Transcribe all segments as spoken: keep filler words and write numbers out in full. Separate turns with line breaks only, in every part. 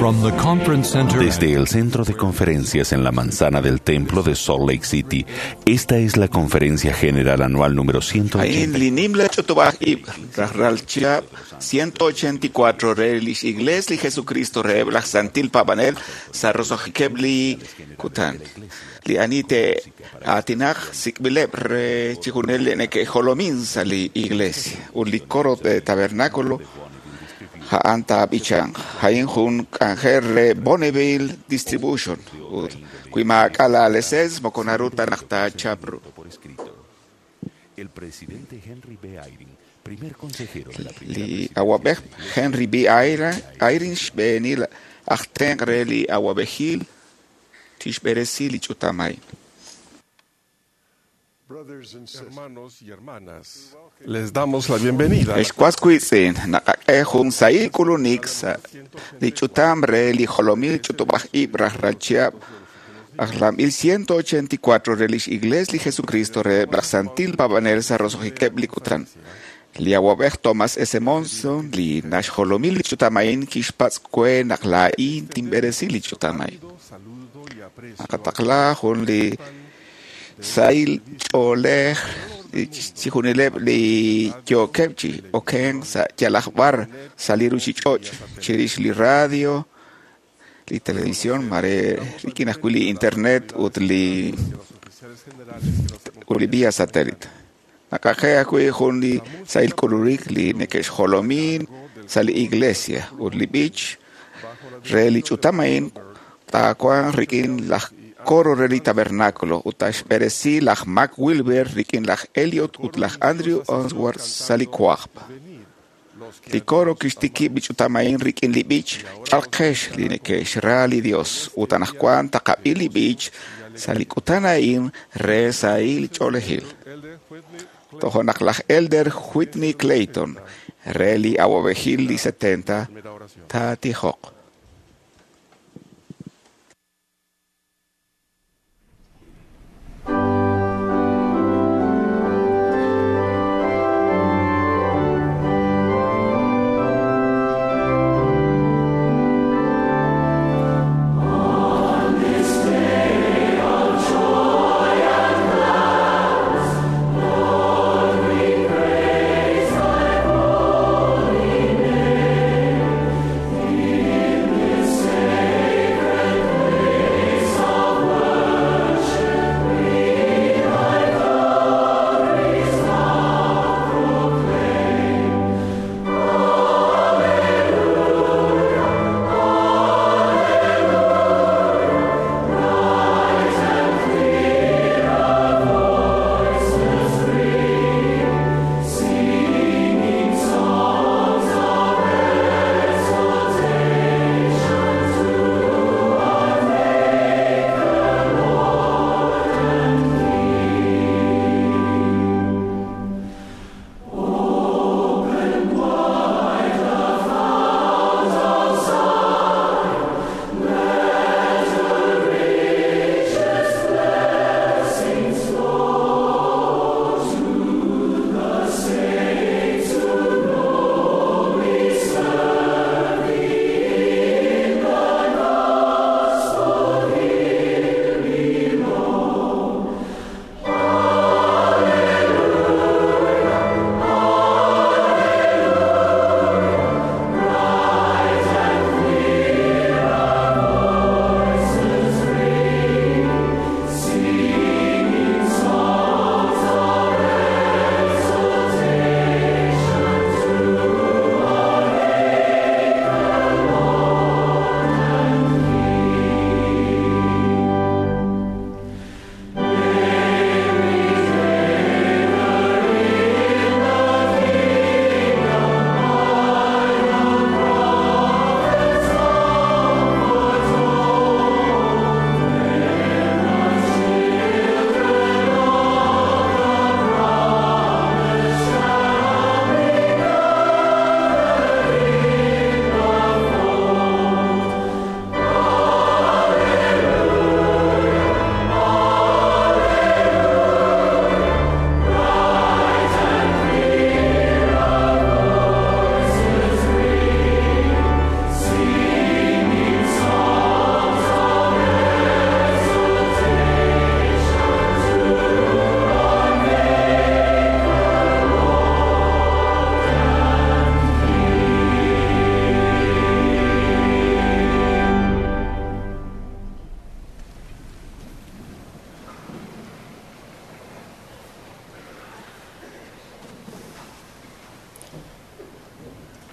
From the conference center
Desde el centro de conferencias en la manzana del templo de Salt Lake City, esta es la conferencia general anual número ciento ochenta.
Ain linimla chutubaj ib rajral chiab ciento ochenta y cuatro re lix igles li Jesucristo re blaj santil pabanel sarrosojikebli kutan. Li anite atinaj sikbileb re chijunel neke jolomin li iglesia. Un li coro de tabernáculo ja'anta bichan. Jain jun kanjer re Bonneville Distribution. Kuimakala leses mokonaruta nakta chapru.
El presidente Henry B. Eyring, primer consejero de la primera
Li awabej Henry B. Eyring xb'eenil aj tenq re li awab'ejil tixb'eresi li ch'utamay.
Hermanos y hermanas, les damos la bienvenida.
Ex kuaskuitzin, naqak'ej jun sahil k'ulunik sa' li ch'utam re li jolomil ch'utub'aj ib' rajral chiab' ajlamb'il ciento ochenta y cuatro re lix igles li Jesucristo re laj santil pabanel sa' roso'jikeb' li kutan. Li awab'ej Thomas S. Monson li naxjolomil li ch'utamain kixpatz' kwe naq laa'in tinb'eresi li ch'utamay. Naqataqla jun li sahil ch'oolej chijunileb' li yookeb' chi oken sa' yalaj b'ar sa' li ruchich'och' chirix li radio, li televisión, mare rik'in ajwi' li internet ut li ut li vía satélite. Naqaje ajwi' jun li sahil k'ulunik li neke'xjolomin sa' li iglesia ut li b'ich re li ch'utamain taawanq rik'in laj coro re li tabernáculo ut taxb'eresi laj Mac Wilber rik'in laj Elliot ut laj Andrew Onsworth sa' li kwajb'. Li coro kixtikib' li ch'utamain rik'in li b'ich chalqex li neke'xra li Dios ut anaqwan taqab'i li b'ich sa' li kutan a'in re sahil ch'oolejil. Tojo naq laj Elder Whitney Clayton re li awab'ejil li setenta taatijoq.
Lord, we praise thy holy name.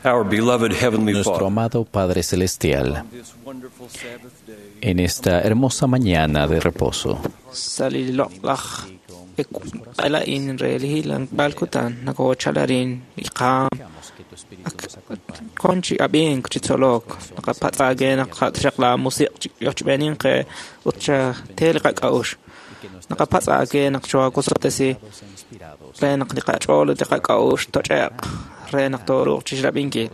Our beloved Heavenly
Nuestro
Father,
amado Padre Celestial,
this wonderful Sabbath day,
en esta hermosa mañana de reposo,
sa li loq'laj q'ela'in re li hilanb'al kutan nakochalarin li qaam kon chi ab'ink chi tzolok naqapatz' naq qatxaq la musiq' chi yochb'enin qe ut cha te li qak'a'ux naqapatz' naq choakusotesi re naq li qach'ool ut li qak'a'ux toch'eq re naq tooruuq chixrab'inkil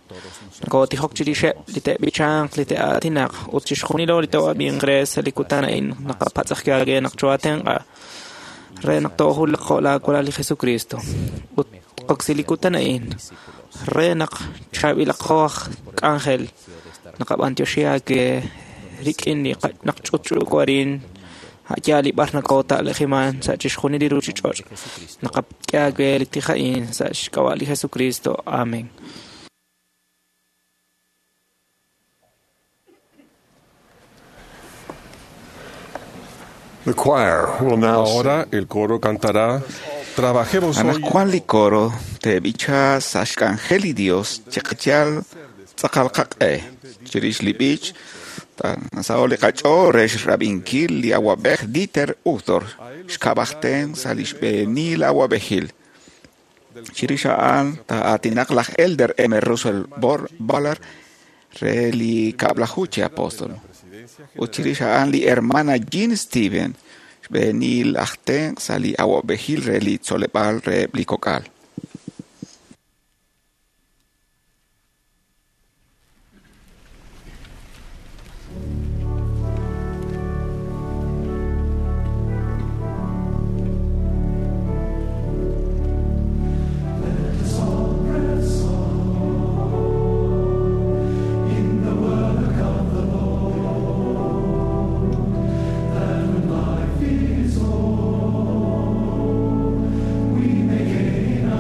nakotijok chirixeb' li te'b'ichanq li te'aatinaq ut chixjunilo li to'ab'inq re sa' li kutan a'in naqapatz'aj naq choatenq'a re naq toojulaq jo' laawalal li Jesucristo ut qoksi li kutan a'in re naq chaab'ilaqo aj k'anjel naqab'antioxi aawe rik'in li qa- naq ch'utch'uuko arin a'yaal li b'ar nakota'lejiman sa' chixjunil li ruchich'och' naqak'e aawe li tij a'in sa' xk'ab'a' li Jesucristo. Amén.
The choir will now sing Ahora el coro cantará Trabajemos hoy
Anaqwan li coro te'b'icha sa' xk'anjel li Dios chiqachal tz'aqal qaq'e chirix li b'ich tasao li qach'ool re xrab'inkil li awab'ej Dieter Uchtdorf xkab'ajten sa' li xb'eenil awab'ejil. Chirix a'an taa'aatinaq laj Elder M. Russell Bor- Ballard re li kab'laju chi apóstol. Ut chirix a'an li hermana Jean Steven xb'eenil aj tenq' sa' li awab'ejil re li tzoleb'aal reheb' li kok'al.
We may gain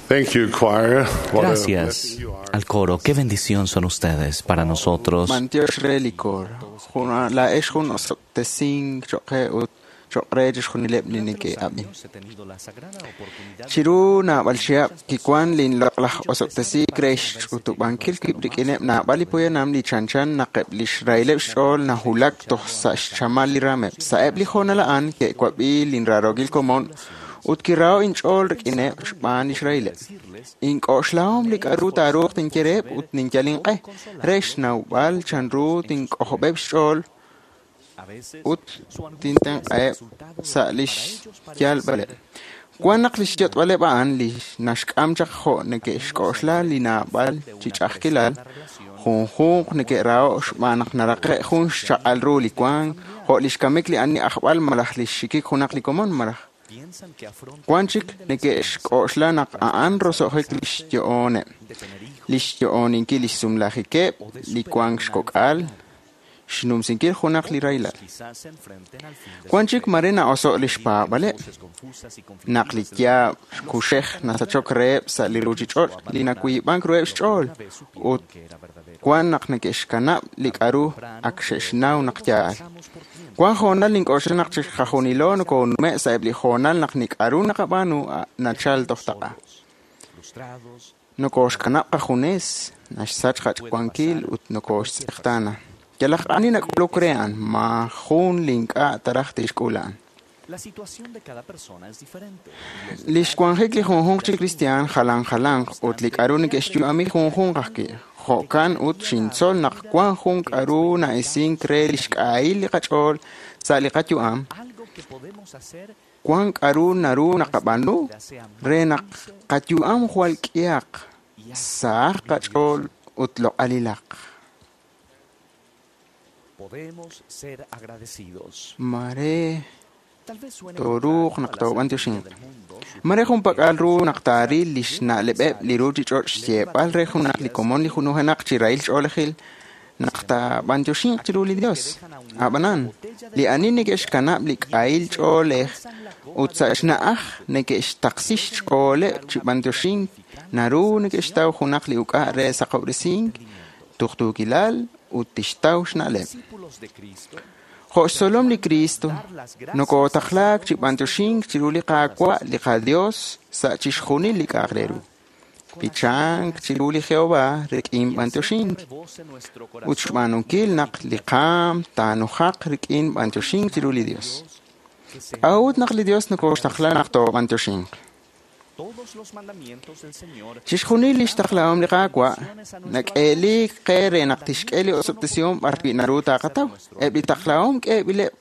Thank you, choir. What a
Gracias
blessing you are.
al coro. Qué bendición son ustedes para nosotros.
B'antiox re li koor. Jun laa'ex jun osob'tesink cho'q qe ut cho'q re chixjunileb' li neke'ab'in. Chiru naab'al chihab' kiwan linloq'laj osob'tesiik re xch'utub'ankil wib' rik'ineb' naab'al li poyanam li chanchan naq eb' li xrahileb' xch'ool nahulak toj sa' xchamal li raameb'. Sa'eb' li hoonal a'an ke'wab'i linraarookil komon ut kiraho' inch'ool rik'ineb' xb'aan li xrahileb'. Ink'oxlahom li k'a'ru taaruuq tinye reheb' ut ninyal inq'e re xnawb'al chanru tink'ojob'eb' xch'ool ut tintenq'aheb' sa' li xyalb'aleb'. Wan naq li xyot'b'aleb' a'an li naxk'am chaq jo' neke'xk'oxla li naab'al chi ch'a'ajkilal, junjunq neke'raho' xb'aan naq naraqe' jun xchaq'al ru li wank, jo' li xkamik li ani ajb'al malaj li xxikik junaq li komon malaj wan chik neke'xk'oxla naq a'an roso'jik li xyo'oneb', li xyo'oninkil li xsumlajikeb', li wank xkok'al, xnumsinkil junaq li rahilal. Wan chik mare na'oso' li xpaab'aleb', naq li yaab' kuxej nasachok reheb' sa' li ruuchich'och' li nawiib'ank ruheb' xch'ool ut wan naq neke'xkanab' li k'a'ru ak xe'xnaw naq yaal. Wan hoonal nink'oxla naq chiqajunilo nokonume' sa'eb' li hoonal naq li k'a'ru naqab'aanu nachal toj taq'a. Nokoxkanab' qajunes, naxsach qach'wankil ut nokoxtz'eqtaana. Yalaq ani nak'uluk re a'an, maajun li ink'a' taraj tixk'ul a'an. Li xwanjik li junjunq chi kristiaan jalan jalanq ut li k'a'ru neke'xyu'ami junjunq ajwi'. Jo'kan ut xintzol naq wan jun k'a'ru na'isink re li xk'ahil li qach'ool sa' li qayu'am. Wan k'a'ru naru naqab'aanu re naq qayu'am jwal k'ihaq, sahaq qach'ool ut loq'alilaq.
Podemos ser agradecidos.
Mare
Tal vez suene
tooruuq naq toob'antioxinq. Mare junpak'al ru naq taaril li xna'leb'eb' li ruuchich'och' xyeeb'al re junaq li komon li junujenaq chi rahil ch'oolejil naq taab'antioxinq chiru li Dios. Ab'anan, li ani neke'xkanab' li k'ahil ch'oolej ut sa' xna'aj neke'xtaqsi xch'ooleb' chi b'antioxink naru neke'xtaw junaq li uk'a' re saqob'resink, tuqtuukilal ut tixtaw xna'leb'.
Discípulos de Cristo
Jo' xtzolom li Cristo, nokotaqlaak chi b'antioxink chiru li Qaawa' li qaDios sa' chixjunil li k'a'aq re ru. B'ichank chiru li Jehova rik'in b'antioxink
rebose nuestro
ut
corazón
xb'aanunkil naq li qaam taanujaq rik'in b'antioxink chiru li Dios.
que se
K'a'ut naq li Dios nokoxtaqla naq toob'antioxinq?
todos los mandamientos del Señor
Chixjunil li xtaqlahom li Qaawa' nak'eeliik qe re naq tixk'e li osob'tesihom b'arwi' naru taaqataw. Eb' li taqlahom k'eeb'ileb'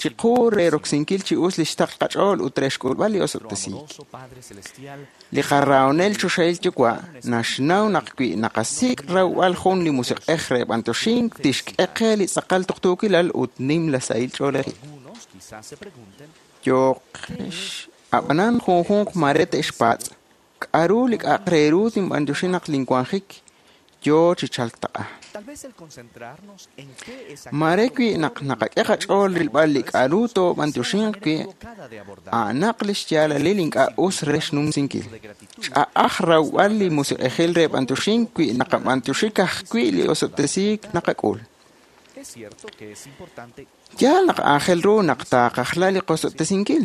chiqu re roksinkil chi us li xtaql qach'ool ut re xk'ulb'al li
nuestro
osob'tesiik.
amoroso Padre Celestial
Li qarahonel choxahil yuwa' naxnaw naq wi naqasik' rawb'al jun li musiq'ej re b'antioxink tixk'e qe li tz'aqal tuqtuukilal ut nimla sahil ch'oolejil.
algunos quizás se pregunten
Yooqex ab'anan junjunq mare te'xpatz' k'a'ru li k'a'aq re ru tinb'antioxi naq linwanjik yoo chi chalk taq'a.
tal vez el concentrarnos en qué es
Mare wi naq naqak'e qach'ool rilb'al li k'a'ru toob'antioxinq wi'
equivocada de abordar
a'anaq li xyaalalil ink'a' us re xnumsinkil. Ch'a'aj rawb'al li musiq'ejil re b'antioxink wi naqab'antioxi ka'ajwi' li osob'tesiik naqak'ul.
Es cierto que es importante
Yaal naq aajel ru naq taaqajla li qosob'tesinkil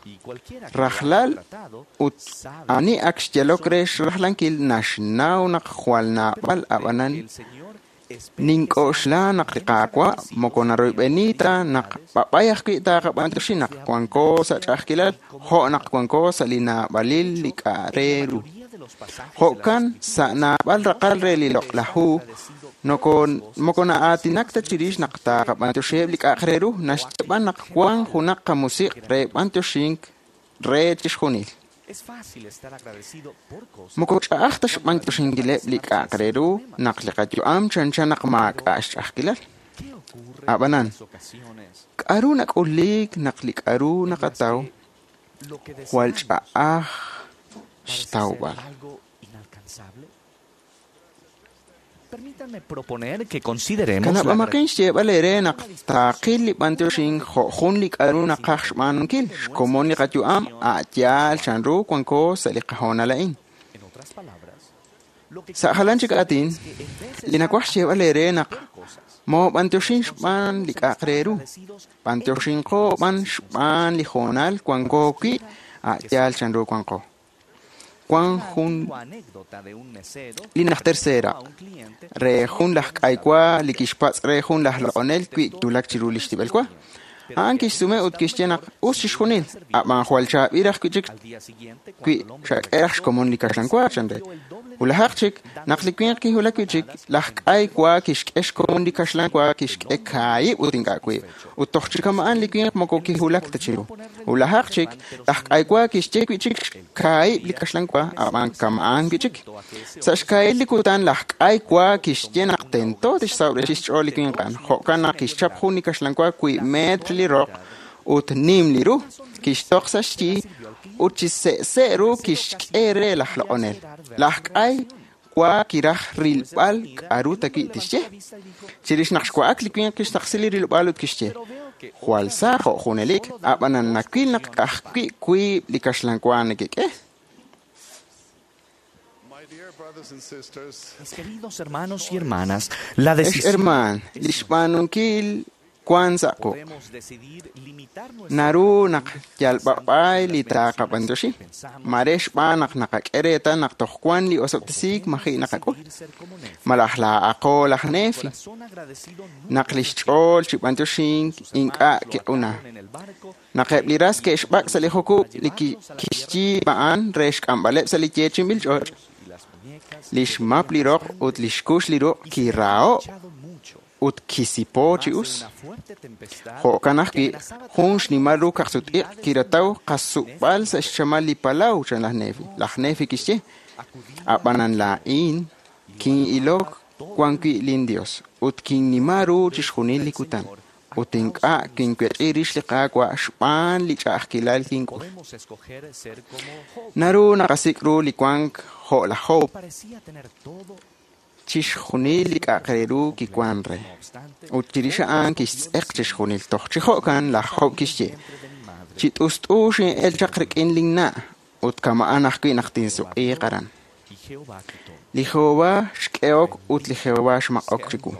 y cualquiera que lo
Rajlal
haya tratado
ut
sabe
ani ak xyalok re xrajlankil naxnaw naq jwal naab'al ab'anan
que el Señor espera que
nink'oxla naq li Qaawa' moko naroyb'eni ta naq b'ab'ay ajwi' taaqab'antioxi naq wanko sa' ch'a'ajkilal jo' naq wanko sa' li naab'alil li k'a' re ru.
mayoría de los pasajes de las
Jo'kan sa' naab'al raqal re li loq'laj hu noko moko na'aatinak ta chirix naq taaqab'antioxiheb' li k'a'aq re ru naxye b'an naq wan junaq qamusiq' re b'antioxink re chixjunil.
Es fácil estar agradecido por cosas
Moko ch'a'aj ta xb'antioxinkileb' li k'a'aq re ru naq li qayu'am chanchan naq maak'a' xch'a'ajkilal.
¿Qué ocurre
Ab'anan,
en las ocasiones
K'a'ru nak'uliik naq li k'a'ru
en las
naqataw
que lo que
jwal
deseamos
ch'a'aj
parece ser
xtawb'al?
algo inalcanzable? Permítanme proponer que consideremos la
Kanab'amaqin xyeeb'al eere naq taaqil li b'antioxink jo' jun li k'a'ru naqaj xb'aanunkil xkomon li qayu'am a' yaal chanru wanko sa' li qahoonal a'in.
En
Sa' jalan chik aatin, li nawaj xyeeb'al eere naq moob'antioxin xb'aan li k'a'aq re ru, b'antioxinqo b'an xb'aan li hoonal wanko wi' a' yaal chanru wanqo. Wan jun li najter seeraq' re jun laj k'aywa li kixpatz' re jun laj loq'onel wi' kiwulak chiru li xtib'el wa. A'an kixsume ut kixye naq us chixjunil, a'b'an jwal chaab'il raj wi' chik wi' xak'e raj xkomon li kaxlan wa chan re. Wulajaq chik, naq li winq kiwulak wi' chik, laj k'ay wa kixk'e xkomon li kaxlan wa kixk'e kaahib' ut ink'a' wiib', ut toj chi kama'an li winq moko kiwulak ta chiru. Wulajaq chik, laj k'ay wa kixye wi' chik kaahib' li kaxlan wa, a'b'an kama'an wi' chik. Sa' xkaahil li kutan laj k'ay wa kixye naq tento tixsawresi xch'ool li winq a'an, jo'kan naq kixchap jun li kaxlan wa wiib' metr li roq ut nim li ru, kixtoq sa' xyi ut chi se'se' ru kixk'e re laj loq'onel. Laj k'ay wa kiraj rilb'al k'a'ru ta wi' tixye. Chirix naq xwa'ak li winq kixtaqsi li rilob'aal ut kixye: Jwal sa jo' junelik, a'b'anan nawil naq ka'ajwi' wiib' li kaxlan wa nekek'e.
Mis queridos hermanos y hermanas, la
Ex
decisión
hermaan, li xb'aanunkil wan sa' quq'.
podemos decidir limitar nuestra
Naru naq yal b'ab'ay li taaqab'antioxi, mare xb'aan naq naqak'e reetal naq toj wan li osob'tesiik maji' naqak'ul.
ser como Nefi.
Malaj laa'aqo laj Nefi,
Corazón agradecido nunca
naq li xch'ool chi b'antioxink ink'a' kiq'una.
en el barco
Naq eb' li ras ke'xb'ak' sa' li jukub' li ki- kixyiib' a'an re xk'amb'aleb' sa' li yeechi'inb'il ch'och',
y las muñecas
li xmap li roq ut li xkux li ruq' kiraho'
echado mucho.
ut kisipo chi
Más de
us.
una fuerte tempestad
Jo'kan ajwi',
que amenazaba
jun xnimal ru kaqsut-iq' kirataw qasub'al sa' xchamal li palaw chan laj Nefi. Laj Nefi kixye:
acudir
A'b'anan laa'in kin'ilok wan wi' lin Dios ut kinnima ru chixjunil li kutan ut ink'a' kinwech'i rix li Qaawa' xb'aan li ch'a'ajkilal kink'ul.
podemos escoger ser como Job.
Naru naqasik' ru li wank jo' laj Job,
Parecía tener todo,
chixjunil li k'a'aq re ru kiwan re.
no obstante,
Ut chirix a'an kixtz'eq chixjunil toj chi jo'kan laj Job kixye:
vientre de mi madre.
Chi t'ust'u xin'el chaq rik'in linna' ut kama'an ajwi' naq tinsuq'iiq aran.
Y Jehová quitó.
Li Jehová xk'ehok ut li Jehová xmaq'ok chiwu.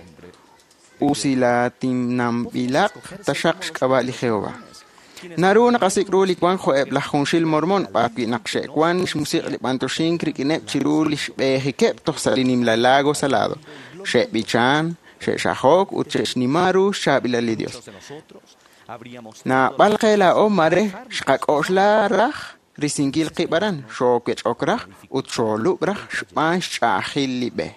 Usilatinamb'ilaq taxaq xk'ab'a' li Jehová. Naru naqasik' ru li wank jo'eb' laj junxil mormon b'arwi' naq xe'wan xmusiq' li b'antioxink rik'ineb' chiru li xb'eejikeb' toj sa' li nimla lago salado. Xe'b'ichan, xe'xajok ut xe'xnima ru xchaab'ilal li Dios.
Muchos de nosotros habríamos
Naab'al qe laa'o mare xqak'oxla raj risinkil qib' aran, xoowech'ok raj ut xoolub' raj xb'aan xch'a'ajil li b'e.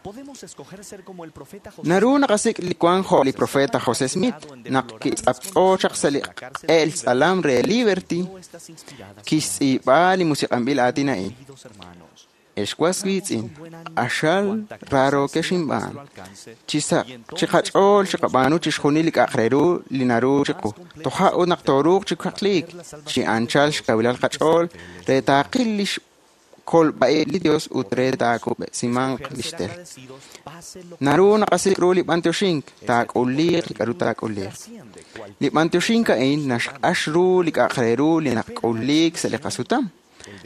Podemos escoger ser como el profeta José
Naru naqasik' li wank jo' li profeta José Smith naq kitz'aptz'o chaq sa' li q'eel tz'alam re Liberty,
No estas inspiradas
kixtz'iib'a li musiq'anb'il aatin a'in.
queridos hermanos.
Ex was wiitz'in, q'axal raarokex inb'aan. Chi sa' chi qach'ool chiqab'aanu chixjunil li k'a'aq re ru li naru chiqu. Toja' ut naq tooruuq chi kaqliik, chi anchal xkawilal qach'ool re taaqil li xkolb'a'ib' li Dios ut re taakub'simanq li
Ser
xtel.
agradecidos, pase lo
Naru naqasik' ru li b'antioxink, taak'uliiq li k'a'ru taak'uliiq.
trasciende cualquier
Li b'antioxink a'in naxq'ax ru li k'a'aq re ru li naqk'uliik sa' li qasutam.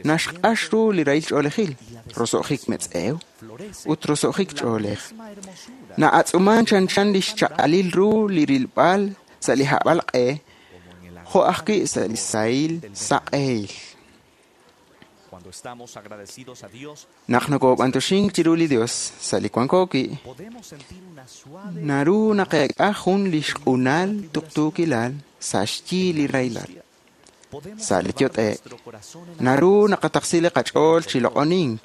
Naxq'ax ru li rahil ch'oolejil, roso'jik metz'ew
florece
ut roso'jik ch'oolej.
misma hermosura
Na'atz'uman chanchan li xchaq'alil ru li rilb'al sa' li hab'al q'e, jo' ajwi' sa' li sahil saq'ehil.
Cuando estamos agradecidos a Dios,
Naq nokob'antioxink chiru li Dios sa' li wanko wi',
podemos sentir una suave
naru naqeek'a jun li xq'unal tuqtuukilal sa' xyi li rahilal.
podemos
Sa' li
elevar
yot'e'k.
nuestro corazón en
Naru naqataqsi li qach'ool chi loq'onink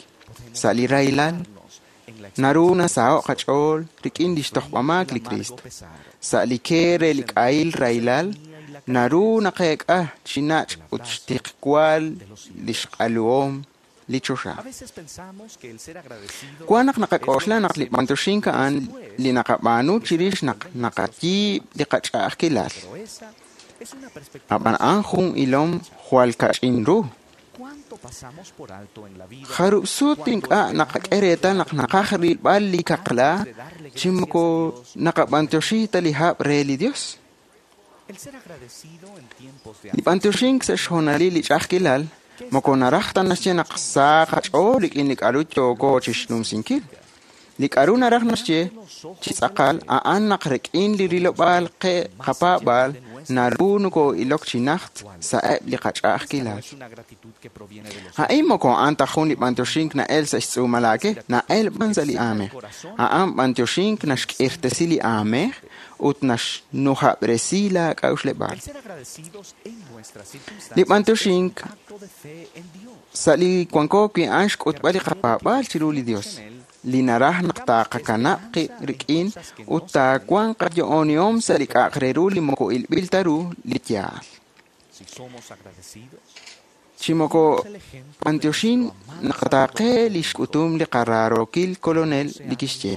sa' li rahilal.
en la
Naru nasaho' qach'ool rik'in li xtojb'amaak li Kristo.
pesar.
Sa' li ke re li k'ahil rahilal, naru naqeek'a chi nach' ut xtiqwal li xq'aluhom li choxa.
A veces pensamos que el ser agradecido
Wan naq naqak'oxla naq li b'antioxink a'an li naqab'aanu chirix naq naqayiib' li qach'a'ajkilal.
pero esa es una perspectiva.
Ab'an a'an jun ilom jwal kach'in ru.
¿Cuánto pasamos por alto en la vida?
Jarub' sut ink'a' naqak'e reetal naq naqaj rilb'al li kaqla chi moko naqab'antioxi ta li hab' re li Dios.
El ser agradecido en tiempos de
Li b'antioxink sa' xhoonalil li ch'a'ajkilal Moko naraj ta naxye naq sa qach'ool rik'in li k'a'ru yooko chixnumsinkil. Li k'a'ru naraj naxye chi tz'aqal a'an naq rik'in li rilob'aal qe qapaab'aal naru noko'ilok chi najt sa'eb' li qach'a'ajkilal. A'in moko a'an ta jun li b'antioxink na'el sa' xtz'uumal aake, na'el b'an sa' li aamej. A'an b'antioxink naxk'irtesi li aamej ut naxnujab'resi la k'a'uxleb'aal. Li b'antioxink sa' li wanko wi' a'an xk'utb'al li qapaab'aal chiru li Dios, li naraj naq taqakanab' qib' rik'in ut taawanq qayo'onihom sa' li k'a'aq re ru li moko ilb'il ta ru li yaal. Chi moko b'antioxin naqataaqe li xk'utum li qaraarookil kolonel li kixye,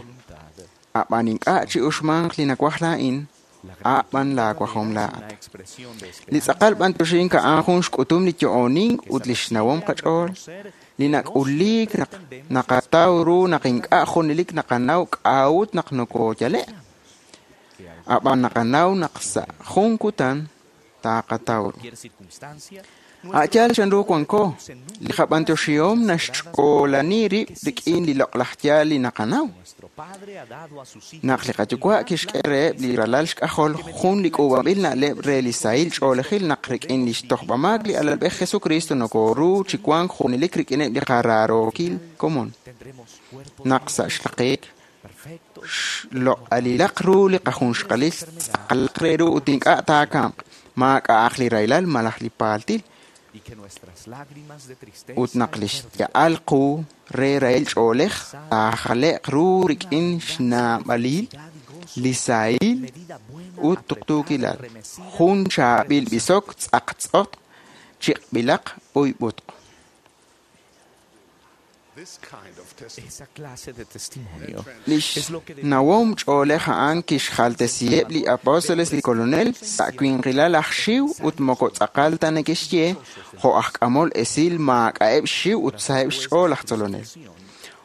a'b'an ink'a' chi'uxmanq li nawaj laa'in, a'b'an laawajom laa'at. Li tz'aqal b'antioxink a'an jun xk'utum li yo'onink ut li xnawom qach'ool, li nak'uliik naq naqataw ru naq ink'a' junelik naqanaw k'a'ut naq nokooyale', a'b'an naqanaw naq sa' jun kutan taqataw ru. A' yaal chanru wanko, li qab'antioxihom naxch'oolani rib' rik'in li loq'laj yaal li naqanaw. Naq li qayuwa' kixk'e reheb' li ralal xk'ajol jun li k'uub'anb'il na'leb' re li sahil ch'oolejil naq rik'in li xtojb'amaak li alalb'ej Jesucristo nokoru chi wank junelik rik'ineb' li qaraarookil komon. Naq sa' xraqik xloq'alilaq ru li qajunxqalil tz'aqalaq re ru ut ink'a' taakamq, maak'a'aq li rahilal malaj li paaltil, ut naq li xya'al qu re rahil ch'oolej taajale'q ru rik'in xnaab'alil li sahil ut tuqtuukilal. Jun chaab'il b'isok tz'aqtz'otq chiq'b'ilaq b'uyb'utq. Li xnawom ch'oolej a'an kixjaltesiheb' li apóstoles li kolonel sa' winqilal aj xiw ut moko tz'aqal ta neke'xye jo' aj k'amol esil maak'a'eb' xxiw ut saheb' xch'ool aj tzolonel.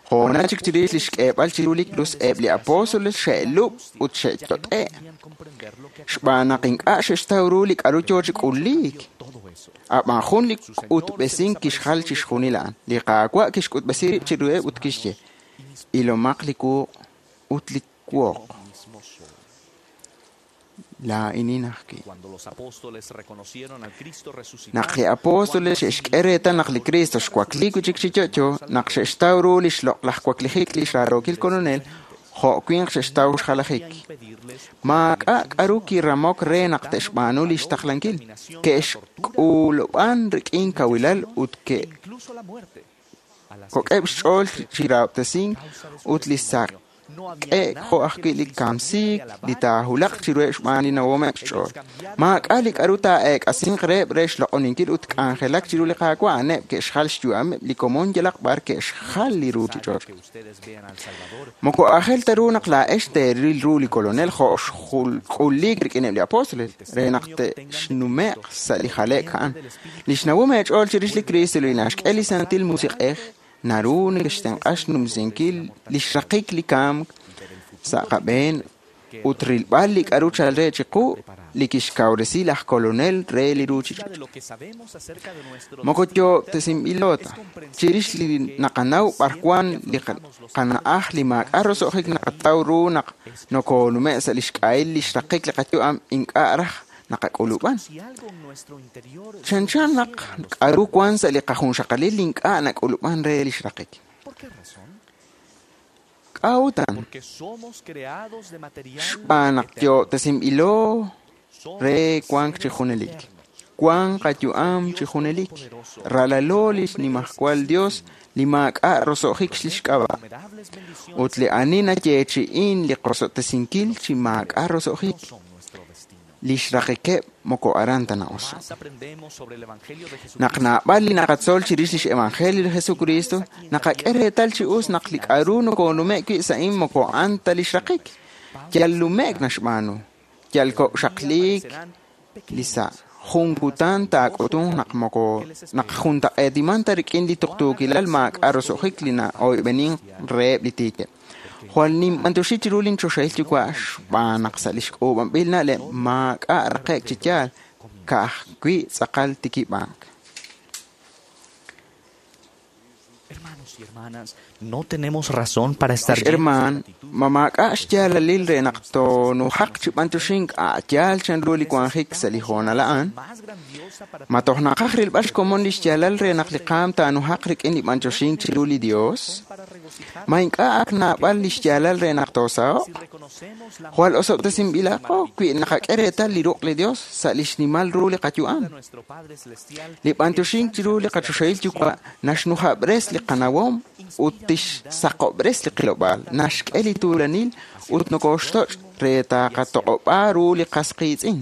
Hoonal chik chirix li xk'eeb'al chiru li krus eb' li apóstoles xe'lub' ut xe'yot'e' xb'aan naq ink'a' xe'xtaw ru li k'a'ru yoo chi k'uliik. A'b'an jun li k'utb'esink kixjal chixjunil a'an. Li Qaawa' kixk'utb'esi rib' chiruheb' ut kixye, ilomaq li wuq' ut li woq. Laa'inin ajwi'. Naq li apóstoles xe'xk'e reetal naq li Cristo xwakliik wi' chik chi yo'yo, naq xe'xtaw ru li xloq'laj waklijik li xraarookil kolonel, jo' winq xe'xtaw xjalajik. Maak'a' k'a'ru kiramok re naq te'xb'aanu li xtaqlankil. Ke'xk'ulub'an rik'in kawilal ut ke'kok'eb' xch'ool chi rahob'tesink ut li saq'e jo' ajwi' li kamsiik li taahulaq chiruheb' xb'aan li nawomeb' xch'ool. Maak'a' li k'a'ru taa'eek'asinq reheb' re xloq'oninkil ut k'anjelak chiru li Qaawa' a'aneb' ke'xjal xyu'ameb' li komon yalaq b'ar ke'xjal li ruuchich'och'. Moko aajel ta ru naq laa'ex teeril ru li kolonel jo' xk'uliik rik'ineb' li apóstoles re naq te'xnume'q sa' li jale'k a'an. Li xnawom eech'ool chirix li Cristo li naxk'e li Santil Musiq'ej naru nekextenq'a xnumsinkil li xraqik li kamk sa' qab'een ut rilb'al li k'a'ru chal re chiqu li kixkawresi laj kolonel re li ruuchich'och'. Moko yo'ob'tesinb'ilo ta. Chirix li naqanaw b'ar wan li qana'aj li maak'a' roso'jik naqataw ru naq nokonume' sa' li xk'ahil li xraqik li qayu'am ink'a' raj naqak'ulub'an. Chanchan naq k'a'ru wan sa' li qajunxaqalil li ink'a' nak'ulub'an re li xraqik. K'a'utan? Xb'aan naq yo'ob'tesinb'ilo re wank chi junelik. Wank qayu'am chi junelik. Ralalo li xnimajwal Dios li maak'a' roso'jik li xk'ab'a'. Ut li ani nayeechi'in li qosob'tesinkil chi maak'a' roso'jik. Li xraqikeb' moko aran ta na'oso'. Naq naab'al li naqatzol chirix lix evangelio li Jesucristo, naqak'e reetal chi us naq li k'a'ru nokonume' wi' sa'in moko a'an ta li xraqik. Yal lume'k naxb'aanu, yal kok'xaqliik li sa' jun kutan taak'utunq naq moko naq juntaq'eetiman ta rik'in li tuqtuukilal maak'a' roso'jik li na'oyb'enink reheb' li tiikeb'. Jwal ninb'antioxi chiru linchoxahil yuwa' xb'aan naq sa' li xk'uub'anb'il na'leb' maak'a' raqe'k chi yaal, ka'ajwi' tz'aqal tikib'ank.
No tenemos razón para estar
Ex hermaan, ma maak'a' xyaalalil re naq toonujaq chi b'antioxink a' yaal chanru li wanjik sa' li hoonal a'an. Ma toj naqaj rilb'al xkomon li xyaalal re naq li qaam taanujaq rik'in li b'antioxink chiru li Dios. Ma ink'a' ak naab'al li xyaalal re naq toosaho'q. Jwal osob'tesinb'ilaqo wi naqak'e reetal li ruq' li Dios sa' li xnimal ru li qayu'am. Li b'antioxink chiru li qachoxahil yuwa' naxnujab'res li qanawom ut tixsaqob'res li qilob'aal, naxk'e li tuulanil ut nokoxtoch' re taqatoq'ob'a ru li qas qiitz'in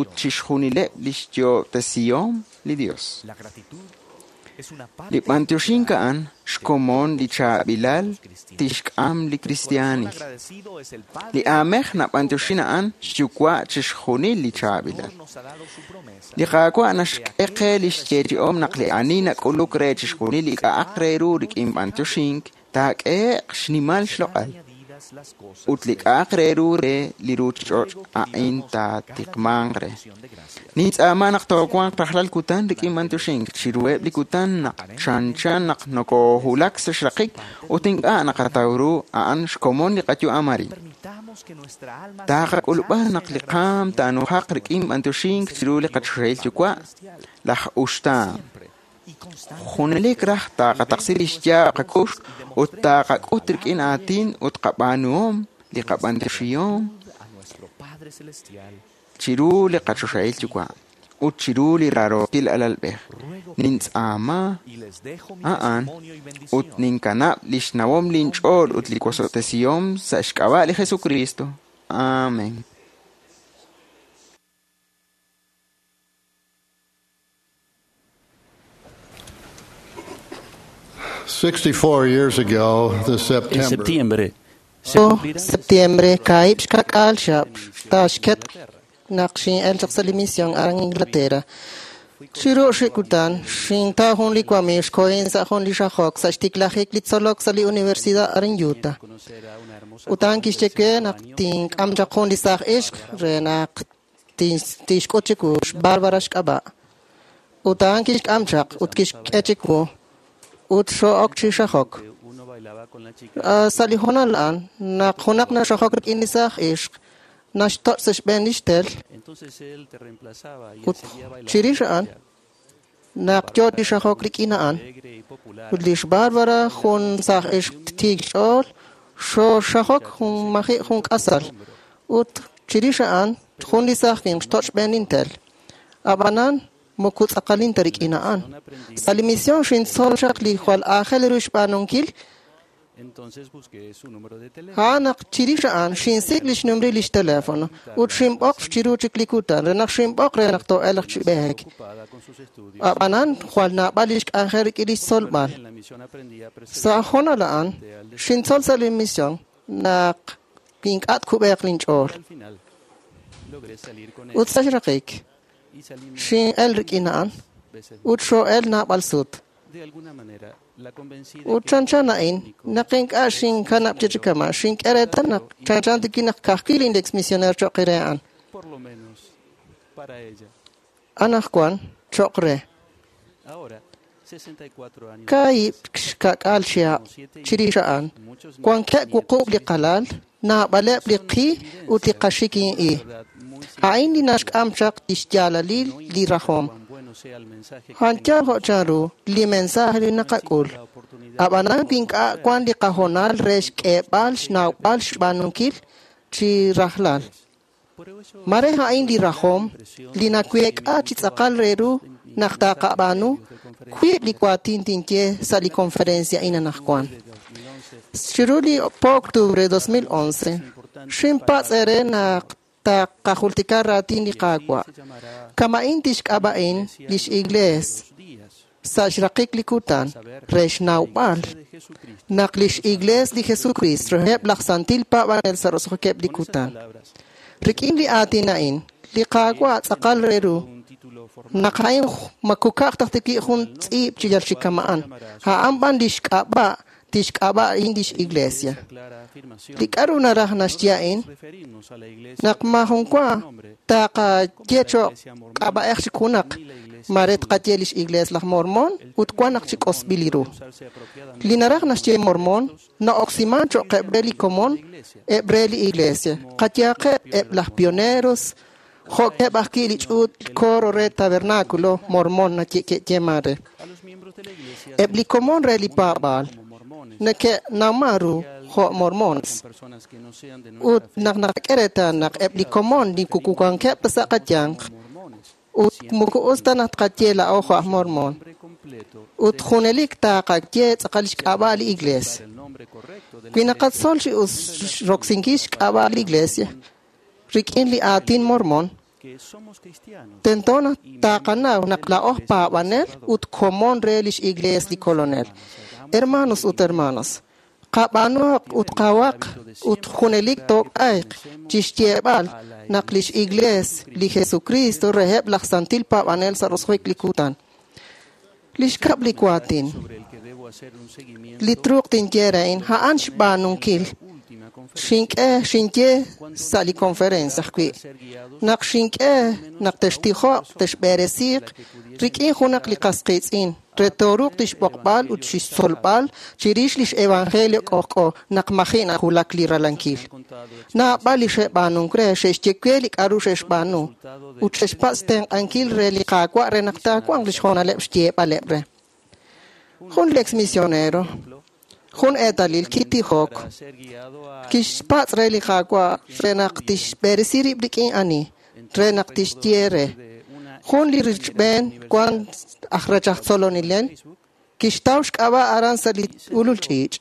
ut chixjunileb' li xyo'ob'tesihom li Dios. Li b'antioxink a'an xkomon li chaab'ilal tixk'am li kristiaanil. Li aamej nab'antioxin a'an xyuwa' chixjunil li chaab'ilal. Li Qaawa' naxk'e qe li xyeechi'om naq li ani nak'uluk re chixjunil li k'a'aq re ru rik'in b'antioxink taak'ehe'q xnimal xloq'al. Ut li k'a'aq re ru re li ruuchich'och' a'in taatiqmanq re. Nintz'aama naq toowanq rajlal kutan rik'in b'antioxink chiruheb' li kutan naq chanchan naq nokoohulak sa' xraqik ut ink'a' naqataw ru a'an xkomon li qayu'am arin. Taqak'ulub'a naq li qaam taanujaq rik'in b'antioxink chiru li qachoxahil yuwa' laj uxtaan. Junelik raj taqataqsi li xyaab' qakux ut taqak'ut rik'in aatin ut qab'aanuhom li qab'antioxihom chiru li qachoxahil yuwa' ut chiru li rarookil alalb'ej. Nintz'aama a'an ut ninkanab' li xnawom linch'ool ut li wosob'tesihom sa' xk'ab'a' li Jesucristo. Amén.
sixty-four years ago this
En
September,
septiembre se
O
cumplirán
septiembre kaib xkak'al xab taxket naq xin'el chaq sa' li misión aran Inglaterra. Chiru xikutan xinta jun li wamiiw xkohin sa' jun li xajok sa' xtiklajik li tzolok sa' li universidad aran Utah.
conocer a una hermosa
Utan
joven de
kixye we
diecinueve
naq
años
tink'am chaq jun li saaj ixq re naq tin- tixk'ut chiwu xBarbara xk'ab'a'. Utan kixk'am chaq ut kixk'e chiwu ut xo'ok chi xajok.
que uno bailaba con la chica
Ah, sa' li hoonal a'an naq junaq naxajok rik'in li saaj ixq naxtoch' sa' xb'een li xtel
entonces él te reemplazaba y él
ut
seguía bailando
chirix a'an
con ella.
naq yoo chi xajok rik'in a'an
Alegre y popular
ut lix Barbara jun saaj ixq tiik xch'ool xooxajok jun maji' jun k'asal ut chirix a'an jun li saaj winq xtoch' xb'een intel. Ab'anan moko tz'aqalin ta rik'in a'an. Sa' li misión xintzol chaq li jwal aajel ru xb'aanunkil
entonces busqué su número de teléfono
a'an naq chirix a'an xinsik' li xnumri lix teléfono ut xinb'oq chiru chik li kutan re naq xinb'oq re naq too'elaq chi b'eek.
ocupada con sus estudios
Ab'anan jwal naab'al li xk'anjel rik'in li xtzolb'al.
en la misión aprendí a preservar
Sa' hoonal a'an xintzol sa' li misión naq ink'a' tkub'eeq linch'ool.
al final logré salir con
Ut
ella
sa' xraqik
y salimos
xin'el rik'in a'an
veces
ut xoo'el naab'al sut.
de alguna manera la convencí de
Ut
que
chanchan a'in naq ink'a' xinkanab' chi chikama' xink'e reetal naq chanchan tikin naq ka'ajwi' lin ex misionero cho'q re a'an.
por lo menos para ella
Anaqwan cho'q re.
ahora sesenta y cuatro años
Kaahib' xka'k'aal chihab' chirix a'an
muchos
wankeb' wuqub' li qalal naab'aleb' li qi ut li qaxikin-i.
verdad muy
A'in li naxk'am chaq li xyaalalil li rajom.
cuán bueno sea el mensaje que
Janchal jo' chanru li mensaje li naqak'ul.
la oportunidad
Ab'anan wi ink'a' wan li qahoonal re xk'eeb'al xnawb'al xb'aanunkil chi rajlal.
por eso
Mare a'in li rajom li naweek'a chi tz'aqal re ru naq taqab'aanu wiib' li waatin tinye sa' li conferencia a'in anaqwan. Chiru li po octubre dos mil once xinpatz' ere naq taqajultika raatin li Qaawa'.
se llamará
Kama'in tixk'ab'a'in lix iglees
los días
sa' xraqik li kutan re xnawb'al
de Jesucristo
naq lix iglees li Jesucristo reheb' laj santil paab'anel sa' roso'jikeb' li kutan.
palabras
Rik'in li aatin a'in, li Qaawa' tz'aqal re ru
un título formal
naq a'in makuka'q taj tiki' jun tz'iib' chi yal chikama'an. A'an b'an lix k'ab'a' tixk'ab'a'in lix iglesia.
clara afirmación
Li k'a'ru naraj naxye a'in
referirnos a la iglesia
naq majun wa
nombre
taqaye cho'q k'ab'a'ej chi junaq
ni la iglesia
Mare tqaye lix iglees laj Mormon ut wan naq chi k'osb'il li ru. Li naraj naxye Mormon na'oksiman cho'q re li komon eb' re li iglesia. Qayehaqeb' eb' laj pioneros jo'keb' ajwi' li ch'uut coro re tabernáculo Mormon naye'yeeman re. Eb' li komon re li paab'aal neke'nawman ru jo' Mormones. Ut naq naqak'e reetal naq eb' li komon li kukuwankeb' ta sa' qayanq ut moko us ta naq tqaye laa'o jo' aj Mormon. Ut junelik taaqaye tz'aqal xk'ab'a' li iglesia. Wi naqatzol chi us roksinkil xk'ab'a' li iglesia rik'in li aatin Mormon, tento naq taqanaw naq laa'o paab'anel ut komon re lix iglees li Kolonel. Hermanos ut hermanas, qab'aanuhaq ut qawaq ut junelik took'ayq chixyeeb'al naq lix iglees li Jesucristo reheb' laj santil paab'anel sa' roso'jik li kutan. Lix kab' li waatin, li truuq tinye re'in a'an xb'aanunkil xink'e xinye sa' li conferencia ajwi' naq xink'e naq textijoq texb'eresiiq rik'in junaq li qas qiitz'in re tooruuq tixb'oqb'al ut xixtzolb'al chirix lix evangelio k'ojk'o naq maji' najulak li ralankil. Naab'al li xe'b'aanunk re xe'xye we li k'a'ru xe'xb'aanu ut xe'xpatz' xtenq'ankil re li Qaawa' re naq taawanq lix hoonaleb' xyeeb'aleb' re. Jun li ex misionero, jun eetalil kitijok, kixpatz' re li Qaawa' re naq tixb'eresi rib' rik'in ani, re naq tixye re. Jun li richb'een wan aj rech aj tzolonilel, kixtaw xk'ab'a' aran sa' li ulul ch'iich'.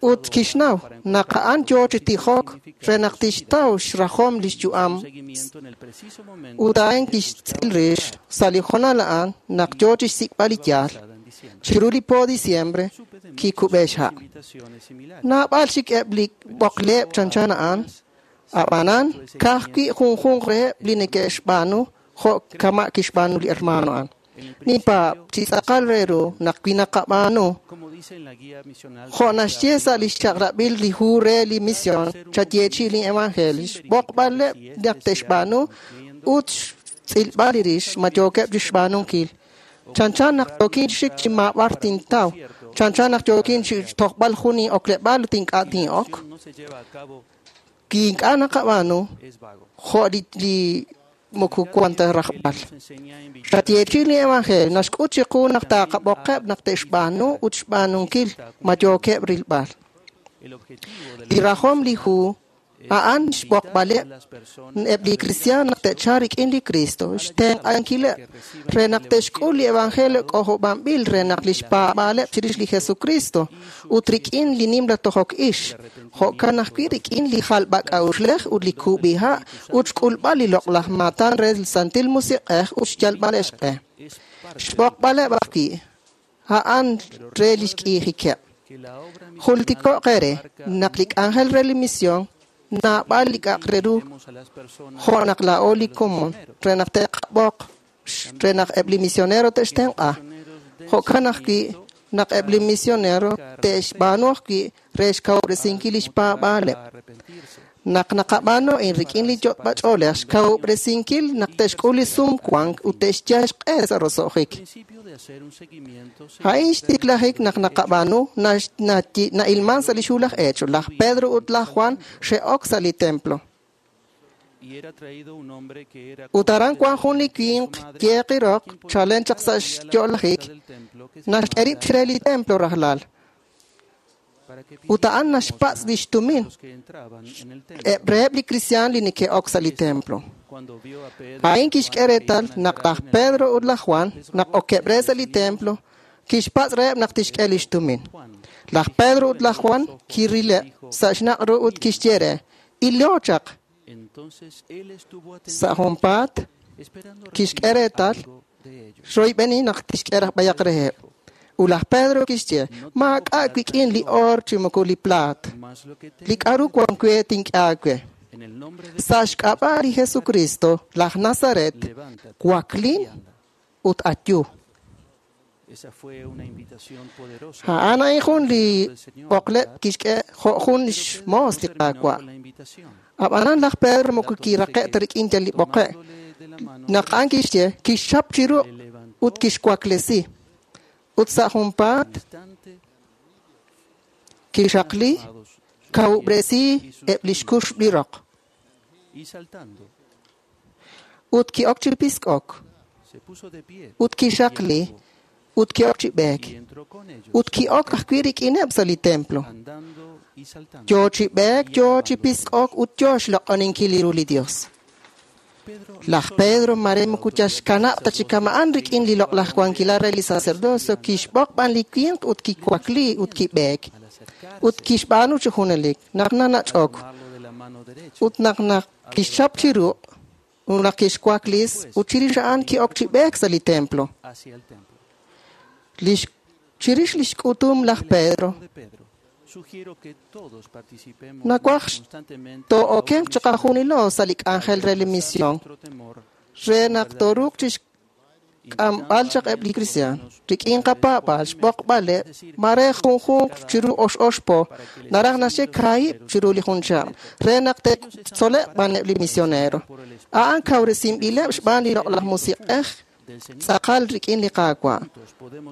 Ut kixnaw naq a'an yoo chi tijok re naq tixtaw xrajom lix yu'am. Ut a'an kixtz'il rix sa' li hoonal a'an naq yoo chixsik'b'al li yaal. Chiru li po diciembre kikub'e xha'. Naab'al chik eb' li b'oqleb' chanchan a'an, ab'anan ka'ajwi' junjunq reheb' li neke'xb'aanu jo' kama' kixb'aanu li hermano a'an. Ninpaab' chi tz'aqal re ru naq wi naqab'aanu jo' naxye sa' lix chaq'rab'il li hu re li misión chayeechi' li evangelio, xb'oqb'aleb' naq te'xb'aanu ut xtz'ilb'al li rix ma yookeb' chixb'aanunkil. Chanchan naq yookin xik chi maab'ar tintaw, chanchan naq yookin chi tojb'al jun in'okleb'aal ut ink'a' tin'ok. Wi ink'a' naqab'aanu jo' li li moko wan ta rajb'al. Xayeechi' li evangelio naxk'ut chiqu naq taqab'oqeb' naq te'xb'aanu ut xb'aanunkil ma yookeb' rilb'al. Li rajom li hu a'an xb'oqb'aleb' eb' li kristiaan naq te'chalq rik'in li Cristo, xtenq'ankileb' re naq te'xk'ul li evangelio k'ojob'anb'il re naq lix paab'aaleb' chirix li Jesucristo ut rik'in li nimla tojok ix, jo'kan ajwi' rik'in li jalb'ak'a'uxlej ut li kub'iha' ut xk'ulb'al li loq'laj maatan re li Santil Musiq'ej ut xyalb'al xq'e. Xb'oqb'aleb' ajwi' a'an re lix k'iijikeb'. Jultiko'q eere naq li k'anjel re li misión naab'al li k'a'aq re ru jo' naq laa'o li komon re naq te'qab'oq re naq eb' li misionero te'xtenq'a. Jo'kan ajwi' naq eb' li misionero te'xb'aanu ajwi' re xkawub'resinkil lix paab'aaleb'. Naq naqab'aanu a'in rik'in li yot'b'ach'oolej xkawub'resinkil naq te'xk'ul li sumwank ut te'xyal xq'e sa' roso'jik. A'in xtiklajik naq naqab'aanu na'ilman sa' li xhu laj Hecho. Laj Pedro ut laj Juan xe'ok sa' li templo. Ut aran wan jun li winq yeeq roq chalen chaq sa' xyo'lajik naxk'e rib' chire li templo rajlal. Ut a'an naxpatz' lix tumin eb' reheb' li kristiaan li neke'ok sa' li templo. A'in kixk'e reetal naq laj Pedro ut laj Juan naq okeb' re sa' li templo kixpatz' reheb' naq tixk'e lix tumin. Laj Pedro ut laj Juan kirileb' sa' xnaq' ru ut kixye re, "Ilo chaq." Sa' junpaat kixk'e reetal xroyb'eni naq tixk'e raj b'ayaq reheb'. Ut laj Pedro kixye, "Maak'a' wik'in li oor chi moko li plaat. Li k'a'ru wan we tink'e aawe. Sa' xk'ab'a' li Jesucristo, laj Nazaret, waklin ut ayu." A'an a'in jun li b'oqleb' kixk'e jo' jun xmoos li Qaawa'. Ab'anan laj Pedro moko kiraqe' ta rik'in yal li b'oqe'. Naq a'an kixye, kixchap chi ruq' ut kixwaklesi. Ut sa' junpaat kixaqli, kawub'resi eb' li xkuxb' li roq. Ut ki'ok chi pisk'ok. Ut kixaqli, ut ki'ok chi b'eek. Ut ki'ok ajwi' rik'ineb' sa' li templo. Yo chi b'eek, yo chi pisk'ok ut yo xloq'oninkil ru li Dios. Laj Pedro mare moko yal xkanab' ta chi kama'an rik'in li loq'laj wankilal re li sacerdocio, kixb'oq b'an li winq ut kiwakli ut kib'eek. Ut kixb'aanu chi junelik, naq nanach'ok. Ut naq naq kixchap chi ruq', ut naq kixwaklis, ut chirix a'an ki'ok chi b'eek sa' li templo. Lix, chirix lix k'utum laj Pedro, nawaj too'okenq chiqajunilo sa' li k'anjel re li misión, re naq tooruuq chixk'amb'al chaq eb' li kristiaan rik'in qapaab'aal, xb'oqb'aleb', mare junjunq chiru ox ox po, naraj naxye kaahib' chiru li jun chihab', re naq te'tzoleb' b'an eb' li misionero. A'an kawresinb'ileb' xb'aan li loq'laj musiq'ej tz'aqal rik'in li Qaawa'.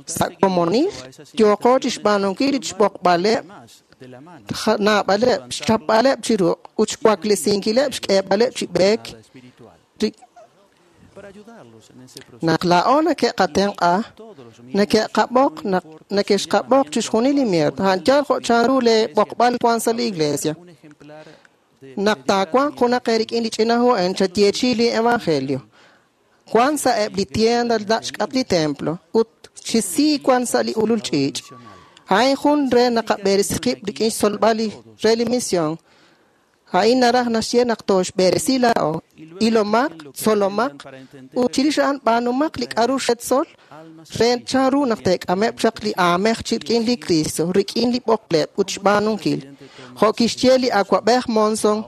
Sa' komonil yooqo chixb'aanunkil li xb'oqb'aleb' naab'aleb', xchapb'aleb' chi ruq' ut xwaklesinkileb' xk'eeb'aleb' chi b'eek. Naq laa'o neke'qatenq'a, neke'qab'oq naq neke'xqab'oq chixjunil li mier, a'an yaal jo' chanru lee b'oqb'al wan sa' li iglesia. Naq taawanq junaq eerik'in li ch'ina hu a'in, chayeechi li evangelio. Wan sa' eb' li tienda nach' xk'atq li templo ut chi sii wan sa' li ulul ch'iich'. A'in jun re naqab'eresi qib' rik'in xtzolb'al li re li misión. A'in naraj naxye naq tooxb'eresi laa'o. Ilomaq, tzolomaq, ut chirix a'an b'aanumaq li k'a'ru xetzol re chanru naq teek'ameb' chaq li aamej chi rik'in li Cristo, rik'in li b'oqleb' ut xb'aanunkil. Jo' kixye li awa'b'ej Monson,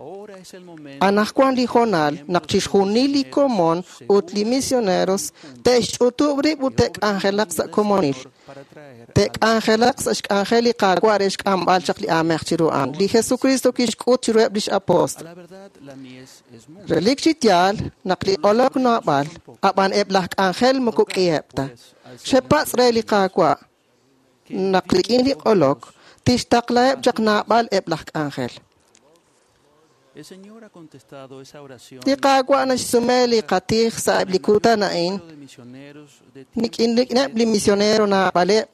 anaqwan li hoonal naq chixjunil li komon ut li misioneros te'xch'utub' rib' ut te'k'anjelaq sa' komonil. Te'k'anjelaq sa' xk'anjel li Qaawa' re xk'amb'al chaq li aamej chiru a'an. Li Jesucristo kixk'ut chiruheb' lix apóstol. Relik chi yaal naq li q'olok naab'al, ab'an eb' laj k'anjel moko k'iheb' ta. Xepatz' re li Qaawa' naq rik'in li q'olok tixtaqlaheb' chaq naab'al eb' laj k'anjel. Li Qaawa' naxsume li qatij sa' eb' li kutan a'in, rik'ineb' li misionero naab'aleb'.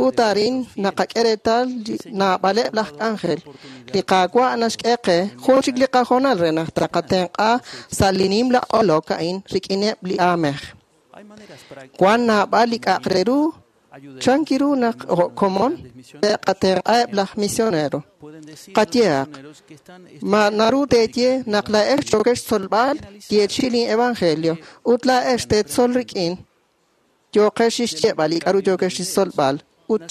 Ut arin naqak'e reetal naab'aleb' laj k'anjel. Li Qaawa' naxk'e qe jun chik li qahoonal re naq taqatenq'a sa' li nimla q'olok a'in rik'ineb' li aamej. Wan naab'al li k'a'aq re ru chanki ru naq jo' komon te'qatenq'aheb' laj misionero. Qayehaq, ma naru teeye naq laa'ex yookex xtzolb'al yeechi li evangelio ut laa'ex teetzol rik'in yooqex xyeeb'al li k'a'ru yookex xtzolb'al ut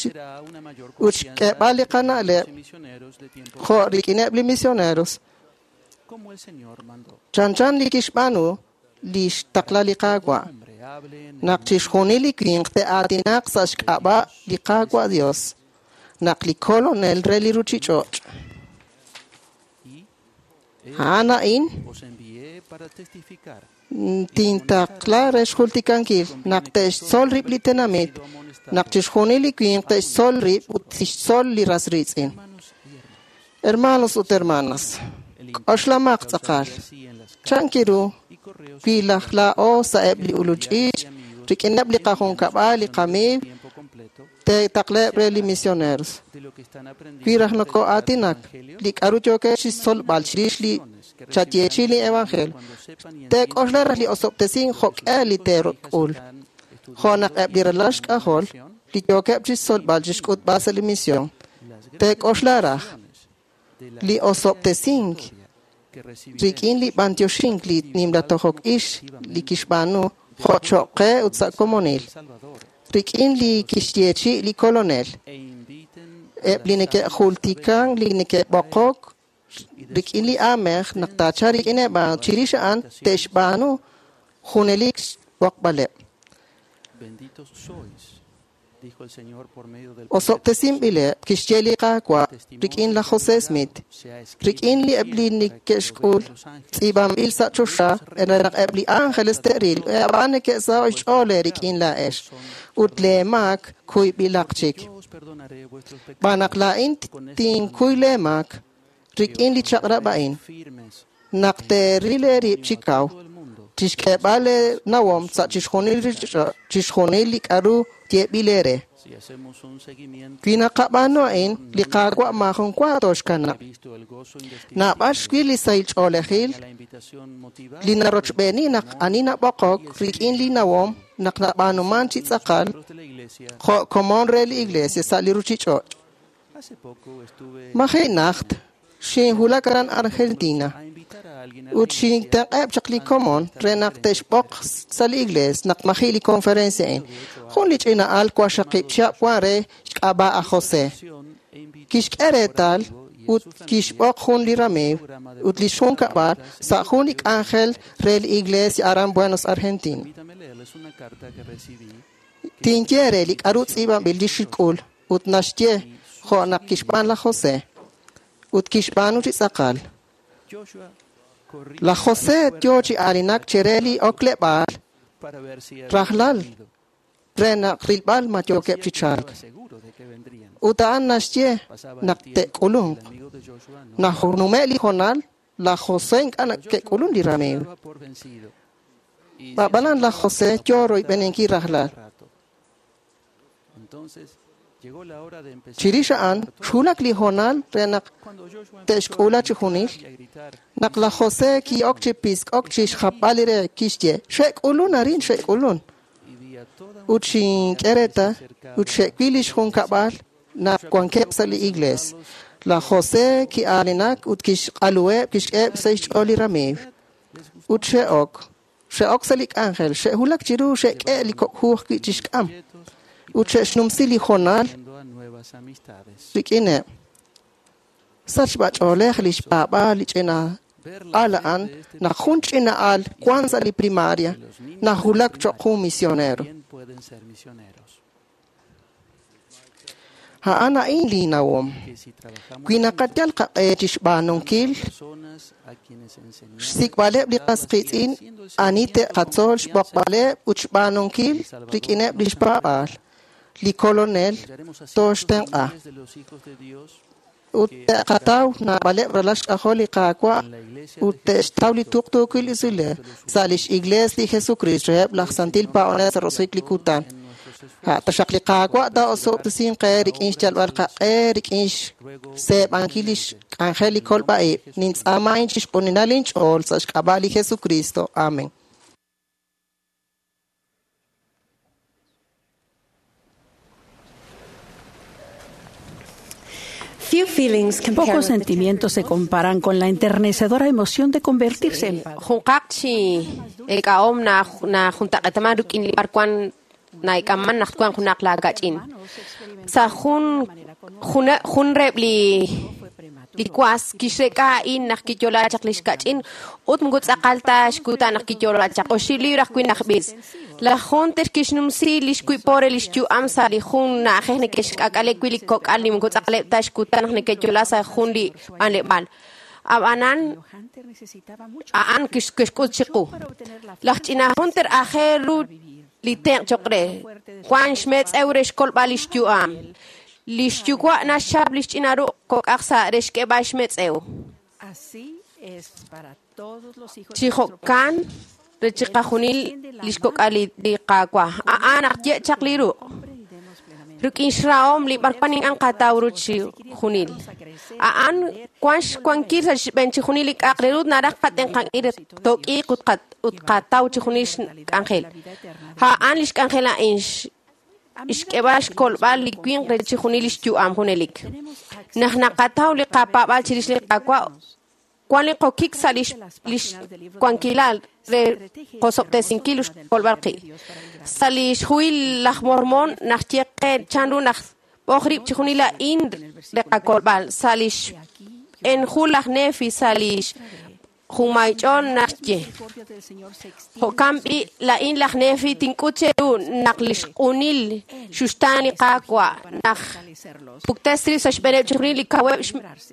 ut xk'eeb'al li qana'leb' jo' rik'ineb' li misioneros. Chanchan li kixb'aanu li xtaqla li Qaawa'. Naq chixjunil li winq te'aatinaq sa' xk'ab'a' li Qaawa' Dios, naq li Kolonel re li ruchich'och'. A'an a'in tintaqla re xjultikankil naq te'xtzol rib' li tenamit, naq chixjunil li winq te'xtzol rib' ut tixtzol li ras riitz'in. Hermanos ut hermanas, k'oxlamaq tz'aqal. Chanki ru wi laj laa'o sa' eb' li ulul ch'iich' rik'ineb' li qajunkab'al, li qamiiw, te'taqleb' re li misioneros. Wi raj nokoo'aatinak, li k'a'ru yookex chixtzolb'al chirix li chayeechi li evangelio, teek'oxla raj li osob'tesink jo'k'e li teek'ul. Jo' naq eb' li ralal xk'ajol li yookeb' chixtzolb'al chixk'utb'al sa' li misión, teek'oxla raj li osob'tesink rik'in li b'antioxink li nimla tojok ix li kixb'aanu jo' choq' qe ut sa' komonil, rik'in li kixyeechi li Kolonel, eb' li neke'jultikan li neke'b'oqok rik'in li aamej naq taachalq rik'ineb' a'an chirix a'an te'xb'aanu junelik xb'oqb'aleb'. Osob'tesinb'ileb' kixye li Qaawa' rik'in laj José Smith, rik'in li eb' li neke'xk'ul tz'iib'anb'il sa' choxa re naq eb' li ángeles te'ril ab'an neke'saho' xch'ool rik'in laa'ex ut lee maak kuyb'ilaq chik. Xb'aan naq laa'in tinkuy lee maak rik'in li chaq'rab' a'in naq teeril eerib' chi kaw chixk'eeb'al eenawom sa' chixjunil chixjunil li k'a'ru yeeb'il eere. Wi naqab'aanu a'in, li Qaawa' maajun wa tooxkanab'. Naab'al xwil li sahil ch'oolejil li narochb'eeni naq ani nab'oqok rik'in li nawom naq nab'aanuman chi tz'aqal jo' komon re li Iglesia sa' li ruchich'och'. Maji' najt xinwulak aran Argentina ut xintenq'eb' chaq li komon re naq te'xb'oq sa' li iglees naq maji' li conferencia a'in. Jun li ch'ina al waqxaqib' chihab' wan re xk'ab'a' aj José. Kixk'e reetal ut kixb'oq jun li ramiiw ut li xjunkab'al sa' jun li k'anjel re li iglesia aran Buenos Argentina. Tinye re li k'a'ru tz'iib'anb'il li xk'ul ut naxye jo' naq kixb'aan laj José ut kixb'aanu chi tz'aqal. Laj José yo chi aalinak chire li okleb'aal rajlal re naq rilb'al ma yookeb' chi chalk. Ut a'an naxye naq te'k'ulunq. Naq nume' li hoonal, laj José ink'a' ke'k'ulun li ramiiw. Ab'anan laj José yo royb'eninkil rajlal. Chirix a'an xwulak li hoonal re naq te'xk'ula chi junil. Naq laj José ki'ok chi pisk'ok chi xjapb'al li re kixye xe'k'ulun arin xe'k'ulun. Ut xink'e reetal ut xe'wil li xjunkab'al naq wankeb' sa' li iglees. Laj José ki'aalinak ut kixq'aluheb' kixk'eheb' sa' xch'ool li ramiiw. Ut xe'ok xe'ok sa' li k'anjel xe'wulak chiru xe'k'e li kok' hu ajwi' chixk'am. Ut xe'xnumsi li hoonal rik'ineb'. Sachb'ach'oolej li xpaab'aal li ch'ina al a'an naq jun ch'ina al wan sa' li primaria nawulak cho'q jun misionero. A'an a'in li nawom. Wi naqayal qaq'e chixb'aanunkil xsik'b'aleb' li qas qiitz'in ani te'qatzol xb'oqb'aleb' ut xb'aanunkil rik'ineb' li xpaab'aal. Li Kolonel tooxtenq'a. Ut te'qataw naab'aleb' ralal xk'ajol li Qaawa' ut te'xtaw li tuqtuukil usilal sa' lix Iglees li Jesucristo reheb' laj Santil Paab'anel sa' roso'jik li kutan. Taxaq li Qaawa' taa'osob'tesinq qe rik'in xyalb'al qaq'e rik'in xseeb'ankil li xk'anjel li kolb'a'ib'. Nintz'aama a'in chixq'uninal inch'ool sa' xk'ab'a' li Jesucristo. Amen.
Pocos sentimientos se comparan con la enternecedora emoción de convertirse en padre.
Junqaq chi ek'a'om na na juntaq'etaman rik'in li b'arwan naik'amman naq twan junaq laakach'in. Sa' jun jun reheb' li li was kixrek'a a'in naq kiyo'la chaq li xkach'in ut moko tz'aqal ta xkutan naq kiyo'la chaq oxib' libra ajwi' naq b'is. Laj Hunter kixnumsi li xwiib' re li xyu'am sa' li jun na'ajej neke'xk'ak'ale wi' li kok'al li moko tz'aqaleb' ta xkutan naq neke'yo'la sa' jun li b'anleb'aal. Ab'anan a'an kixk'ut chiqu. Laj ch'ina Hunter aajel ru li tenq' cho'q re. Wan xmetz'ew re xkolb'al li xyu'am. Li xyuwa' naxchap li xch'ina ruq' kok'aj sa' re xk'eeb'al xmetz'ew. Chi jo'kan re chiqajunil li xkok'al li Qaawa'. A'an naq ye' chaq li ruq'. Rik'in xrahom li b'arwan ink'a' qataw ru chi junil. A'an wan xwankil sa' xb'een chi junil li k'a'aq re ru naraj qatenq'ankil re took'iiq ut ut qataw chi junil xk'anjel. A'an li xk'anjel a'in xk'eeb'al xkolb'al li winq re chi junil li xyu'am junelik. Naq naqataw li qapaab'al chirix li Qaawa' wan li qokik sa' li xwankilal re qosob'tesinkil ut xkolb'al qib'. Sa' li xhuhil laj Mormón naq ye qe chanru naq b'oq rib' chi junil a'in re qakolb'al. Sa' li xb'een hu laj Nefi sa' li Junmay ch'ool naxye. Jo'kan b'i' laa'in laj Nefi tink'ut cheru naq li xq'unil xuxtaan li Qaawa' naq puktes rib' sa' xb'eeneb' chixjunil li kaweb'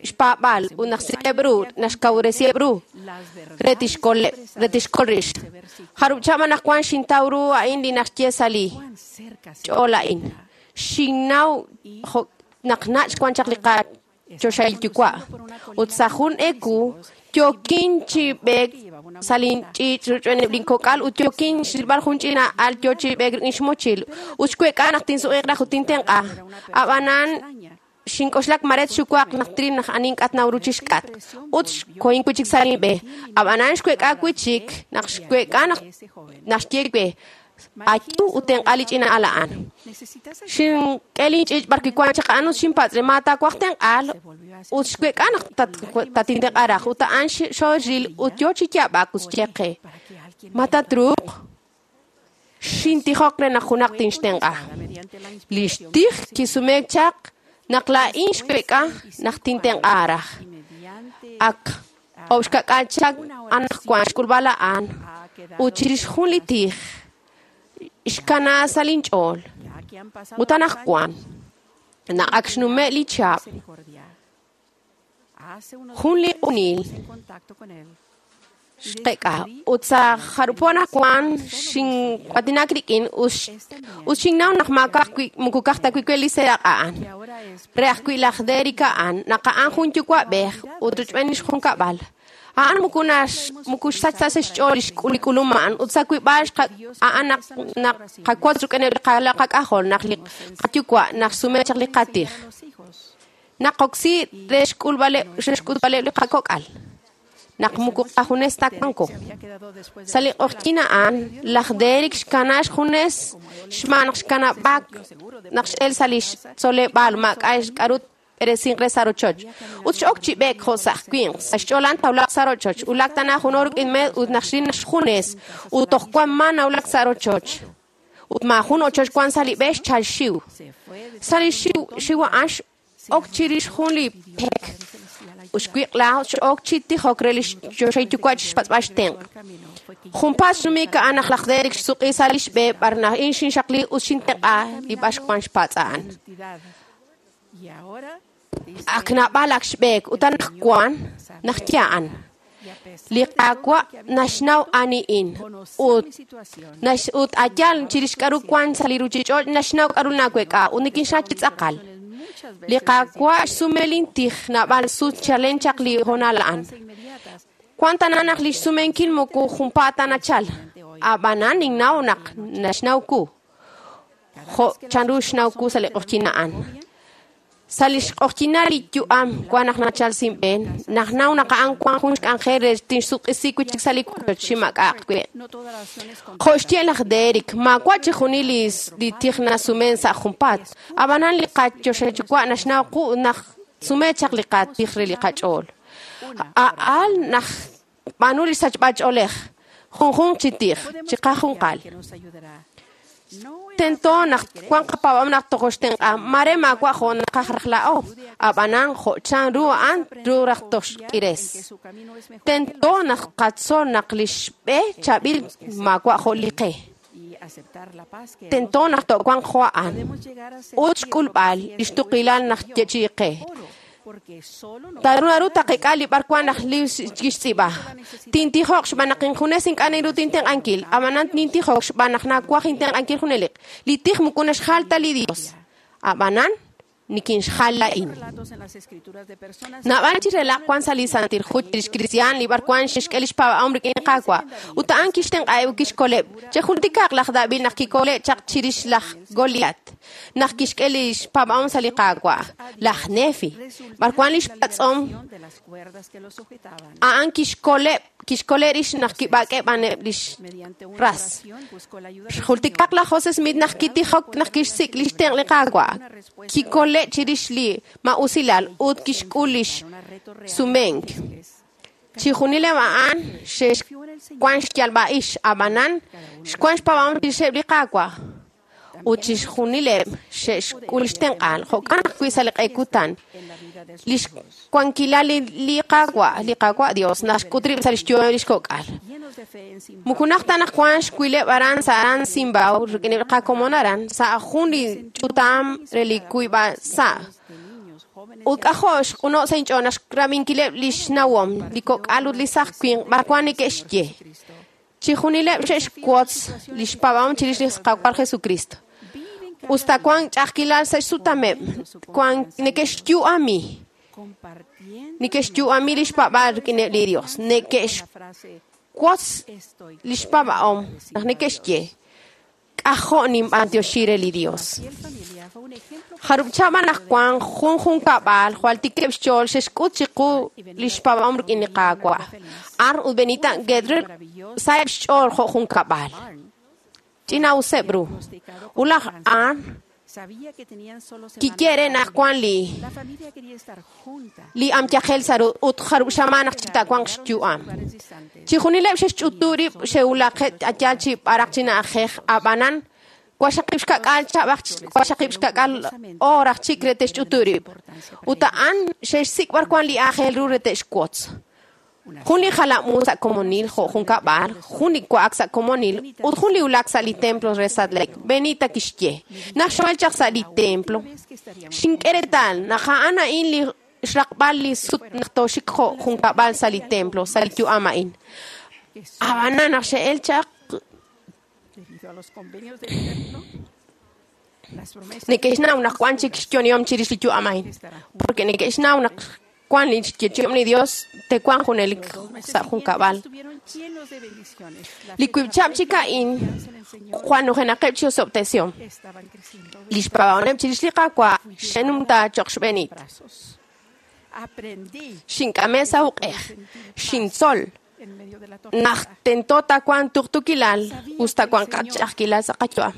xpaab'aal ut naq sik'eb' ru naxkawresiheb' ru re tixkoleb' re tixkol rix. Jarub' chihab' anaqwan xintaw ru a'in li naxye sa' li ch'ool a'in. Xinnaw jo' naq nach' wan chaq li qachoxahil yuwa' ut sa' jun eku yookin chi b'eek sa' linch'iich' rochb'eeneb' linkok'al ut yookin xrilb'al jun ch'ina al yoo chi b'eek rik'in xmochil ut xweek'a naq tinsuq'iiq raj ut tintenq'a. Ab'anan xink'oxlak maret xuwaq naq tril naq ani ink'a' tnaw ru chixk'atq ut xkohin wi' chik sa' linb'e. Ab'anan xweek'a wi' chik naq xweek'a naq naxye we ayu ut tenq'a li ch'ina al a'an. Xink'e linch'iich' b'ar wi' wan chaq a'an ut xinpatz' re ma taawaj tenq'aal ut xweek'a naq tatintenq'a raj ut a'an xoril ut yoo chi yaab'ak ut xye qe ma tatruuq xintijok re naq junaq tinxtenq'a. Li xtij kisumeek chaq naq laa'in xweek'a naq tintenq'a raj. Ak oxkak'al chaq anaqwan xk'ulb'al a'an ut chirix jun li tij xkana sa' linch'ool ut anaqwan naq ak xnume' li chihab' jun li q'unil xqek'a ut sa' jarub' po anaqwan xin'aatinak rik'in ut xinnaw naq maak'a' ajwi' moko ka'aj ta wi' we li seeraq' a'an. Re ajwi' laj Derek a'an naq a'an jun yuwa'b'ej ut rochb'een li xjunkab'al. A'an moko nax moko xsach ta sa' xch'ool li xk'ulum a'an ut sa' wib'al a'an naq naq qawotz rik'ineb' li qak'ajol naq li qayuwa' naq xsume chaq li qatij. Naqoksi re xk'ulb'aleb' re xk'utb'aleb' li qakok'al. Naq moko qajunes ta wanko. Sa' li q'oqyink a'an laj Derek xkana xjunes xb'aan naq xkanab'aak naq x'el sa' li xtzoleb'aal maak'a' k'a'ru b'eresinq re sa' rochoch. Ut x'ok chi b'eek jo' sa' winq sa' xch'ool a'an tawlaq sa' rochoch. Wulak tana jun hor rik'in meed ut naq xril naq xjunes ut toj wan ma nawulak sa' rochoch. Ut maajun ochoch wan sa' li b'e xchal xiw. Sa' li xiw xiw a'an x'ok chirix jun li pek ut xwiq'la x'ok chi tijok re li xchoxahil yuwa' chi xpatz'b'al xtenq'. Junpaat xnumik a'an naq laj Derek xsuq'i sa' li xb'e b'ar naq in xinxaqli ut xintenq'a li b'ar wan xpatz' a'an. Ak naab'al ak xb'eek ut anaqwan naq ye a'an. Li Qaawa' naxnaw ani'in ut ut ayal chirix k'a'ru wan sa' li ruchich'och' naxnaw k'a'ru naweek'a ut nikinxnaw chi tz'aqal. Li Qaawa' xsume lintij naab'al sut chalen chaq li hoonal a'an. Wan tana naq li xsumenkil moko junpaat ta nachal. Ab'anan ninnaw naq naxnaw ku. Jo' chanru xnaw ku sa' li q'oqyink a'an. Sa' li xq'oqyinal li yu'am wan naq nachal sinb'een naq naw naq a'an wan jun xk'anjel re tinxsuq'isi wi' chik sa' li wochoch chi maak'a'aq we'. Jo' xye laj Derek maawa' chixjunil li tij nasumen sa' junpaat. Ab'anan li qachoxahil yuwa' naxnaw qu naq sume chaq li qatij re li qach'ool. A'al naq b'aanu li sachb'al ch'oolej junjunq chi tij chi qajunqal. Tento naq wan qapaab'am naq tojoxtenq'a mare maawa' jo' naqaj raj laa'o. Ab'anan jo' chanru a'an ru raj toxk'ires. Tento naq qatzol naq li xb'e chaab'il maawa' jo' li qe. Tento naq to'wanq jo' a'an ut xk'ulb'al li xtuqilal naq yechi'i qe. Taru naru taqek'a li b'ar wan naq li kixtz'iib'a. Tintijoq xb'aan naq injunes ink'a' ninru tintenq'ankil. Ab'anan nintijoq xb'aan naq nawaj intenq'ankil junelik. Li tij moko naxjal ta li Dios. Ab'anan nikinxjal laa'in. Naab'al chi relaq wan sa' li Santil Hu chirix kristiaan li b'ar wan xexk'e li xpaab'ahom rik'in Qaawa' ut a'an kixtenq'aheb' ut kixkoleb'. Chejultikaq laj David naq kikole' chaq chirix laj Goliat naq kixk'e li xpaab'ahom sa' li Qaawa'. Laj Nefi b'ar wan li xpatz'om a'an kixkoleb' kixkole' rix naq kib'ak'eb' b'aneb' lix ras. Xjultikaq laj José Smith naq kitijok naq kixsik' li xtenq' li Qaawa'. Kikole' chirix li ma'usilal ut kixk'ul lix sumenk. Chixjunileb' a'an xe'xwan xyalb'a'ix ab'anan xwan xpaab'ahom chirixeb' li Qaawa'. Ut chixjunileb' xe'xk'ul xtenq'aal, jo'kan ajwi' sa' li q'e kutan. Lix wankilal li, li Qaawa', li Qaawa' Dios, naxk'ut rib' sa' lix yu'am lix kok'al. Muku naq ta naq wan xwileb' aran sa' aran Zimbabue, rik'ineb' qakomon aran, sa' jun li ch'utam re li kuyb'a sa'. Ut k'ajo' xq'uno' sa' inch'ool naq xrab'inkileb' lix nawom, li kok'al ut li saj winq b'arwan neke'xye. Chixjunileb' xe'xwotz lix paab'ahom chirix li Qaawa' Jesucristo. Usta wan ch'a'ajkilal sa' xsutameb', wan neke'xyu'ami. Neke'xyu'ami lix paab'aal rik'ineb' li Dios. Neke'xwotz lix paab'ahom naq neke'xye. K'ajo' ninb'antioxi re li Dios. Jarub' chaba naq wan jun junkab'al jwal tikeb' xch'ool xe'xk'ut chiqu lix paab'ahom rik'in li Qaawa'. Ar ut Benita Gedrer sa'eb' xch'ool jo' junkab'al. Ch'ina'useb' ru. Ut laj Arn kiye re naq wan li li amyajel sa' ru ut jarub' xamaan naq chitawanq xyu'am. Chixjunileb' xe'xch'utu rib' xe'wulaqeb' ayal chi b'araq chi na'ajej ab'anan waxaqib' xka'k'aal chab'aj waxaqib' xka'k'aal oor aj chik re te'xch'utu rib'. Ut a'an xe'xsik' b'arwan li aajel ru re te'xwotz. Jun li jalam'u sa' komonil jo' junkab'al, jun li wa'ak sa' komonil ut jun li wulak sa' li templo re Salt Lake. Benita kixye, naq xwal chaq sa' li templo, xink'e reetal naq a'an a'in li xraqb'al li sut naq tooxik jo' junkab'al sa' li templo, sa' li yu'am a'in. Ab'anan naq xe'el chaq neke'xnaw naq wan chik xyonihom chirix li yu'am a'in, porque neke'xnaw naq wan li xyeechi'om li Dios tewanq junelik sa' junkab'al. Li wiib' chab' chik a'in jwal nujenaqeb' chi osob'tesihom. Lix paab'ahomeb' chirix li Qaawa' xe'numta cho'q xb'eenit. Xink'ame' sa' uq'ej, xintzol naq tento tawanq tuqtuukilal us tawanq qach'a'ajkilal sa' qayu'am.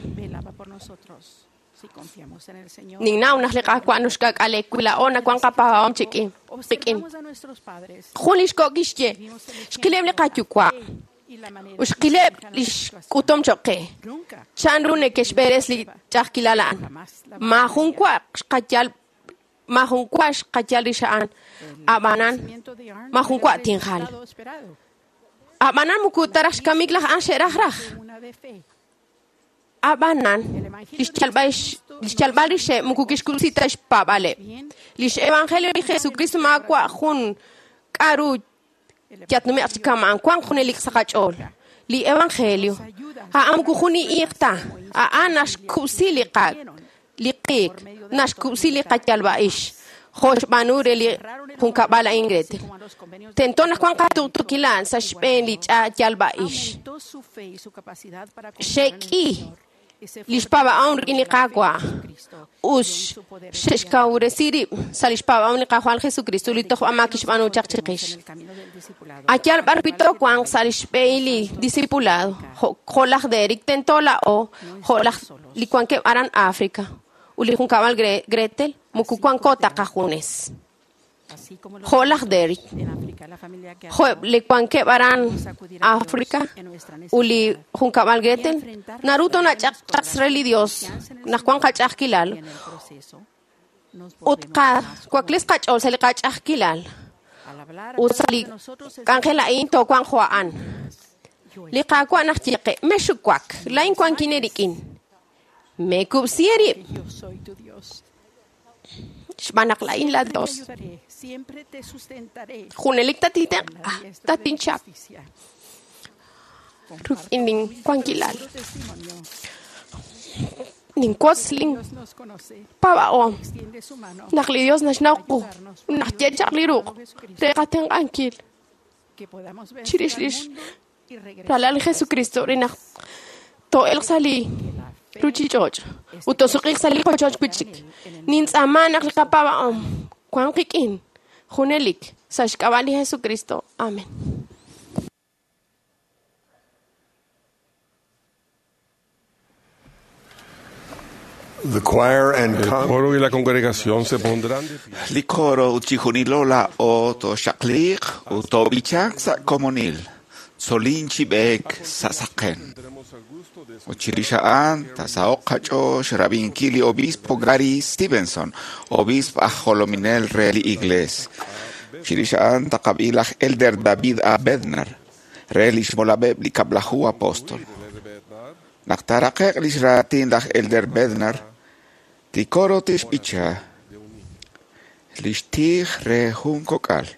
Ninnaw naq li Qaawa' nuxk'ak'ale wi laa'o nawanq qapaab'ahom chik'in qik'in. Jun li xko' kixye, xqileb' li qayuwa' ut xqileb' li xk'utum cho'q qe. Chan ru neke'xb'eres li ch'a'ajkilal a'an. Maajun wa xqayal maajun wa xqayal rix a'an. Ab'anan maajun wa tinjal. Ab'anan muku taraj xkamik laj a'an xe'raj raj. Ab'anan lix yalb'al rixeb' muku kixkub'si ta xpaab'aleb'. Lix evangelio li Jesucristo maawa' jun k'a'ru yatnume'q chi kama'an wanq junelik sa' qach'ool. Li evangelio a'an muku jun iiq ta, a'an naxkub'si li qa li qiik, naxkub'si li qayalb'a'ix. Jo' xb'aanu re li junkab'al a'in Gretel. Tento naq wanq qatuqtuukilal sa' xb'een li yalb'a'ix. Xe'k'i lix paab'ahom rik'in li Qaawa' ut xe'xkawresi rib' sa' lix paab'ahom li Qaawa' Jesucristo li toj amaak kixb'aanu chaq chiqix. Ayal b'ar wi toowanq sa' lix b'ehil li discipulado, jo' laj Derek tento laa'o, jo' laj li wankeb' aran África ut li junkab'al Gretel muku wanko ta qajunes. Jo' laj Derek, jo' li wankeb' aran África ut li junkab'al Gretel, naru toonach'aqchaq re li Dios naq wan qach'a'ajkilal ut qawakles qach'ool sa' li qach'a'ajkilal ut sa' li k'anjel a'in toowanq jo' a'an. Li Qaawa' naq ye qe, mexuwak, laa'in wankin eerik'in. Mekub'si eerib'. Xb'aan naq laa'in la Dios. Junelik tatitenq'a, tatinchap. Rik'in linwankilal. Ninwotz linpaab'ahom naq li Dios naxnaw qu, naq ye chaq li ruq' re qatenq'ankil chirix lix ralal li Jesucristo re naq too'elq sa' li ruchich'och' ut tosuq'iq sa' li qochoch wi'chik. Nintz'aama naq li qapaab'ahom wanq qik'in junelik sa' xk'ab'a' li Jesucristo. Amen.
The choir and
El coro y la congregación se pondrán de pie.
Li coro ut chixjunilo laa'o tooxaqliiq ut toob'ichaq sa' komonil. Tzolin chi b'eek sa' saqen.
Tendremos el gusto de
Ut chirix a'an taasaho'q qach'ool xrab'inkil li obispo Gary Stevenson, obisp aj jolominel re li Iglees. Chirix a'an taqab'i laj Elder David A. Bednar re lix molameb' li Kab'laju Apostol. Naq taaraqe'q lix raatin laj Elder Bednar, li coro tixb'icha lix tij re jun kok'al.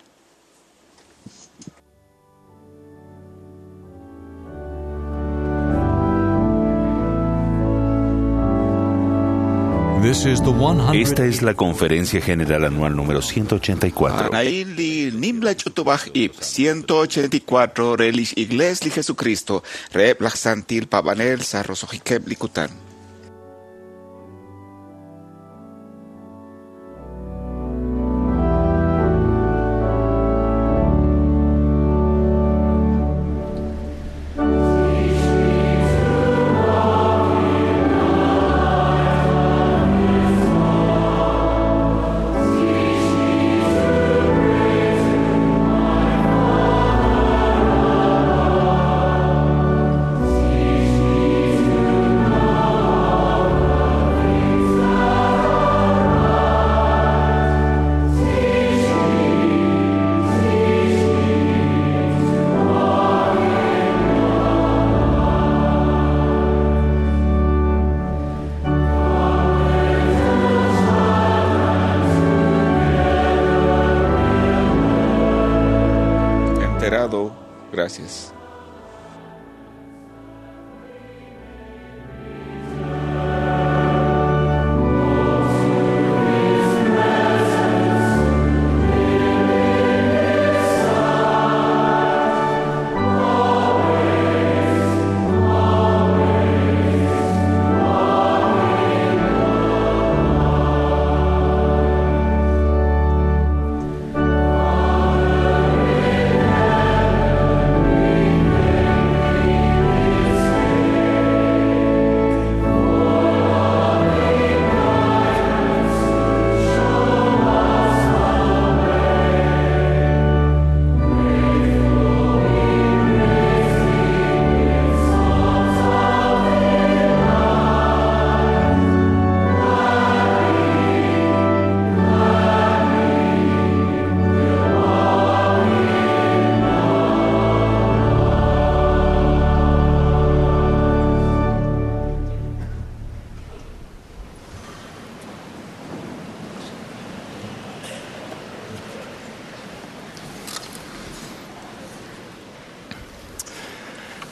Esta es la Conferencia General Anual número ciento ochenta y cuatro.
Anaín li nimla ch'utub'aj ib' ciento ochenta y cuatro re lix Iglees li Jesucristo reheb' laj Santil Paab'anel sa' roso'jikeb' li kutan. Enterado, gracias.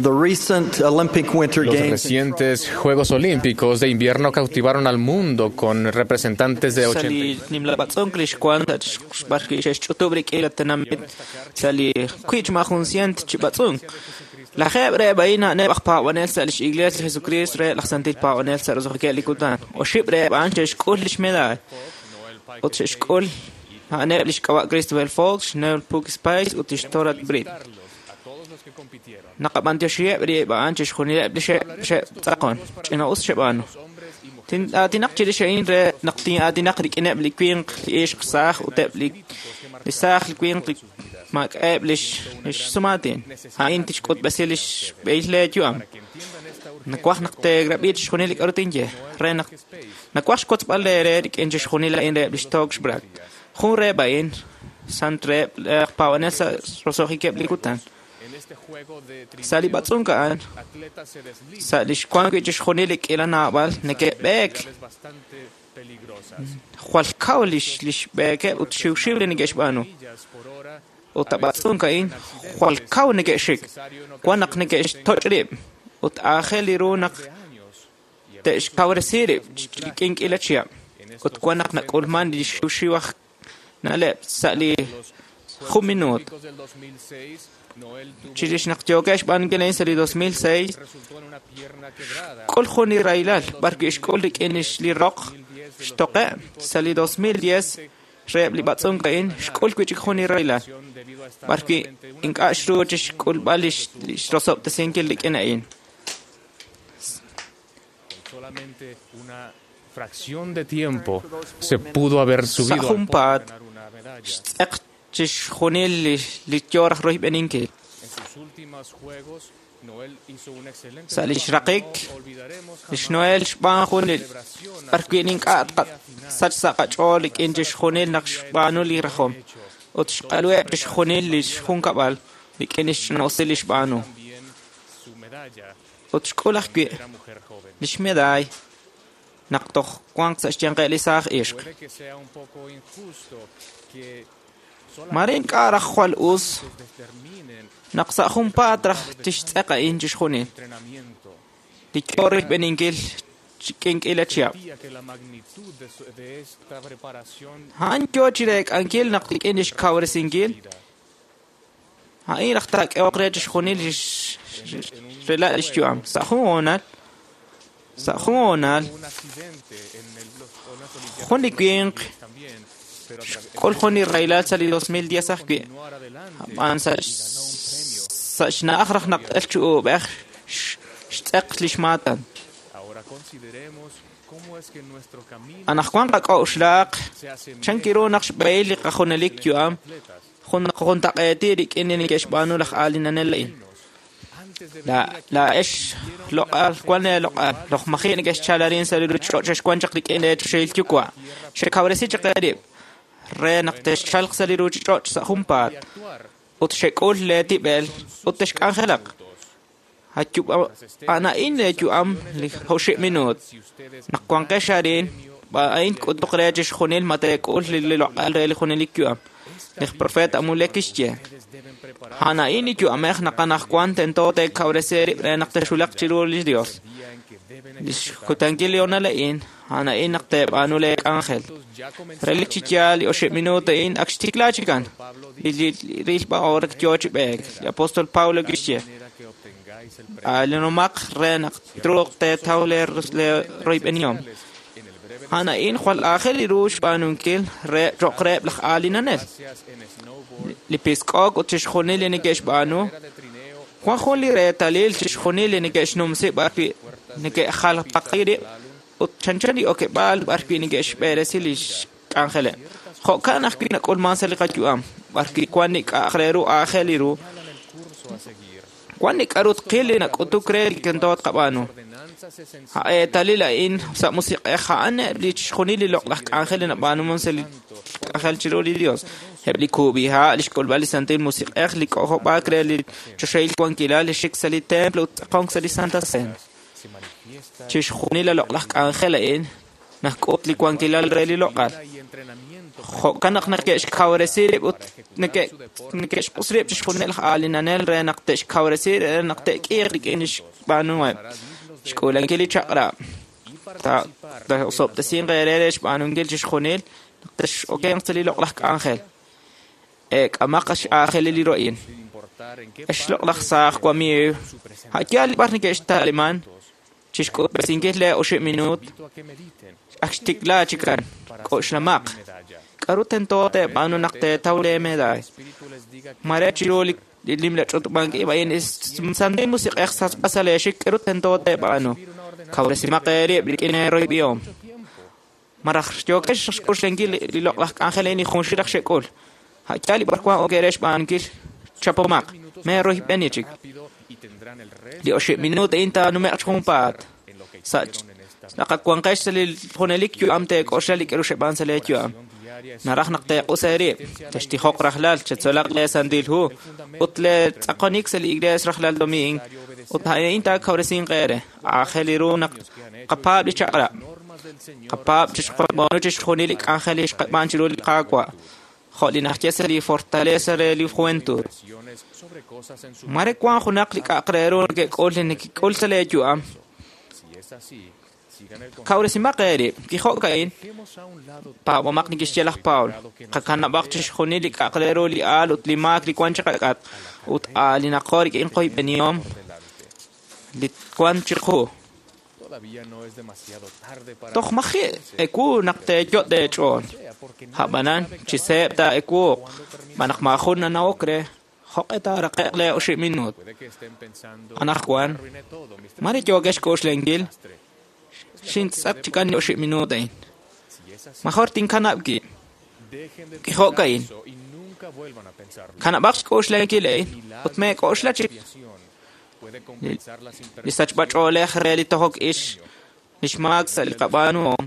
The recent Olympic Winter
Los
Games
recientes Juegos Olímpicos de Invierno cautivaron al mundo con representantes de
Sa
ochenta
li nimla b'atz'unk li xwank xb'ar xe'xch'utub' rik'in la tenamit sa' li wiib' ma jun cient chi b'atz'unk. Lajeeb' reheb' a'in a'aneb' aj paab'anel sa' lix Iglees li Jesucristo reheb' laj Santil Paab'anel sa' roso'jikeb' li kutan. Oxib' reheb' a'an xe'xk'ul lix medaay ut xe'xk'ul a'aneb' lix k'ab'a' Christopher Fox, Noel Puck Spice ut lix Torat Britt. Naqab'antioxiheb' rib' a'an chixjunileb' li xe'tz'aqon. Ch'ina'us xeb'aanu. Tin'aatinaq chirix a'in re naq tin'aatinaq rik'ineb' li winq, li ixq saaj ut eb' li li saaj li winq li maak'a'eb' lix lix sumaatin. A'in tixk'utb'esi lix b'ehil leeyu'am. Nawaj naq teerab'i chixjunil li k'a'ru tinye re naq nawaj xwotzb'al eere rik'in chixjunil a'in reheb' lix Tox Bragg. Jun reheb' a'in sant reheb' laj paab'anel sa' roso'jikeb' li kutan. Sa' li b'atz'unk a'an, sa' li xwank wi' chixjunil li k'iila naab'al neke'b'eek jwal kaw lix lix b'eekeb' ut xiwxiw li neke'xb'aanu. Ut a b'atz'unk a'in jwal kaw neke'xik, wan naq neke'xtoch' rib' ut aajel li ru naq te'xkawresi rib' rik'in k'iila chihab'. Ut wan naq nak'ulman li xiwxiw aj na'leb' sa' li jun minuut. Chirix naq yookeb' xb'aanunkil a'in sa' li dos mil seis, xk'ul jun li rahilal b'ar wi' xk'ul rik'in li roq xtoqe' sa' li dos mil diez reheb' li b'atz'unk a'in xk'ul wi' chik jun li rahilal b'ar wi' ink'a' xru chixk'ulb'al lix rosob'tesinkil rik'in a'in.
Fracción de tiempo se pudo haber
Sa'
subido al
junpaat xtz'eq chixjunil li li yo raj royb'eninkil. Sa' lix raqik, lix Noel xb'aan jun li b'arwi' ink'a' tqasach sa' qach'ool rik'in chixjunil naq xb'aanu li rajom ut xq'aluheb' chixjunil lix junkab'al rik'in lix ch'ina'usil li xb'aanu. Ut xk'ul ajwi' lix medaay naq toj wanq sa' xyanqeb' li saaj ixq. Mare ink'a' raj jwal us naq sa' junpaat raj tixtz'eq a'in chixjunil li yo rilb'eninkil k'ink'ila chihab'. A'an yo chireek'ankil naq rik'in lix kawresinkil a'in raj taak'ehoq re chixjunil lix rela' lix yu'am. Sa' jun hoonal, sa' jun hoonal, jun li winq xk'ul jun li rahilal sa' li dos mil diez ajwi'. Ab'an sa' sa' xna'aj raj naq el chi uub'ej xtz'eq lix maatan. Anaqwan qak'a'uxlaaq chankiru naq xb'ehil li qajunelik yu'am jun juntaq'eeti rik'in li neke'xb'aanu laj aalinanel a'in. Laa'ex loq'al wan leeloq'al loj maji' neke'xchal arin sa' li ruuchich'och' xexwan chaq rik'in leechoxahil yuwa'. Xekawresi chaq eerib' re naq texchalq sa' li ruuchich'och' sa' junpaat ut xek'ul leetib'el ut texk'anjelaq. A'an a'in leeyu'am li oxib' minuut. Naq wanqex arin, a'in tk'utuq re chixjunil ma teek'ul li loq'al re li junelik yu'am. Li profeta Amulek kixye: A'an a'in li yu'amej naq anaqwan tento teekawresi eerib' re naq texwulaq chiru li Dios. Lix kutankil li honal a'in, a'an a'in naq teeb'aanu leek'anjel. Relik chi yaal li oxib' minuut a'in ak xtikla chikan. Li rilb'a oor yo chi b'eek. Li apóstol Pablo kixye: Aalinomaq re naq truuq teetaw leeroyb'enihom. A'an a'in jwal aajel ru xb'aanunkil re cho'q reheb' laj aalinanel. Li pisk'ok ut chixjunil li neke'xb'aanu wan jun li reetalil chixjunil li neke'xnumsi b'arwi' neke'jalpaqi rib' ut chanchan li okeb'aal b'arwi' neke'xb'eresi li xk'anjeleb'. Jo'kan ajwi' nak'ulman sa' li qayu'am b'arwi' wan li k'a'aq re ru aajel ru wan li k'a'ru tqil li nak'utuk re li tento tqab'aanu. Eetalil a'in sa' musiq'ej a'an eb' li chixjunil li loq'laj k'anjel li nab'aanuman sa' li k'anjel chiru li Dios. Eb' li kub'iha', li xk'ulb'al li Santil Musiq'ej, li k'ojob'aak re li choxahil wankilal, li xik sa' li templo ut tz'aqonk sa' li Santa Cena. Chixjunil li loq'laj k'anjel a'in nak'ut li wankilal re li loq'al. Jo'kan naq neke'xkawresi rib' ut neke'xq'us rib' chixjunil laj aalinanel re naq te'xkawresi re naq te'k'iiq rik'in li xb'aanuheb'. Xk'uulankil li chaq'rab'. Taa'osob'tesinq eere re xb'aanunkil chixjunil naq tex'okenq sa' li loq'laj k'anjel. Eek'amaq x'aajelil li ro'in. Ex loq'laj saaj wamiiw, a'yaal li b'ar neke'xta'liman chixk'utb'esinkil lee oxib' minuut ak xtikla chikan. K'oxlamaq. K'a'ru tento teeb'aanu naq teetaw leemedaay. Mare chiru li nimla ch'utub'ank-ib' a'in Santil Musiq'ej sachb'a sa' leexik k'a'ru tento teeb'aanu. Kawresimaq eerib' rik'in eeroyb'ihom. Maraj yookex xk'uxlankil li loq'laj k'anjel a'in li junxil raj xek'ul. A'yaal li b'arwan ok eere xb'aanunkil chapomaq. Meeroyb'eni chik. Li oxib' minuut a'in taanume'q chi junpaat. Sa' naqawanqex sa' li junelik yu'am teek'oxla li k'a'ru xeb'aan sa' leeyu'am. Naraj naq teeq'us eerib', textijoq rajlal, chetzolaq lee Santil Hu ut leetz'aqonik sa' li iglees rajlal domiing ut a'in taakawresinq eere. Aajel ru naq qapaab' li chaq'rab'. Qapaab' chixb'aanu chixjunil li k'anjel li xqab'aan chiru li Qaawa'. Jo' li naxye sa' li Fortaleza re li Juventud. Mare wan junaq li k'a'aq re ru neke'k'ul li nekek'ul sa' leeyu'am. Kawresimaq eerib', kijo'ka'in, paab'omaq nekexye laj Pablo. Qakanab'aq chixjunil li k'a'aq re ru li aal ut li maak li wan chiqak'at ut aalinaqo rik'in qoyb'enihom li wan chiqu. Toj maji' ewu naq teeyot' eech'ool. Ab'anan chi seeb' taa'ewuuq, xb'aan naq maajun nanawok re jo'q'e taaraqe'q lee oxib' minuut. Anaqwan, mare yookex xk'oxlankil xintz'aq chikan li oxib' minuut a'in. Major tinkanab' wib'. Kijo'ka'in. Kanab'aq xk'oxlankil a'in ut meek'oxla chik li sachb'ach'oolej re li tojok ix lix maak sa' li qab'aanuhom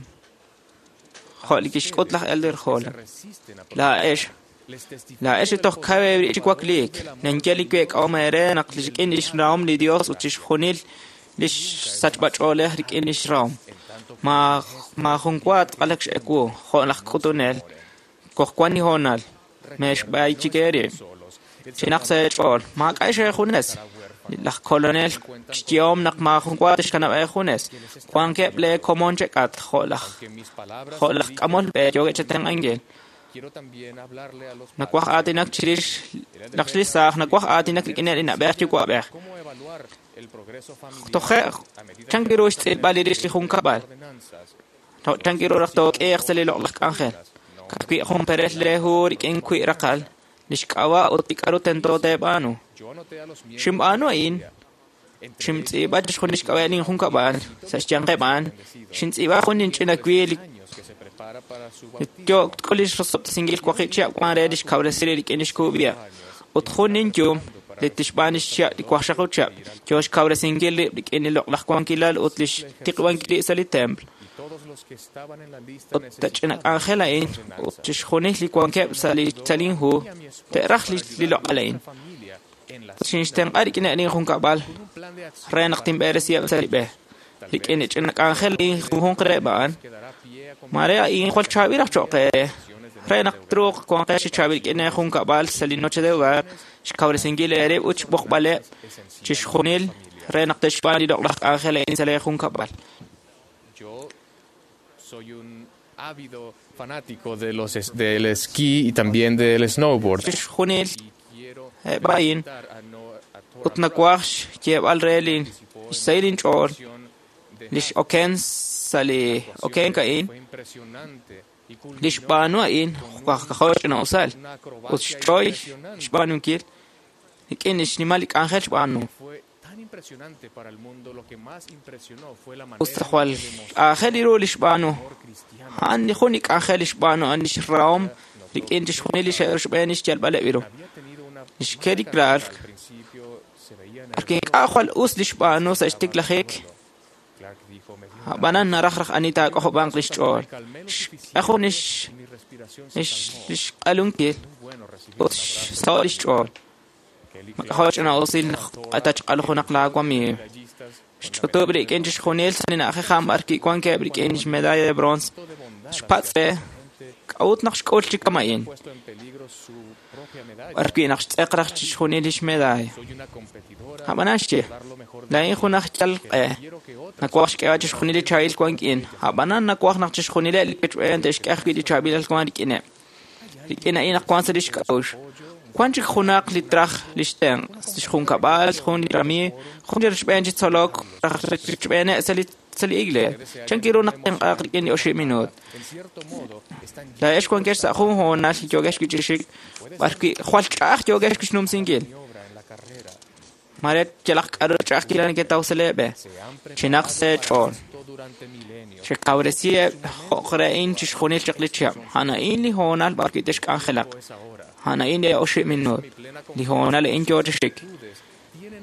jo' li kixk'ut laj Elder Holland. Laa'ex laa'ex li toj kaw eerib' chi wakliik ninye li week'ahom eere naq rik'in lix rahom li Dios ut chixjunil lix sachb'ach'oolej rik'in lix rahom. Maajun wa tz'aqalak x'ewu jo' laj k'utunel toj wan li hoonal meexb'ay chik eerib'. Chinaq sa' eech'ool maak'a' eejunes. Laj kolonel xyehom naq maajun wa tixkanab' eejunes. Wankeb' lee komon chek'atq jo' laj jo' laj k'amol b'e yookeb' chetenq'ankil. Nawaj aatinak chirix naq li saaj nawaj aatinak rik'ineb' li na'b'ej yuwa'b'ej. Toje' chan ru xtz'ilb'al li rix li junkab'al. Chan ru raj took'iiq sa' li loq'laj k'anjel. Ka'ajwi' jun perel lee hu rik'in wiib' raqal lix k'ab'a' ut li k'a'ru tento teeb'aanu. Xinb'aanu a'in xintz'iib'a chixjunil xk'ab'a' lin junkab'al sa' xyanqeb' a'an xintz'iib'a jun linch'ina wiib' li yook tk'ul lix rosob'tesinkil waqib' chihab' wan re lix kawresi rik'in lix kub'iha' ut jun ninyum li tixb'aan lix chihab' li waqxaqib' chihab' yoo xkawresinkil rib' rik'in li loq'laj wankilal ut lix tiqb'ankil rib' sa' li templo. Ut tach'ina k'anjel a'in ut chixjunil li wankeb' sa' li sa' lin hu te'raj li loq'al a'in. Xinxtenq'a rik'in lin junkab'al re naq tinb'eresiheb' sa' li b'e. Rik'in li ch'ina k'anjel a'in junjunq reheb' a'an mare a'in jwal chaab'il raj cho'q eere re naq truuq wanqex chi chaab'il rik'in junkab'al sa' li noche de hogar xkawresinkil eerib' ut xb'oqb'aleb' chixjunil re naq te'xb'aan li loq'laj k'anjel a'in sa' lee junkab'al.
Soy un ávido fanático de los es- del esquí y también del snowboard.
Chixjunil eb' a'in ut nawaj xyeeb'al re li xsahil inch'ool lix oken sa' li okenk a'in li xb'aanu a'in k'ajo' ch'ina'usal ut xch'oy xb'aanunkil rik'in li xnimal li k'anjel xb'aanu. Usta jwal aajel ru li xb'aanu a'an li jun li k'anjel li xb'aanu a'an lix rahom rik'in chixjunil li xe'rochb'een xyalb'aleb' ru. Lix Kelly Clark Porque ink'a' jwal us li xb'aanu sa' xtiklajik ab'anan naraj raj ani taak'ojob'anq lix ch'ool. Xk'e jun lix lix lix q'alunkil ut xsaho' lix ch'ool. Mak'ajo' ch'ina'usil naq q'atachq'alu junaq laawamiiw. Xch'utub' rik'in chixjunil sa' li na'ajej a'an b'ar kiwankeb' rik'in xmedalla de bronce. Xpatz' re k'a'ut naq xk'ul chi kama'in. B'ar wi' naq xtz'eq raj chixjunil lix medalla. Ab'anan xye laa'in jun aj yal q'e nawaj xk'eeb'al chixjunil li chaab'il wank'in ab'anan nawaj naq chixjunileb' li wechb'een te'xk'e ajwi' li chaab'ilal wan rik'ineb'. Rik'in a'in naq wan sa' lix k'a'uxl. Wan chik junaq li traj lix tenq' lix junkab'al jun li ramiiw jun li rochb'een chi tzolok raj rochb'eeneb' sa' li sa' li iglees. Chan ru naq tenq'aaq rik'in li oxib' minuut. Laa'ex wankex sa' jun hoonal yookex wi' chi xik b'ar wi' jwal ch'a'aj yookex wi' xnumsinkil. Mare yalaq k'a'ru ch'a'ajkilal neketaw sa' lee b'e. Chinaq sa' eech'ool. Chekawresiheb' jo'q re a'in chixjunil chaq li chihab'. A'an a'in li hoonal b'ar wi' texk'anjelaq. A'an a'in li oxib' minuut. Li hoonal a'in yoo chi xik.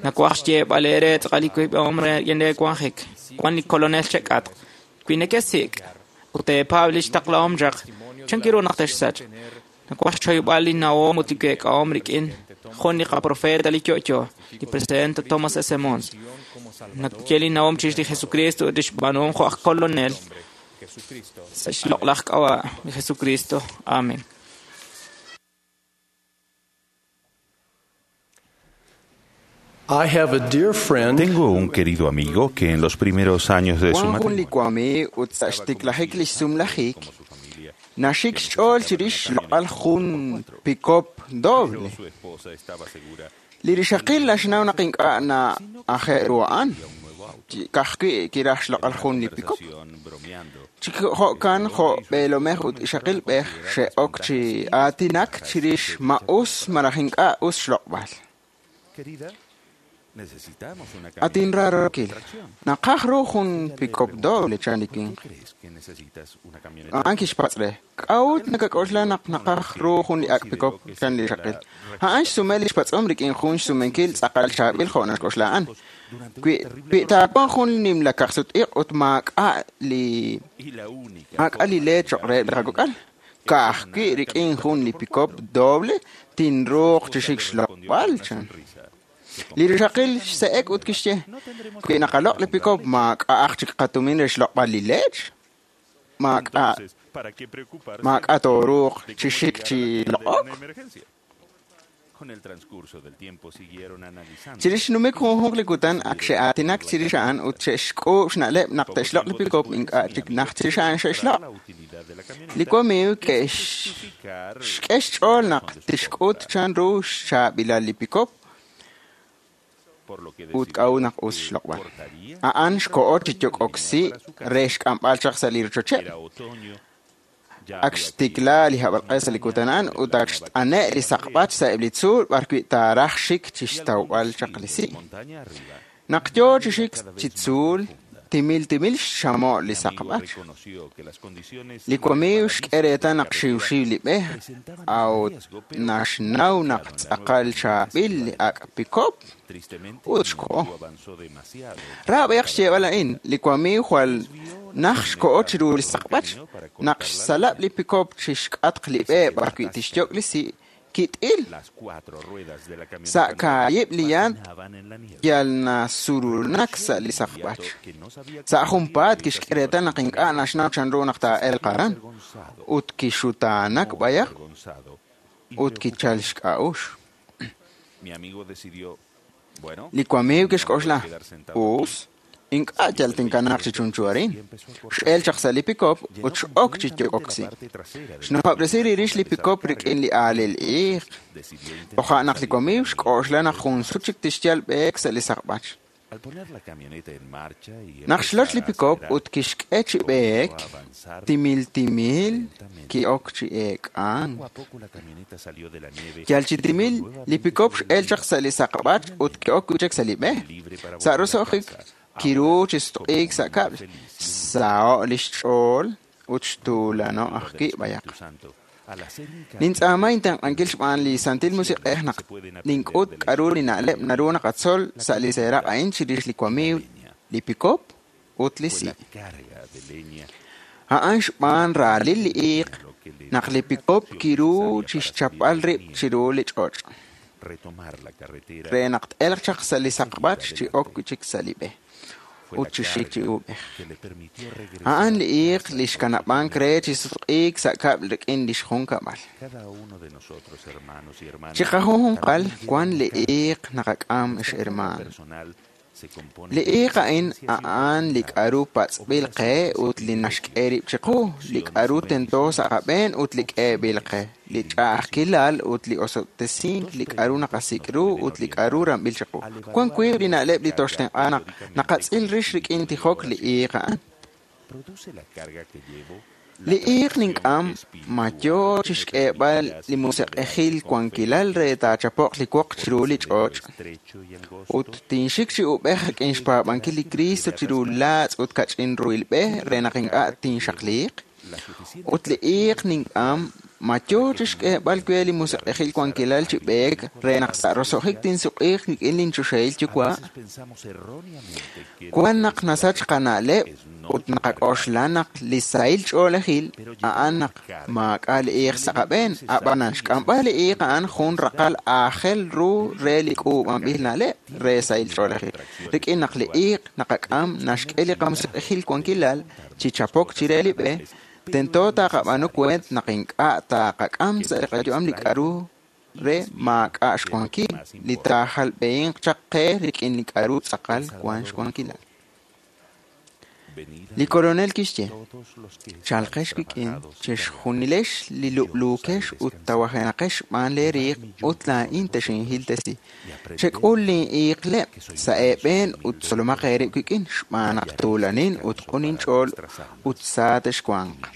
Nawaj xyeeb'al eere tz'aqal li wiib'ahom re rik'in lee wanjik. Wan li kolonel chek'atq. Wi nekesik' ut teepaab' lix taqlahom chaq, chan ru naq texsachq. Nawaj xchoyb'al li nawom ut li week'ahom rik'in jun li qaprofeta li yo'yo, li presidente Thomas S. Mons. Naye li nawom chirix li Jesucristo ut lix b'aanuhom jo' aj kolonel sa' xloq'laj k'ab'a' li Jesucristo. Amen.
I have a dear friend.
Tengo un querido amigo que en los primeros años de su
Wan jun li
matrimonio
wamiiw ut sa' xtiklajik lix sumlajik naxik xch'ool chirix xloq'al jun pikop doble.
su esposa estaba segura
Li rixaqil naxnaw naq ink'a' na'aje' ru a'an. Ka'ajwi' kiraj xloq'al jun li pikop.
bromeando
Chi jo'kan jo' b'eelomej ut ixaqilb'ej xe'ok chi aatinak chirix ma us malaj ink'a' us xloq'b'al.
Querida,
At inraarokil, naqaj ru jun pikop doble chan li winq. A'an kixpatz' re, k'a'ut nakak'oxla naq naqaj ru jun li ak' pikop chan li rixaqil. A'an xsume li xpatz'om rik'in jun xsumenkil tz'aqal chaab'il jo' naxk'oxla a'an. Wi wi taawanq jun nimla kaqsut-iq' ut maak'a' li maak'a' li leech cho'q reheb' li qakok'al, ka'ajwi' rik'in jun li pikop doble tinruuq chi xik xloq'b'al chan. Li rixaqil xse'ek ut kixye, wi naqaloq' li pikop maak'a'aq chik qatumin re xloq'b'al li leech, maak'a' maak'a' tooruuq chi xik chi loq'ok. Chirix xnumik junjunq li kutan ak xe'aatinak chirix a'an ut xe'xk'uub' xna'leb' naq te'xloq' li pikop ink'a' chik najt chirix a'an xe'xloq'. Li wamiiw ke'xk'e xch'ool naq tixk'ut chan ru xchaab'ilal li pikop ut k'a'ut naq us xloq'b'al. A'an xko'o chi yok'oksi' re xk'amb'al chaq sa' li rochocheb'. Ak xtikla li hab'alq'e sa' li kutan a'an ut ak xt'ane' li saqb'ach sa'eb' li tzuul b'arwi' taaraj xik chi xtawb'al chaq li si'. Naq yoo chi xik chi tzuul, timil timil xxamo' li saqb'ach. Li wamiiw xk'e reetal naq xiwxiw li b'e, a'ut naxnaw naq tz'aqal chaab'il li ak' pikop ut xko'o. Ra b'ayaq xyeeb'al a'in, li wamiiw jwal naj xko'o chiru li saqb'ach, naq xsalab' li pikop chi xk'atq li b'e b'arwi' tixyok' li si', kit'il. Sa' kaahib' li yant yal nasurulnak sa' li saqb'ach. Sa' junpaat kixk'e reetal naq ink'a' naxnaw chanru naq taa'elq aran, ut kixutaanak b'ayaq ut kichal xk'a'uxl. Li wamiiw kixk'oxla, us, ink'a' yal tinkanaaq chi chunchu arin. X'el chaq sa' li pikop ut x'ok chi yok'oksi'. Xnujob'resi rix li pikop rik'in li aalil iiq. Toja' naq li wamiiw xk'oxla naq jun sut chik tixyal b'eek sa' li saqb'ach. Naq xloch li pikop ut kixk'e chi b'eek, timil timil ki'ok chi eek'ank. Yal chi timil li pikop x'el chaq sa' li saqb'ach ut ki'ok wi' chik sa' li b'e. Sa' roso'jik kiru chi sutq'iik sa' kab'l, xsaho' li xch'ool ut xtuulano' ajwi' b'ayaq. Nintz'aama intenq'ankil xb'aan li Santil Musiq'ej naq nink'ut k'a'ru li na'leb' naru naqatzol sa' li seeraq' a'in chirix li wamiiw, li pikop ut li si'. A'an xb'aan raalil li iiq naq li pikop kiru chi xchapb'al rib' chiru li ch'och' re naq t-elq chaq sa' li saqb'ach chi ok wi' chik sa' li b'e ut chi xik chi uub'ej. A'an li iiq li xkanab'ank re chi sutq'iik sa' kab'l rik'in li xjunkab'al. Chi qajunjunqal wan li iiq naqak'am xhermaan. Li iiq a'in a'an li k'a'ru patz'b'il qe ut li naxk'e rib' chiqu, li k'a'ru tento sa' qab'een ut li k'eeb'il qe, li ch'a'ajkilal ut li osob'tesink, li k'a'ru naqasik' ru ut li k'a'ru ramb'il chiqu. Wan wiib' li na'leb' li toxtenq'a naq naqatz'il rix rik'in tijok li iiq a'an. Li iiq nink'am ma yoo chi xk'eeb'al li musiq'ejil wankilal re taachapoq li woq chiru li ch'och' ut tinxik chi ub'ej rik'in xpaab'ankil li Cristo chiru laatz' ut kach'in ruhil b'e re naq ink'a' tinxaqliiq. Ut li iiq nink'am ma yoo chi xk'eeb'al we li musiq'ejil wankilal chi b'eek re naq sa' roso'jik tinsuq'iiq rik'in linchoxahil yuwa'. Wan naq nasach qana'leb' ut naqak'oxla naq li sahil ch'oolejil a'an naq maak'a' li iiq sa' qab'een, ab'anan xk'amb'al li iiq a'an jun raqal aajel ru re li k'uub'anb'il na'leb' re sahil ch'oolejil. Rik'in naq li iiq naqak'am naxk'e li qamusiq'ejil wankilal chi chapok chire li b'e, tento taqab'aanu kuent naq ink'a' taqak'am sa' li qayu'am li k'a'ru re maak'a' xwankil, li taajalb'ehinq chaq qe rik'in li k'a'ru tz'aqal wan xwankilal. Li koronel kixye, chalqex wik'in, chixjunilex li lub'luukex ut tawajenaqex xb'aan lee riiq ut laa'in texinhiltesi. Chek'ul lin iiqleb' sa' eeb'een ut tzolomaq eerib' wik'in xb'aan naq tuulanin ut q'un inch'ool ut sa texwanq.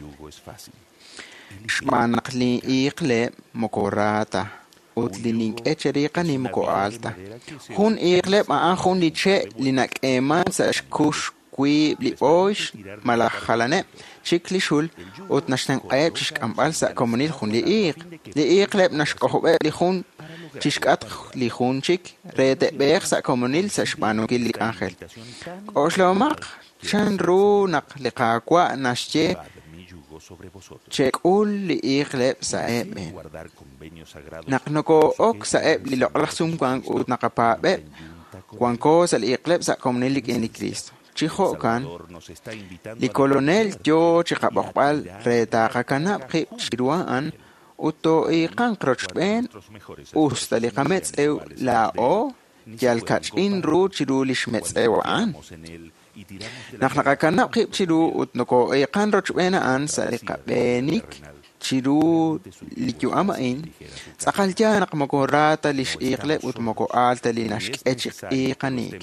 Xb'aan naq lin iiqleb' moko ra ta ut li nink'e cheriiqani moko aal ta. Jun iiqleb' a'an jun li che' li nak'eeman sa' xkux wiib' li b'ooyx malaj jalaneb' chik li xul ut naxtenq'aheb' chixk'amb'al sa' komonil jun li iiq. Li iiqleb' naxk'ojob'eb' li jun chixk'atq li jun chik re te'b'eeq sa' komonil sa' xb'aanunkil li k'anjel. K'oxlahomaq chan ru naq li Qaawa' naxye chek'ul li iiqleb' sa' eeb'een. Naq nokoo'ok sa'eb' li loq'laj sumwank ut naqapaab'eb', wanko sa' li iiqleb' sa' komonil rik'in li Kristo. Chi jo'kan, li Kolonel yoo chiqab'oqb'al re taqakanab' qib' chiru a'an ut too'iiqanq rochb'een us ta li qametz'ew laa'o yal kach'in ru chiru lix metz'ew a'an. Naq naqakanab' qib' chiru ut nokoo'iiqan rochb'een a'an sa' li qab'eenik chiru li yu'am a'in, tz'aqal yaal naq moko ra ta lix iiqleb' ut moko aal ta li naxk'e chi iiqaniik.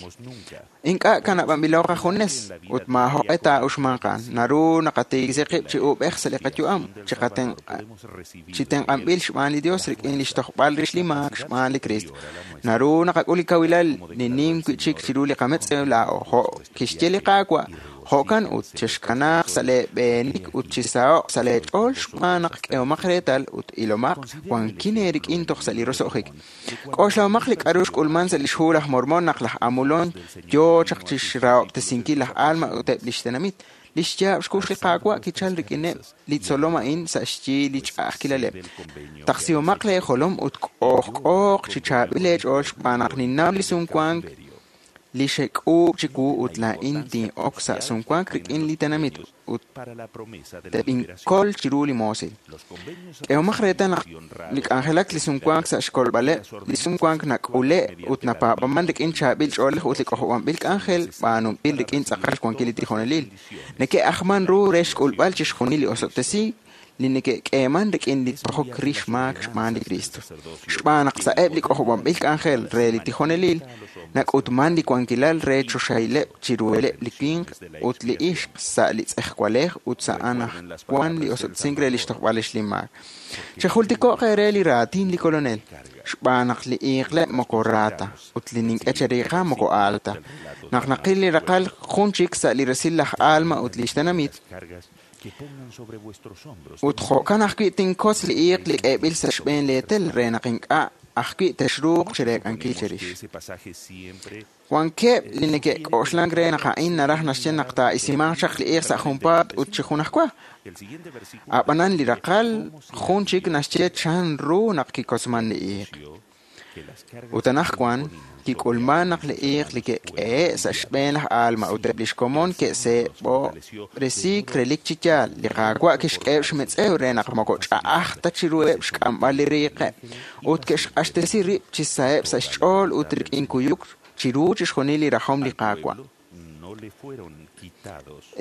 Ink'a' kanab'anb'ilo qajunes ut maajoq'e taa'uxmanq a'an. Naru naqatiikisi qib' chi uub'ej sa' li qayu'am, chi tenq'anb'il xb'aan li Dios rik'in lix tojb'al rix li maak xb'aan li Kristo. Naru naqak'ul li kawilal li nim wi'chik chiru li qametz'ew laa'o, jo' kixye li Qaawa'. Jo'kan ut chexkanaaq sa' leeb'eenik ut chisaho'q sa' leech'ool xb'aan naq k'ehomaq reetal ut ilomaq wankin eerik'in toj sa' li roso'jik. K'oxlahomaq li k'a'ru xk'ulman sa' lix hu laj Mormon naq laj Amulon yoo chaq chixrahob'tesinkil laj Alma ut eb' lix tenamit. Lix yaab' xkux li Qaawa' kichal rik'ineb' li tzolom a'in sa' xyi li ch'a'ajkilaleb'. Taqsihomaq leejolom ut k'ojk'ooq chi chaab'il eech'ool xb'aan naq ninnaw li sumwank li xek'uub' chiwu ut laa'in tin'ok sa' sumwank rik'in li tenamit ut teb'inkol chiru li moosil. K'ehomaq reetal naq li k'anjelak li sumwank sa' xkolb'aleb' li sumwank nak'ule' ut napaab'aman rik'in chaab'il ch'oolej ut li k'ojob'anb'il k'anjel b'aanunb'il rik'in tz'aqal xwankil li tijonelil. Neke'ajman ru re xk'ulb'al chixjunil li osob'tesiik li neke'k'eeman rik'in li tojok rix maak xb'aan li Kristo. Xb'aan naq sa'eb' li k'ojob'anb'il k'anjel re li tijonelil nak'utman li wankilal re choxahileb' chiruheleb' li winq ut li ixq sa' li tz'ejwalej ut sa' anajwan li osob'tesink re lix tojb'al rix li maak. Chejultiko'q eere li raatin li Kolonel, xb'aan naq li iiqleb' moko ra ta ut li nink'e cheriiqa moko aal ta. Naq naqil li raqal jun chik sa' li resil laj Alma ut lix tenamit, ut jo'kan ajwi' tinkotz li iiq li k'eeb'il sa' xb'een leetel re naq ink'a' ajwi' texruuq chireek'ankil cherix. Wankeb' li neke'k'oxlank re naq a'in naraj naxye naq taa'isimanq chaq li iiq sa' junpaat ut chi junajwa. A'b'anan li raqal jun chik naxye chan ru naq kikotzman li iiq. Ut anajwan kik'ulman naq li iiq li ke'k'ehe' sa' xb'een laj Alma ut eb' lix komon ke'seeb'ob'resiik relik chi yaal. Li Qaawa' kixk'eheb' xmetz'ew re naq moko ch'a'aj ta chiruheb' xk'amb'al li riiqeb' ut ke'xq'axtesi rib' chi saheb' sa' xch'ool ut rik'in kuyuk chiru chixjunil li rajom li Qaawa'.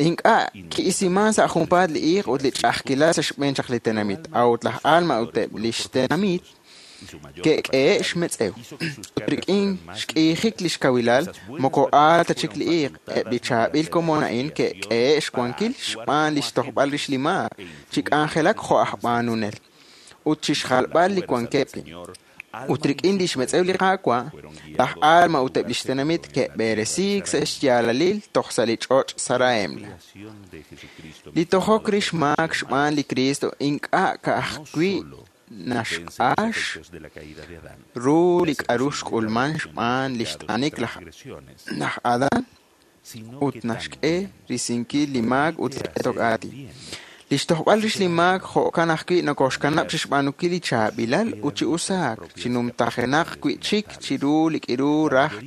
Ink'a' ki'isiman sa' junpaat li iiq ut li ch'a'ajkilal sa' xb'een chaq li tenamit, a'ut laj Alma ut eb' lix tenamit ke'k'ehe' xmetz'ew. Ut rik'in xk'iijik lix kawilal, moko aal ta chik li iiq. Eb' li chaab'il komon a'in ke'k'ehe' xwankil xb'aan lix tojb'al rix li maak, chi k'anjelak jo' aj b'aanunel, ut chixjalb'al li wankeb' wi'. Ut rik'in lix metz'ew li Qaawa', laj Alma ut eb' lix tenamit ke'b'eresiik sa' xyaalalil toj sa' li ch'och' Saraemla. Li tojok rix maak xb'aan li Kristo ink'a' ka'ajwi' naxq'ax ru li k'a'ru xk'ulman xb'aan lix t'anik laj Adán ut naxk'e risinkil li maak ut li q'etok aatin. Lix tojb'al rix li maak jo'kan ajwi' nokoxkanab' chixb'aanunkil li chaab'ilal ut chi usaak, chi numtajenaq wi'chik chiru li k'iru raj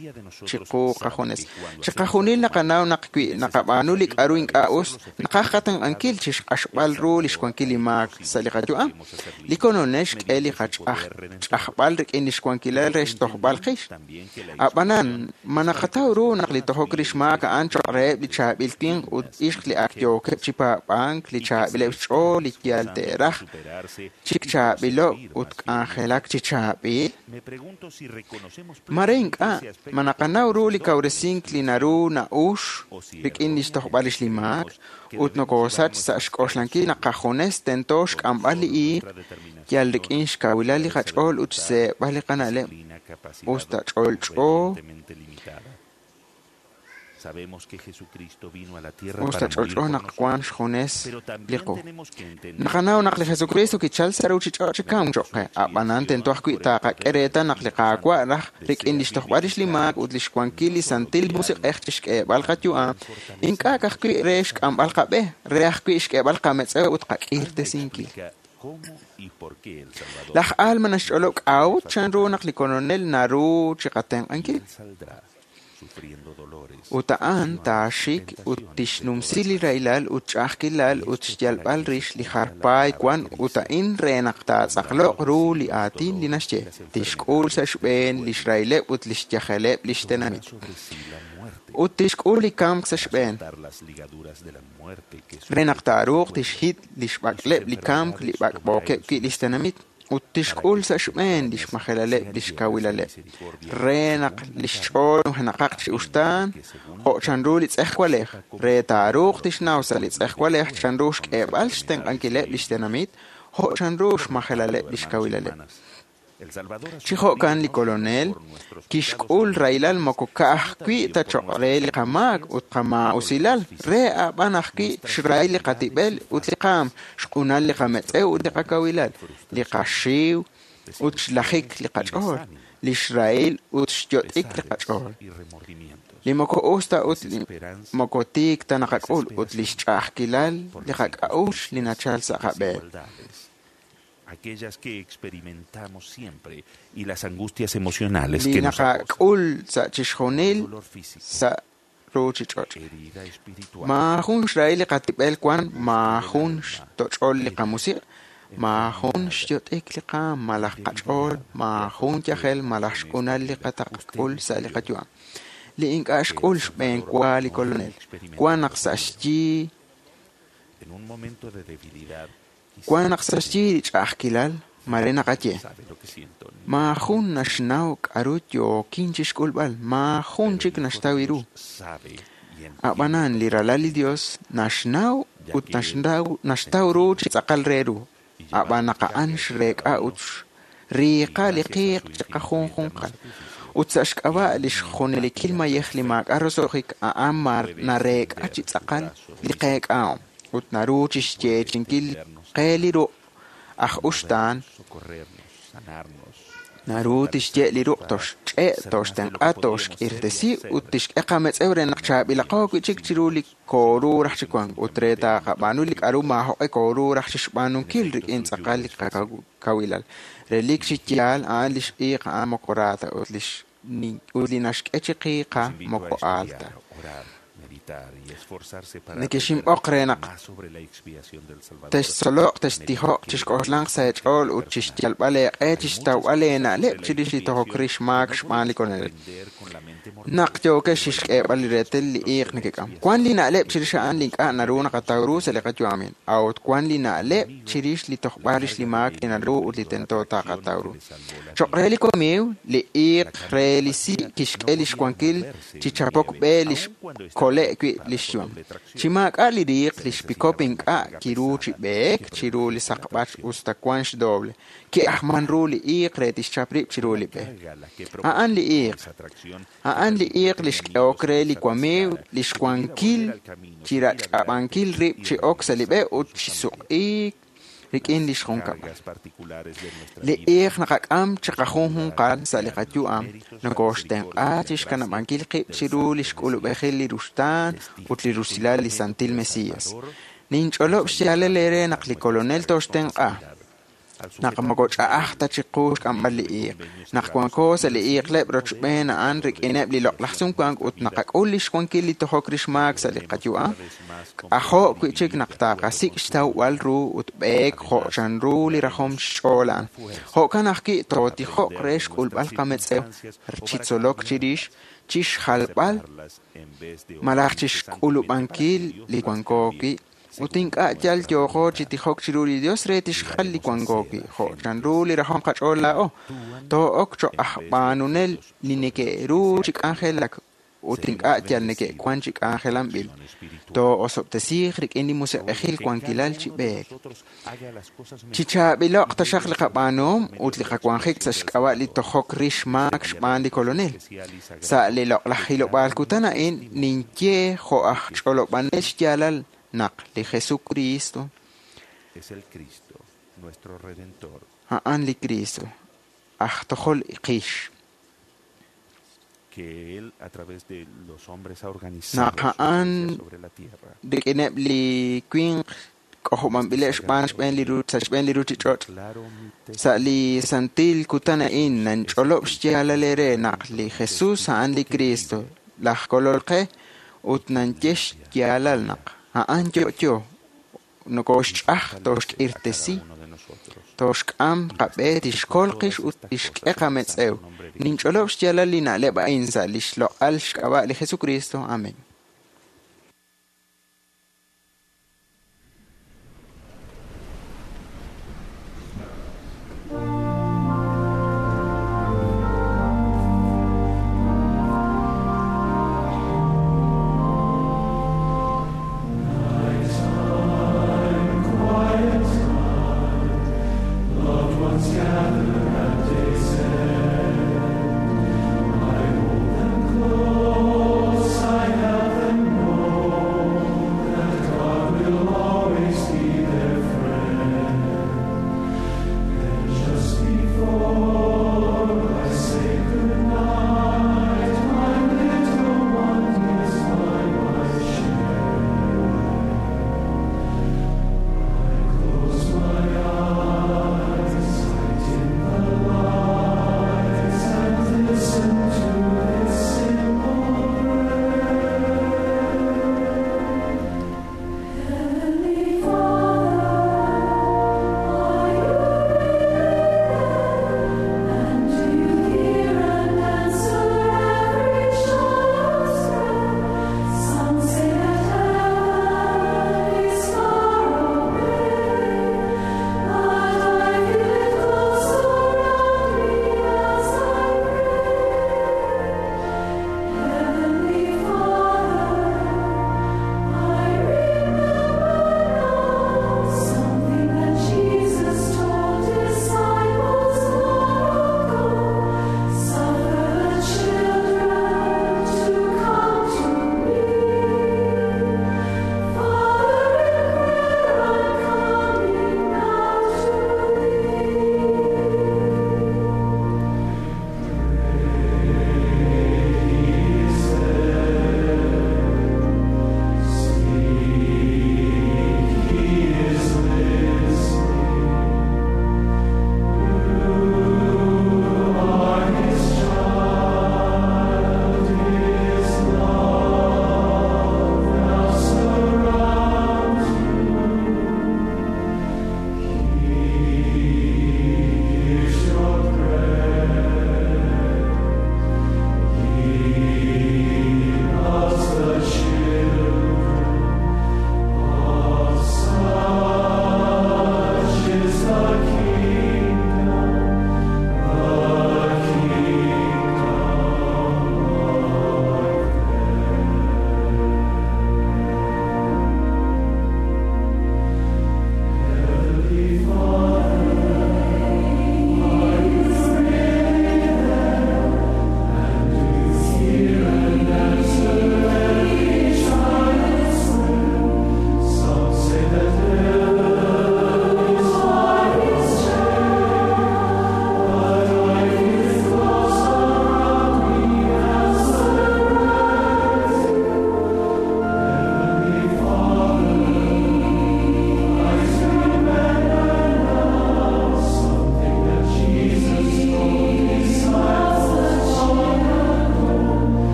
chiqu qajunes. Chiqajunil naqanaw naq wi naqab'aanu li k'a'ru ink'a' us, naqaj qatenq'ankil chixq'axb'al ru lix wankil li maak sa' li qayu'am. Li Kolonel xk'e li qach'ajb'al rik'in lix wankilal re xtojb'al qix. A'b'anan, ma naqataw ru naq li tojok rix maak a'an choq' reheb' li chaab'il winq ut ixq li ak yookeb' chi paab'ank li chaab'il chaab'ileb' xch'ool li yal te'raj chik chaab'ilob' ut k'anjelak chi chaab'il? Mare ink'a' ma naqanaw ru li kawresink li naru na'ux rik'in li xtojb'al rix li maak ut nokoosach sa' xk'oxlankil naq qajunes tento xk'amb'al li iiq yal rik'in xkawilal li qach'ool ut xseeb'al li qana'leb' usta ch'olch'o usta ch'olch'o naq wan xjunes li qu. Naqanaw naq li Jesucristo kichal sa' ruuchich'och' chi kamk cho'q qe, a'b'anan tento ajwi' taqak'e reetal naq li Qaawa' raj rik'in li xtojb'al rix li maak ut li xwankil li Santil Musiq'ej chixk'eeb'al qayu'am, ink'a' ka'ajwi' re xk'amb'al qab'e, re ajwi' xk'eeb'al qametz'ew ut qak'irtesinkil. Laj Alma naxch'olob' k'a'ut chanru naq li Kolonel naru chiqatenq'ankil. Ut a'an taaxik ut tixnumsi li rahilal ut ch'a'ajkilal ut xyalb'al rix li jar paay wan ut a'in re naq taatz'aqloq ru li aatin li naxye, tixk'ul sa' xb'een lix rahileb' ut lix yajeleb' lix tenamit. Ut tixk'ul li kamk sa' xb'een re naq taaruuq tixhit lix b'ak'leb' li kamk li b'ak'b'ookeb' wi' lix tenamit ut tixk'ul sa' xb'een lix majelaleb' lix kawilaleb' re naq lix ch'ool nujenaqaq chi uxtaan jo' chanru li tz'ejwalej re taaruuq tixnaw sa' li tz'ejwalej chanru xk'eeb'al xtenq'ankileb' lix tenamit jo' chanru xmajelaleb' lix kawilaleb'. Chi jo'kan li Kolonel kixk'ul rahilal moko ka'ajwi' ta cho'q re li qamaak ut qamaa'usilal, re a'b'an ajwi' xrahil li qatib'el ut li qaam, xq'unal li qametz'ew ut li qakawilal, li qaxiw ut xlajik li qach'ool, li xrahil ut xyot'ik li qach'ool. Li moko us ta ut li moko tiik ta naqak'ul ut li xch'a'ajkilal li qak'a'uxl li nachal sa' qab'een.
Aquellas que experimentamos siempre y las angustias emocionales
li
que nos acosan.
naqak'ul sa' chixjunil sa' ruuchich'och'. Maajun xrahil li qatib'el wan, maajun xtoch'ol li qamusiq', maajun xyot'ik li qaam malaj qach'ool, maajun yajel malaj xq'unal li qataqk'ul sa' li qayu'am. Li ink'a' xk'ul xb'een wa li Kolonel, wan naq sa' xyi
En un momento de debilidad,
wan naq sa' xyi li ch'a'ajkilal, mare naqaye.
sabe lo que siento.
Maajun naxnaw k'aru yookin chixk'ulb'al, maajun chik naxtaw ru.
Sabe y
A'b'anan li ralal li Dios naxnaw ut naxnaw naxtaw ru chi tz'aqal re ru. A'b'an naq a'an xreek'a ut xriiqa li qiiq chiqajunjunqal. Ut sa' xk'ab'a' li xjunelikil mayej li maak'a' roso'jik a'an mar nareek'a chi tz'aqal li qeek'ahom ut naru chixyeechinkil qe li ruq' aj uxtaan
socorrernos, sanarnos.
naru tixye' li ruq' toxch'e' toxtenq'a toxk'irtesi ut tixk'e qametz'ew re naq chaab'ilaqo wi' chik chiru li kooru raj chi wank ut re taqab'aanu li k'aru maajoq'e kooru raj chixb'aanunkil rik'in tz'aqal li qakawilal. Relik chi yaal a'an lix iiq a'an moko ra ta ut lix ut li naxk'e chi qiiqa
Los invito a
moko aal ta.
estudiar, orar, meditar y esforzarse para
Nekexinb'oq re
aprender
naq
más sobre la expiación del Salvador.
textzoloq, textijoq, chixk'oxlanq sa' eech'ool ut chixyalb'al eeq'e chixtawb'al eena'leb' chirix li tojok rix maak xb'aan li Kolonel. Naq yookex chixk'eeb'al li reetal li iiq nekek'am. Wan li na'leb' chirix a'an li ink'a' naru naqataw ru sa' li qayu'amin, a'ut wan li na'leb' chirix li tojb'al rix li maak li naru ut li tento taqataw ru. Cho'q re li wamiiw, li iiq re li si' kixk'e lix wankil chi chapok b'e li xkole' wi' lix yu'am. Chi maak'a' li riiq, lix pikop ink'a' kiru chi b'eek chiru li saqb'ach usta wan xdoble. Ki'ajman ru li iiq re tixchap rib' chiru li b'e. A'an li iiq. A'an li iiq li xk'ehok re li wamiiw li xwankil chi rach'ab'ankil rib' chi ok sa' li b'e ut chi suq'iik rik'in lix junkab'al. Li iiq naqak'am chiqajunjunqal sa' li qayu'am nokoxtenq'a chixkanab'ankil qib' chiru li xk'ulub'ejil li ruxtaan ut li rusilal li Santil Mesías. Ninch'olob' xyaalal eere naq li Kolonel toxtenq'a. Naq moko ch'a'aj ta chiqu xk'amb'al li iiq. Naq wanko sa' li iiqleb' rochb'een a'an rik'ineb' li loq'laj sumwank ut naqak'ul lix wankil li tojok rix maak sa' li qayu'am, k'ajo' wi' chik naq taqasik' xtawb'al ru ut b'eek jo' chanru li rajom xch'ool a'an. Jo'kan ajwi' tootijoq re xk'ulb'al qametz'ew chi tzolok chirix, chixjalb'al malaj chixk'ulub'ankil li wanko wi' Ut ink'a' yal yooqo chi tijok chiru li Dios re tixjal li wanko wi', jo' chanru li rajom qach'ool laa'o. Too'ok cho'q aj b'aanunel li neke'ru chi k'anjelak ut ink'a' yal neke'wan chi k'anjelanb'il. Too'osob'tesiiq rik'in li musiq'ejil wankilal chi b'eek. Chi chaab'ilo'q taxaq li qab'aanuhom ut li qawanjik sa' xk'ab'a' li tojok rix maak xb'aan li Kolonel. Sa' li loq'laj hilob'aal kutan a'in ninye jo' aj ch'olob'anel xyaalal naq li Jesucristo
Es el Cristo, nuestro Redentor,
a'an li Cristo, aj tojol qix.
que Él a través de los hombres ha organizado
Naq
su
a'an
iglesia sobre la tierra.
rik'ineb' li winq k'ojob'anb'ileb' xb'aan xb'een li ru- sa' xb'een li ruuchich'och'. Sa' li santil kutan a'in nanch'olob' xyaalal eere naq li Jesus a'an li Cristo, laj Kolol qe, ut nanye xyaalal naq a'an yo'yo, nokoxch'aj toxk'irtesi, toxk'am qab'e tixkol qix ut tixk'e qametz'ew. Ninch'olob' xyaalal li na'leb' a'in sa' li xloq'al xk'ab'a' li Jesucristo. Amén.
Loved ones gather at day's end. I hold them close, I help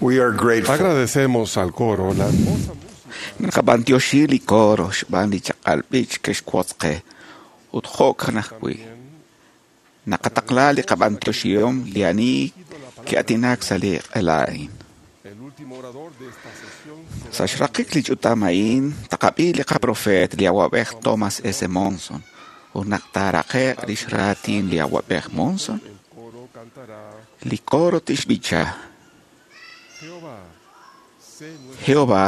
We are grateful.
Agradecemos al coro la hermosa
Naqab'antioxi li coro xb'aan li chaq'al b'ich ke'xwotz qe ut jo'kan ajwi'. Naqataqla li qab'antioxihom li ani ki'atinak sa' li q'ela a'in.
El último orador de esta sesión
Sa' xraqik li ch'utam a'in, taqab'i li qaprofeet li awab'ej Thomas S. Monson ut naq taaraqe'q lix raatin li awab'ej Monson,
el coro cantará
li coro tixb'icha
Jehová, sé nuestro
Jehová,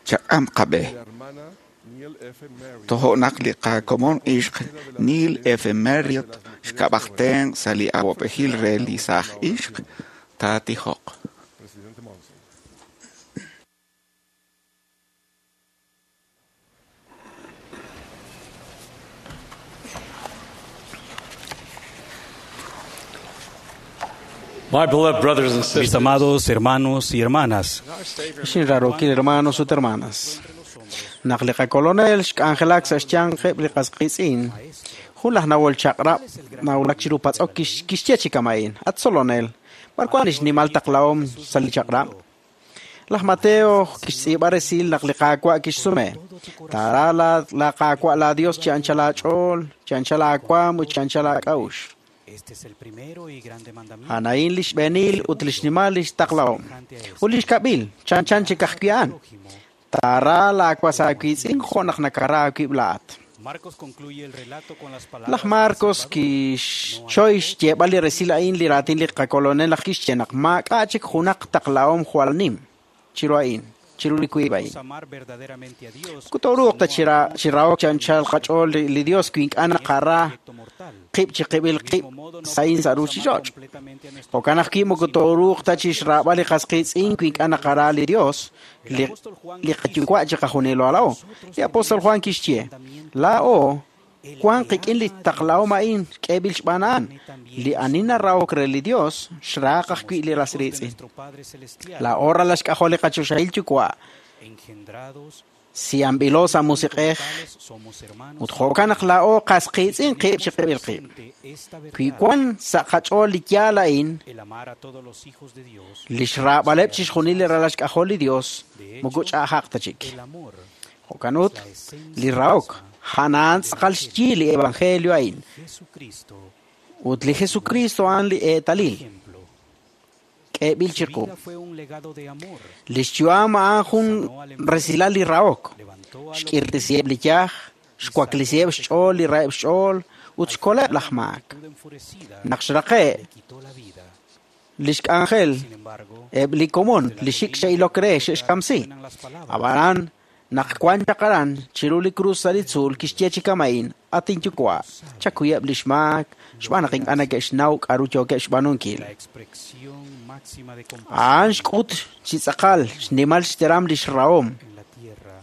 chak'am qab'e.
la hermana Neil F. Merritt
Tojo'naq li qakomon ixq Neil F. Merritt xk'ab'ajten sa' li awab'ejil re li saaj ixq taatijoq.
presidente Monson.
My beloved brothers and
Mis
sisters,
amados hermanos y hermanas,
Xinrarokil hermanos ut hermanas. Naq li qakolonel xk'anjelak sa' xyanqeb' li qasqitz'in. Jun laj nawol chaq'rab' nawulak chiru patz'ok kix- kixye chi kama'in. At tzolonel, b'ar wan lix nimal taqlahom sa' li chaq'rab'? Laj Mateo kixtz'iib'a resil naq li Qaawa' kixsume. Taara la, la Qaawa' la Dios chi anchal aach'ool, chi anchal aawaam ut chi anchal aak'a'uxl.
este es el primero y grande mandamiento.
Anaín lix b'eenil ut lix nimal lix taqlahom. Ut lix kab'il, chan chan chik ajwi' a'an. Taara laawas aawiitz'in jo' naq nakara aawib' laa'at.
Marcos concluye el relato con las palabras
Laj Marcos kixchoy xyeeb'al li resil a'in li raatin li qakolonel laj kixye naq maak'a' chik junaq taqlahom jwal nim chiru a'in, chiru li wiib' a'in.
de amar verdaderamente a Dios
Kutoruuq ta chira- chirahok chi anchal qach'ool li, li Dios wi ink'a' naqara qib' chi qib'il qib' sa'in sa' ruuchich'och'. Jo'kan ajwi' moko tooruuq ta chixraab'al li qasqiitz'in wi ink'a' naqara li Dios, li, li qayuwa' chi qajunilo laa'o. Li apóstol Juan kixye, laa'o wan qik'in li taqlahom a'in k'eeb'il xb'aan a'an. Li ani narahok re li Dios, xraaq ajwi' li ras riitz'in.
nuestro Padre Celestial,
Laa'o ralal xk'ajol li qachoxahil yuwa',
engendrados
siamb'ilo sa' musiq'ej,
somos hermanos
ut jo'kan naq laa'o qasqiitz'in qib' chi qib'il qib'.
esta
Wi
verdad,
wan sa' qach'ool li yaal a'in,
el amar a todos los hijos de Dios,
lix raab'aleb' chixjunil li ralal xk'ajol li Dios, moko ch'a'ajaq ta chik.
el amor
Jo'kan ut, li rahok, a'an tz'aqal xyi li evangelio a'in,
Jesucristo,
ut li Jesucristo a'an li eetalil,
ejemplo.
k'eeb'il
Su
chiqu.
vida fue un legado de amor.
Lix yu'am a'an jun resilal li rahok,
Levantó a los
xk'irtisiheb' li yaj, xwaklisiheb' xch'ool li raheb' xch'ool, ut xkoleb' laj maak.
multitud enfurecida,
Naq xraqe'
le quitó la vida.
lix k'anjel,
Sin embargo,
eb' li komon li xik xe'ilok re xe'xkamsi.
suenan las palabras
Ab'anan, naq wan chaq aran chiru li krus sa' li tzuul kixye chi kama'in, at inyuwa', chakuyeb' lix maak, xb'aan naq ink'a' neke'xnaw k'aru yookeb' xb'aanunkil.
la expresión máxima de
A'an
compasión
xk'ut chi tz'aqal xnimal xteram lix rahom
en la tierra.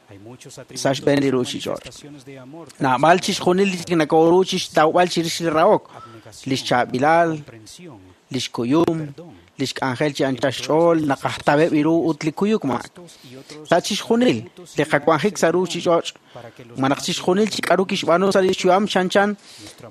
Hay muchos
sa'
atributos
xb'een li
y
ruuchich'och'.
manifestaciones de amor,
Naab'al chixjunil li nakooru chixtawb'al chirix li rahok, lix chaab'ilal,
comprensión,
lix kuyum, lix k'anjel chi anchal xch'ool, naqajtab'eb' iru ut li kuyuk maak. Sa' chixjunil li qawanjik sa' ruuchich'och', ma naq chixjunil chi k'aru kixb'aanu sa' lix yu'am chanchan,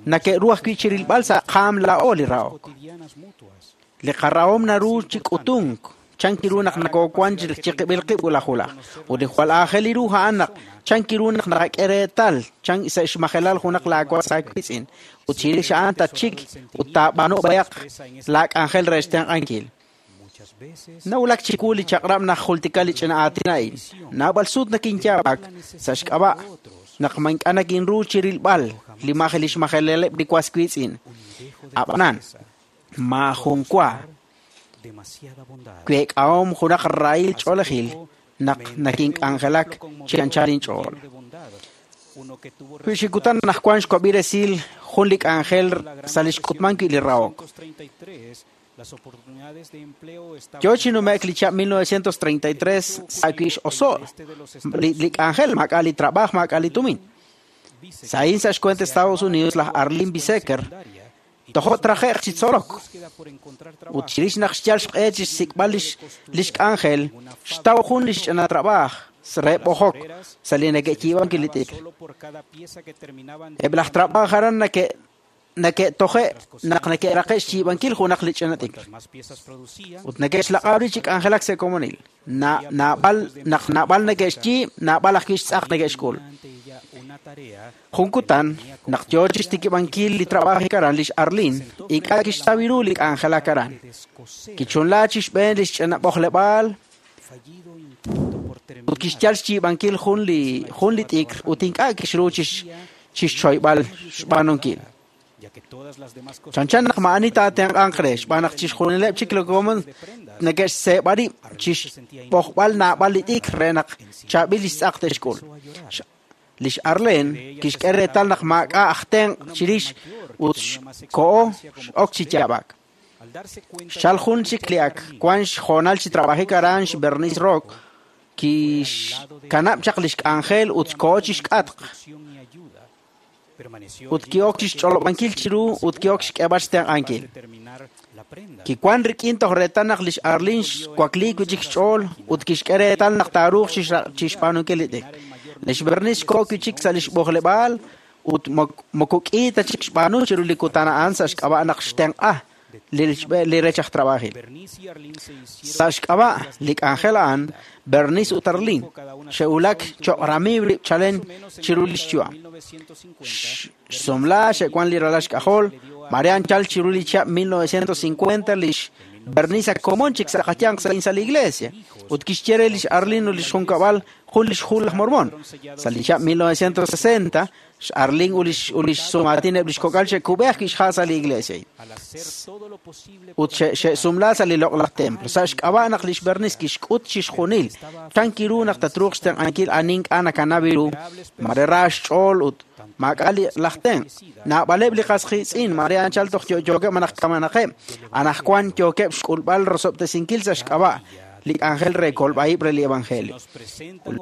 nake'ru ajwi' chirilb'al sa' qaam laa'o li rahok.
cotidianas mutuas.
Li qarahom naru chi k'utunk, chan kiru naq nakoowan chi chi qib'il qib' wulaj wulaj. Ut li jwal aajel iru a'an naq chan kiru naq naqak'e reetal, chan sa' xmajelal junaq laawas aawiitz'in. Ut chirix a'an tatxik ut taab'aanu b'ayaq laak'anjel re xtenq'ankil.
Muchas veces
Nawulak chiwu li chaq'rab' naq jultika li ch'ina aatin a'in. Naab'al sut nakinyaab'ak sa' xk'ab'a' naq ma ink'a' nakinru chirilb'al li maj li xmajeleleb' li was wiitz'in.
un dejo de
Ab'anan,
tristeza,
maajun wa
demasiada bondad.
week'ahom junaq rahil
Hace
ch'oolejil
poco
naq
me enteré de un
nakink'anjelak
ejemplo
chi anchal
conmovedor y
inch'ool.
lleno de bondad, uno que tuvo
Wi xikutan
resultados
naq wan xwab'i resil jun li k'anjel
la Gran
sa' li
Depresión
xk'utman
de
wi' li rahok.
mil novecientos treinta y tres, las oportunidades de empleo estaban
Yo chi nume'k
escasas.
li chab' mil novecientos treinta y tres
El
sa' wi'
ocurrido en el
x'oso'
este de los
li,
Estados
li
Unidos,
k'anjel maak'a' li trabaj maak'a' li tumin.
Bisecker
Sa'in sa' xcuent
se
Estados
acababa de
Unidos laj
graduar de la
Arlene
escuela
Bisecker
secundaria y
tojo
tras una
traje'q chi
difícil
tzolok.
búsqueda por encontrar
Ut
trabajo,
chirix naq xyal xq'e chi xsik'b'al lix,
consiguió un empleo de
lix
costurera
k'anjel,
en una
xtaw
fábrica
jun
de
lix
ropa.
ch'ina trabaj re
A las
b'ojok
obreras
sa' li
se les
neke'yiib'an
pagaba
li t'ikr.
solo por cada pieza que terminaban
Eb' laj
diariamente.
trabaj aran nake Nake'toje' naq neke'raqe' xyiib'ankil junaq li ch'ina t'ikr. Ut neke'xlaq'ab' rib' chi k'anjelak sa' komonil. Naab'al naq naab'al neke'xyiib', naab'al ajwi' xtz'aq neke'xk'ul. Jun kutan, naq yo chixtikib'ankil li trab'ajik aran lix Arlene, ink'a' kixtaw ru li k'anjelak aran. Kichunla chixb'een li xch'ina b'ojleb'aal ut kixyal xyiib'ankil jun li jun li t'ikr ut ink'a' kixru chixchoyb'al xb'aanunkil. Chanchan naq ma'ani taatenq'anq re xb'aan naq chixjunileb' chik li komon neke'xseeb'a rib' chixb'ojb'al naab'al li t'ikr re naq chaab'il li xtz'aq te'xk'ul. Lix Arlene kixk'e reetal naq maak'a' aj tenq' chirix ut xko'o x'ok chi yaab'ak. Xchal jun chik li ak wan xhoonal chi trab'ajik aran xBernice Rock kixkanab' chaq lix k'anjel ut xko'o chixk'atq. Ut ki'ok chixch'olob'ankil chiru ut ki'ok xk'eeb'al xtenq'ankil. Kiwan rik'in toj reetal naq lix Arlene xwakliik wi' chik xch'ool ut kixk'e reetal naq taaruuq chixb'aanunkil li t'ikr. Lix Bernice xko'o wi' chik sa' lix b'ojleb'aal ut moko k'i ta chik xb'aanu chiru li kutan a'an sa' xk'ab'a' naq xtenq'a li rech aj trab'ajil. Sa' xk'ab'a' li k'anjel a'an, Bernice ut Arlene xe'wulak cho'q ramiiw rib' chalen chiru lix yu'am. Xsumla xe'wan li ralal xk'ajol, mare anchal chiru li chihab' mil novecientos cincuenta lix Bernice ak komon chik sa' qayanq sa' sa' li iglesia ut kixye re lix Arlene ut lix junkab'al jun lix hu laj Mormón. Sa' li chihab' mil novecientos sesenta, xArlene ut lix ut lix sumaatin eb' lix kok'al xe'kub'e ajwi' xha' sa' li iglesia ut xe'sumla sa' li loq'laj templo. Sa' xk'ab'a' naq lix Bernice kixk'ut chixjunil chan kiru naq tatruuq xtenq'ankil ani ink'a' nakanaw ru, mare ra xch'ool ut maak'a' li laj tenq'. Naab'aleb' li qas qiitz'in mare anchal toj yo'yookeb' malaj kamenaqeb', anaqwan yookeb' xk'ulb'al rosob'tesinkil sa' xk'ab'a' li k'anjel re kolb'a'ib' re li evangelio.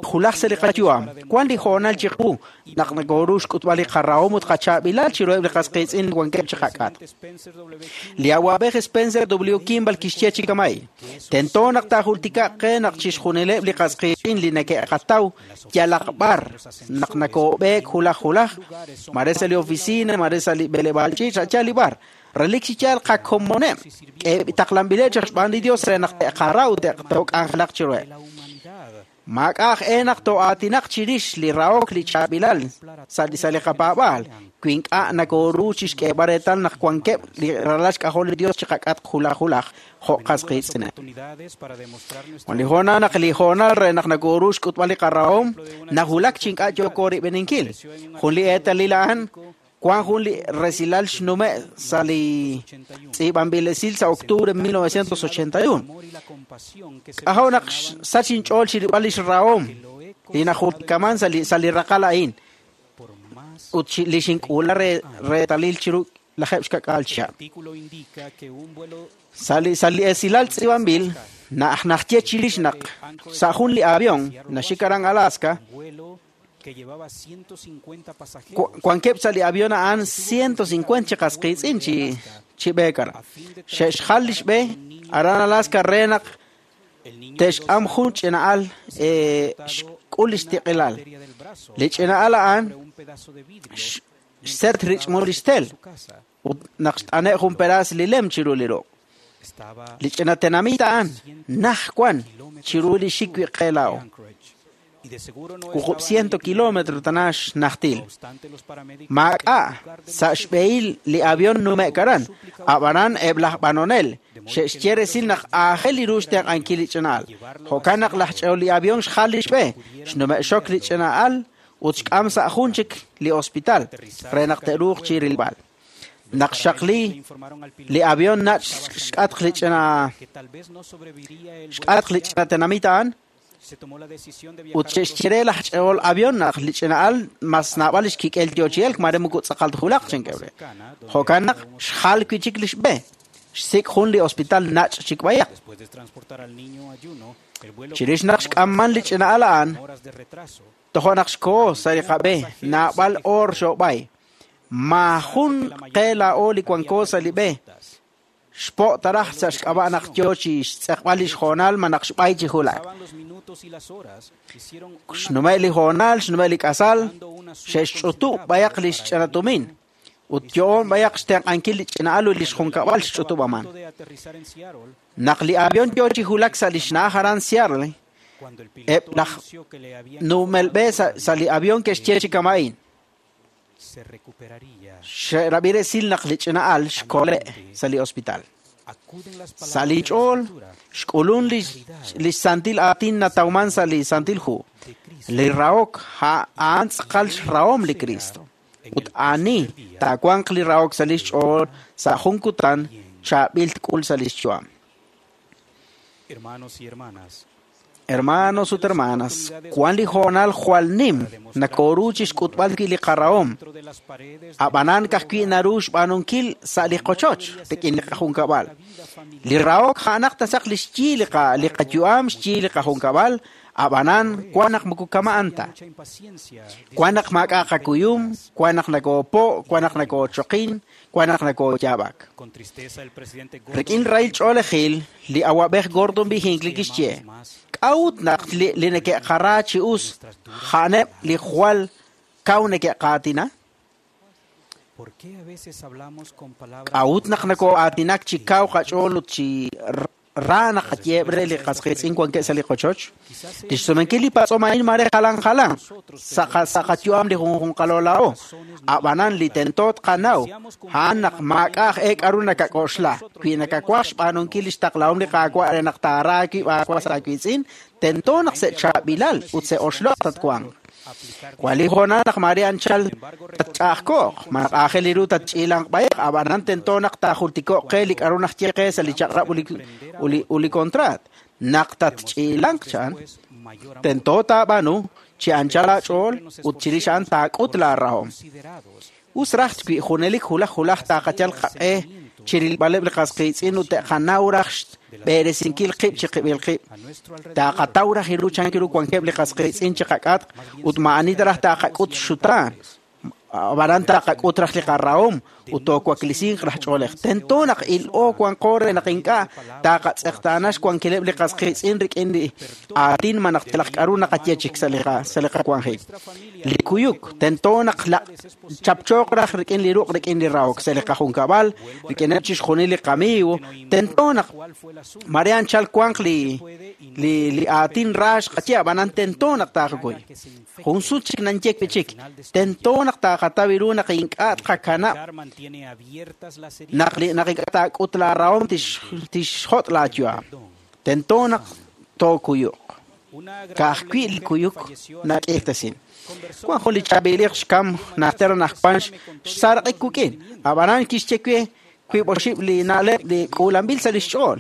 Julaj sa' li qayu'am, wan li hoonal chiqu naq nakoru xk'utb'al li qarahom ut qachaab'ilal chiruheb' li qas qiitz'in wankeb' chi qak'atq. Li awab'ej Spencer W. Kimball kixye chi kamay, tento naq taajultikaq qe naq chixjunileb' li qas qiitz'in li neke'qataw yalaq b'ar naq nakoob'eek julaj julaj, mare sa' li oficina, mare sa' li b'eleb'aal ch'iich', sa' li b'ar. Relik chi yaal qakomoneb' taqlanb'ileb' chaq xb'aan li Dios re naq te'qara ut te'k'anjelaq chiruheb'. Maak'a' aj e naq to'aatinaq chirix li rahok li chaab'ilal sa' li sa' li qapaab'aal wi ink'a' nakoru chixk'eeb'al reetal naq wankeb' li ralal xk'ajol li Dios chiqak'atq julaj julaj jo' qas qiitz'ineb'. Wan li hoonal naq li hoonal re naq nakoru xk'utb'al li qarahom nawulak chi ink'a' yooko rib'eninkil. Jun li eetalil a'an wan jun li resilal xnume' sa' li tz'iib'anb'il esil sa' octubre mil novecientos ochenta y uno. K'ajo' naq sach inch'ool chirib'al lix rahom li najultikaman sa' li sa' li raqal a'in ut li xink'uula re reetalil chiru lajeb' xka'k'aal chihab'. Sa' li sa' li esilal tz'iib'anb'il naj najye chirix naq sa' jun li avión naxik aran Alaska wankeb' sa' li avión a'an ciento cincuenta chi qas qiitz'in chi chi b'eek aran. Xe'xjal lix b'e aran Alaska re naq te'xk'am jun ch'ina'al xk'ul lix tiq'ilal. Li ch'ina'al a'an xset rich'mul lix tel ut naq xt'ane' jun peraas li lem chiru li ruq'. Li ch'ina tenamit a'an naj wan chiru li xik wi' qe laa'o. Wuqub' ciento kilómetro tanax najtil. Maak'a' sa' xb'ehil li avión nume'k aran, ab'anan eb' laj b'anonel xe'xye resil naq aajel li ru xtenq'ankil li ch'ina'al. Jo'kan naq laj ch'e'ol li avión xjal li xb'e, xnume'xok li ch'ina'al ut xk'am sa' jun chik li hospital re naq te'ruuq chi rilb'al. Naq xaqli li avión nach' xk'atq li ch'ina xk'atq li ch'ina tenamit a'an ut xe'xye laj ch'e'ol avión naq li ch'ina'al mas naab'al lix kik'el yo chi elk mare moko tz'aqal julaq chankeb' re. Jo'kan naq xjal wi' chik lix b'e, xsik' jun li hospital nach' chik b'ayaq. Chirix naq xk'amman li ch'ina'al a'an, tojo' naq xko'o sa' li qab'e naab'al oor xo'b'ay. Maajun qe laa'o li wanko sa' li b'e. Xpo' taraj sa' xk'ab'a' naq yo chi xtz'eqb'al lix hoonal ma naq xb'ay chi julak. Xnume' li hoonal, xnume' li k'asal, xe'xch'utub' b'ayaq lix ch'inatumin Ut yo'on b'ayaq xtenq'ankil li ch'ina'al ut li xjunkab'al xch'utub'aman. Naq li avión yo chi hulak sa' li xna'aj aran Seattle, eb' laj numelb'e sa' li avión ke'xye chi kama'in. Xe'rab'i resil naq li ch'ina'al xkole' sa' li hospital. Sa' li ch'ool xk'ulun li xsantil aatin natawman sa' li Santil Hu. Li rahok a'an tz'aqal xrahom li Cristo. Ut ani taawanq li rahok sa' li xch'ool sa' jun kutan chaab'il tk'ul sa' li xyu'am. Hermanos ut hermanas, wan li hoonal jwal nim nakoru chi xk'utb'al wi' li qarahom. Ab'anan ka'ajwi' naru xb'aanunkil sa' li qochoch rik'in li qajunkab'al. Li rahok a'anaq tasaq li xyi li qayu'am xyi li qajunkab'al, ab'anan wan naq moko kama'an ta. Wan naq maak'a' qakuyum, wan naq nakoopo', wan naq nakoochoqin, wan naq nakooyaab'ak. Rik'in rahil ch'oolejil, li awab'ej Gordon B. Hinckley kixye, k'a'ut naq li neke'qara chi us a'aneb' li jwal kaw neke'qaatina? K'a'ut naq nakoo'aatinak chi kaw qach'ool ut chi ra naqayeeb' re li qasqiitz'in wankeb' sa' li qochoch? Li xsumenkil li patz'om a'in mare jalan jalan sa' qayu'am li junjunqalo laa'o. Ab'anan li tento tqanaw a'an naq maak'a' aj e k'aru nakak'oxla. Wi nakawaj xb'aanunkil li xtaqlahom li Qaawa' re naq taara aawib' aawas aawiitz'in, tento naq se'chaab'ilal ut se'oxloq' tatwanq. Wan li hoonal naq mare anchal tatch'a'ajko'q, ma naq aajel ru tatch'iilanq b'ayaq, ab'anan tento naq taajultiko'q qe li k'aru najye qe sa' li chaq'rab' ut li kontraat. Naq tatch'iilanq chan, tento taab'aanu chi anchal aach'ool ut chirix a'an taak'ut laarahom. Us raj wi junelik hulaj hulaj taaqayal qaq'e chirilb'aleb' li qasqiitz'in ut te'qanaw raj xb'eresinkil qib' chi qib'il qib'. Taaqataw raj iru chan ru wankeb' li qasqiitz'in chi qak'atq ut ma'ani ta raj taaqak'ut xutaan. Ab'anan taaqak'ut raj li qarahom ut toowaklisinq raj ch'oolej. Tento naq il'o wanqo re naq ink'a' taaqatz'eqtaana xwankileb' li qasqiitz'in rik'in li aatin ma naq yalaq k'aru naqaye chik sa' li qawanjik. Li kuyuk tento naq chapchooq raj rik'in li ruq' rik'in li rahok sa' li qajunkab'al, rik'ineb' chixjunil li qamiiw. Tento naq mare anchal wanq li li aatin ra xqaye, ab'anan tento naq taaqakuy. Jun sut chik nanyek wi' chik, tento naq taaqataw ru naq ink'a' tqakanab' naq li naq ink'a' taak'ut laarahom tixjot' laayu'am. Tento naq tookuyuq. Ka'ajwi' li kuyuk nak'irtasin. Wan jun li chaab'iliq xkam najter anaqwan xsaraq'ik wik'in. Ab'anan kixye we wiib' oxib' li na'leb' li k'uulanb'il sa' li xch'ool.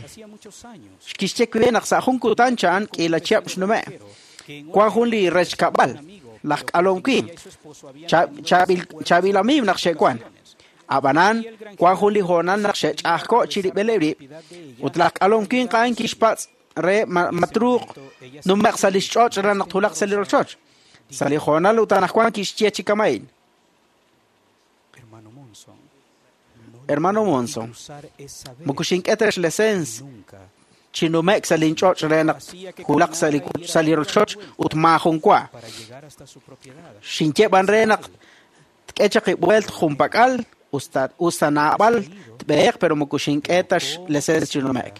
Kixye we naq sa' jun kutan chan k'iila chihab' xnume'. Wan jun li rechkab'al laj k'alom winq chaab'il amiiw naq xe'wan. Ab'anan wan jun li hoonal naq xe'ch'a'ajko' chirib'ileb' rib' ut laj k'alom winq a'an kixpatz' re matruuq numeq sa' li xch'och' re naq thulaq sa' li rochoch. Sa' li hoonal ut anaqwan kixye chi kama'in. Hermano Monson, moko xink'e ta xlesens chi nume'k sa' linch'och' re naq hulaq sa' li rochoch ut maajun wa. Xinye b'an re naq tk'e chaq ib'uelt junpak'al usta naab'al tb'eheq pero moko xink'e ta xlesens chi nume'k.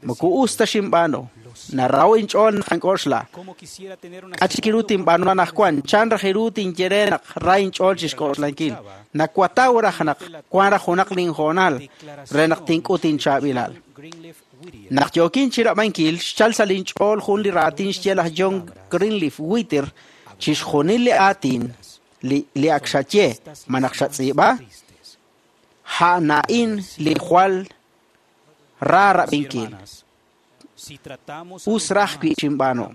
Moko us ta xinb'aanu. Naraho inch'ool naq ank'oxla. K'a chik ru tinb'aanu anaqwan, chan raj ru tinye re naq ra inch'ool chi xk'oxlankil. Nakwataw raj naq wan raj junaq linhoonal re naq tink'ut inchaab'ilal. Naq yookin chirab'ankil, xchal sa' linch'ool jun li raatin xye laj John Greenleaf Whittier chixjunil li aatin li ak xaye ma naq xatz'iib'a, a'an li jwal ra rab'inkil. Us raj wi' xinb'aanu.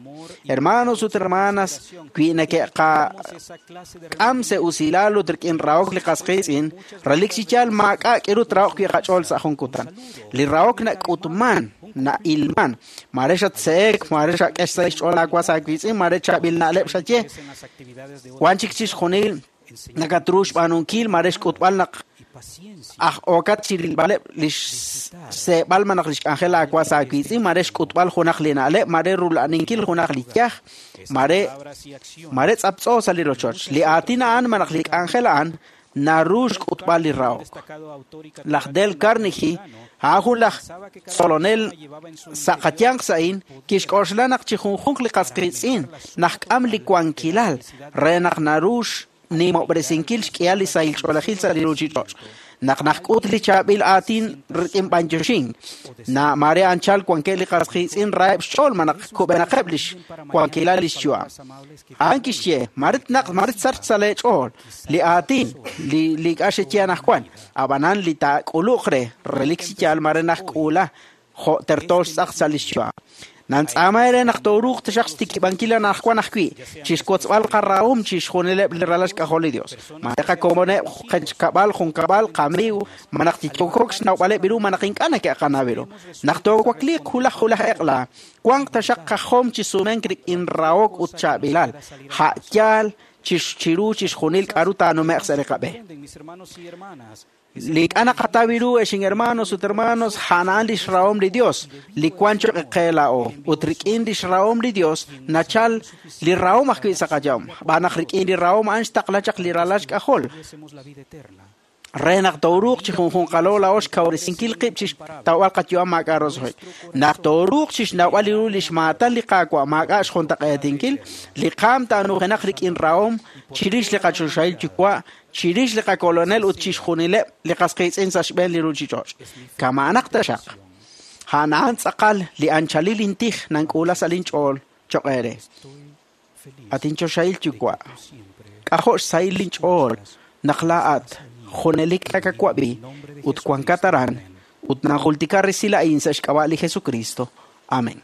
Hermanos ut hermanas, wi' neke'qak'am se usilal ut rik'in rahok li qasqiitz'in, relik chi yaal maak'a' k'iru trahok wi' qach'ool sa' jun kutan. Li rahok nak'utman, na'ilman. Mare xatse'ek, mare xak'e sa' xch'ool aawas aawiitz'in, mare chaab'il na'leb' xaye. Wan chik chixjunil nakatru xb'aanunkil, mare xk'utb'al naq aj okat chirilb'aleb' li xseeb'al ma naq li xk'anjel aawas aawiitz'in, mare xk'utb'al junaq li na'leb', mare rula'aninkil junaq li yaj, mare mare tz'aptz'o sa' li rochoch. Li aatin a'an ma naq li k'anjel a'an naru xk'utb'al li rahok. Laj Dale Carnegie, a'an jun laj tzolonel sa' qayanq sa'in, kixk'oxla naq chi junjunq li qas qiitz'in najk'am li wankilal re naq naru xnimob'resinkil xk'ihal li sahil ch'oolejil sa' li ruuchich'och'. Naq najk'ut li chaab'il aatin rik'in b'anyoxink, na mare anchal wankeb' li qas qiitz'in raheb' xch'ool ma naq kub'enaqeb' lix wankilal lix yu'am. A'an kixye, marit naq marit sachq sa' leech'ool li aatin li li ink'a' xeye anaqwan, ab'anan li taak'uluq re relik chi yaal mare najk'uula jo' terto xtz'aq sa' lix yu'am. Nantz'aama ere naq tooruuq taxaq xtikib'ankil anaqwan ajwi' chixwotzb'al qarahom chixjunileb' li ralal xk'ajol li Dios. Mare qakomoneb' qechkab'al junkab'al qamiiw ma naq tiyokok xnawb'aleb' ru ma naq ink'a' neke'qanaw ru. Naq toowakliiq hulaj hulaj eq'la, wanq taxaq qajom chi sumenk rik'in rahok ut chaab'ilal, ja' yaal chiru chixjunil k'a'ru taanume'q sa' li qab'e. Li ink'a' naqataw ru exin hermanos ut hermanos a'an lix rahom li Dios li wan choq' qe laa'o ut rik'in lix rahom li Dios nachal li rahom ajwi' sa' qayom b'an naq rik'in li rahom a'an xtaqla chaq li ralal xk'ajol re naq tooruuq chi junjunqalo laa'o xkawresinkil qib' chi xtawb'al qayu'am maak'a' roso'jik. Naq tooruuq chi xnawb'al ru li xmaatan li Qaawa' maak'a' xjuntaq'eetinkil, li qaam taanujenaq rik'in rahom chirix li qachoxahil yuwa', chirix li qakolonel ut chixjunileb' li qas qiitz'in sa' xb'een li ruuchich'och'. Kama'anaq taxaq. A'an tz'aqal li anchalil intij nank'uula sa' linch'ool choq' eere. At inchoxahil yuwa', k'ajo' xsahil linch'ool naq laa'at junelik nakawab'i ut wankat aran ut najultika resil a'in sa' xk'ab'a' li Jesucristo. Amén.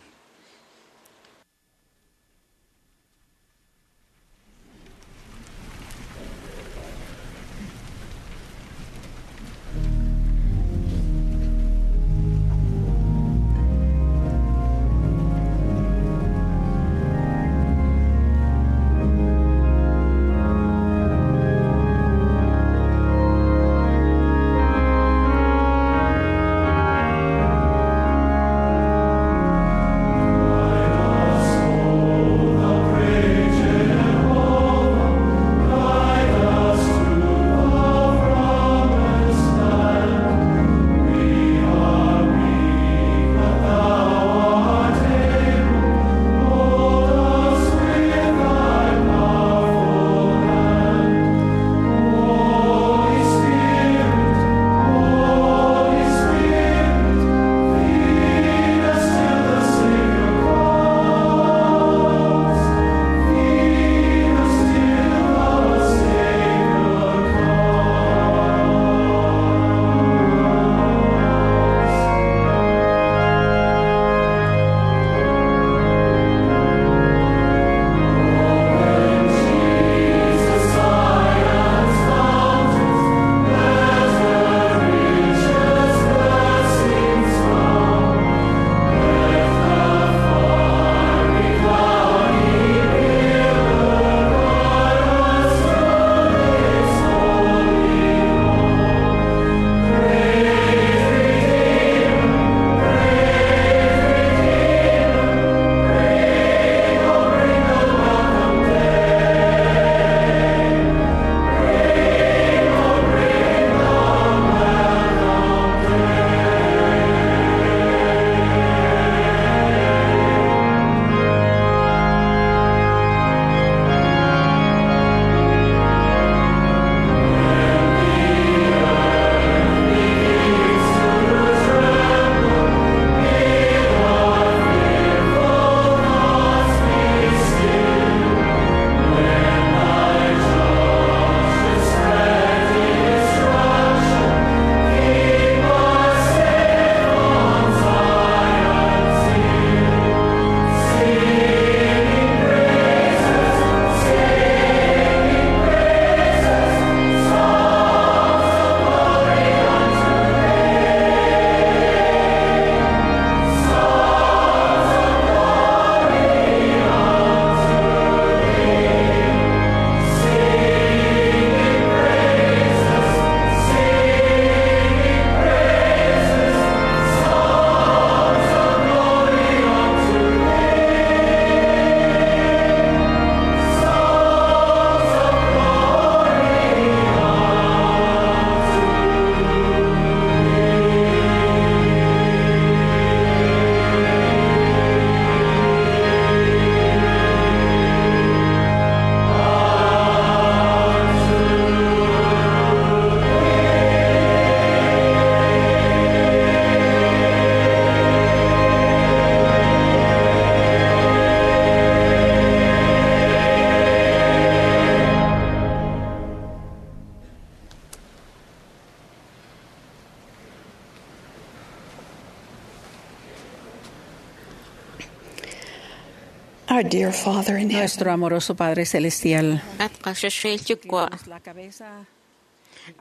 Our dear Father in heaven,
Nuestro amoroso Padre Celestial,
At qaxaxil yuwa'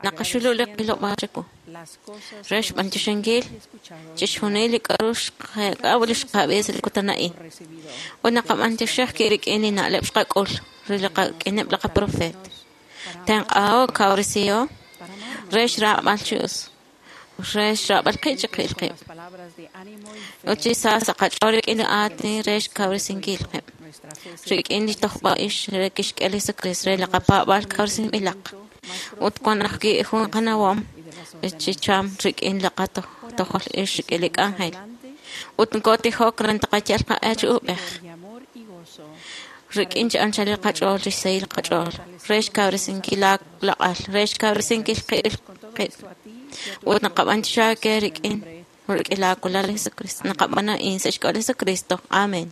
naqaxulul qilob'aal chiqu re xb'antioxinkil chixjunil li k'a'ru xqak'aw li xqab'i sa' li kutan a'in ut naqab'antioxej ki rik'in li na'leb' xqak'ul re li qak'ineb' li qaprofeet tenq'aho kawresiho re xraab'al chi us re xraab'al qib' chiqil qib' ut chi sa sa' qach'ool rik'in li aatin re xkawresinkil qib' rik'in li tojb'a'ix re kixk'e li Jesucristo re li qapaab'aal kawresinb'ilaq ut wan ajwi' jun qanawom chi cham rik'in li qatojol ix rik'in li k'anjel ut nkotijok re taqayal qaq'e chi ub'ej rik'in chi anchalil qach'ool rixsahil qach'ool re xkawresinkil laq'al re xkawresinkil qib' qib' ut naqab'antioxi aawe rik'in rik'in laakulal li Jesucristo naqab'an a'in sa' xk'ab'a' li Jesucristo amen.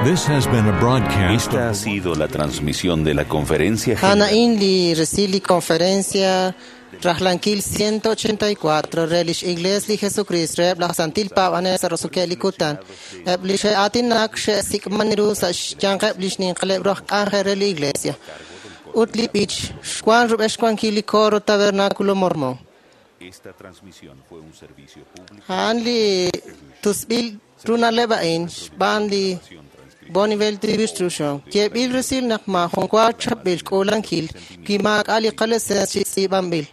This has been a broadcast
Esta ha sido la transmisión de la conferencia
A'an
general
a'in li resil li conferencia rajlankil ciento ochenta y cuatro re lix Iglesia li Jesucristo reheb laj Santil Paab'anel sa' roso'keb' li kutan. Eb' li xe'aatinak xe'sik'man ru sa' xyanqeb' li xninqaleb' ru aj k'anjel re li Iglesia. Ut li b'ich xwan rub'el xwankil li coro Tabernáculo Mormón.
Esta transmisión fue un servicio público
A'an li tusb'il ru na'leb' a'in xb'aan li Bonneville Distribution. Yeeb'il resil naq maajun wa chapb'il k'uulankil wi maak'a' li qalicencia chi tz'iib'anb'il.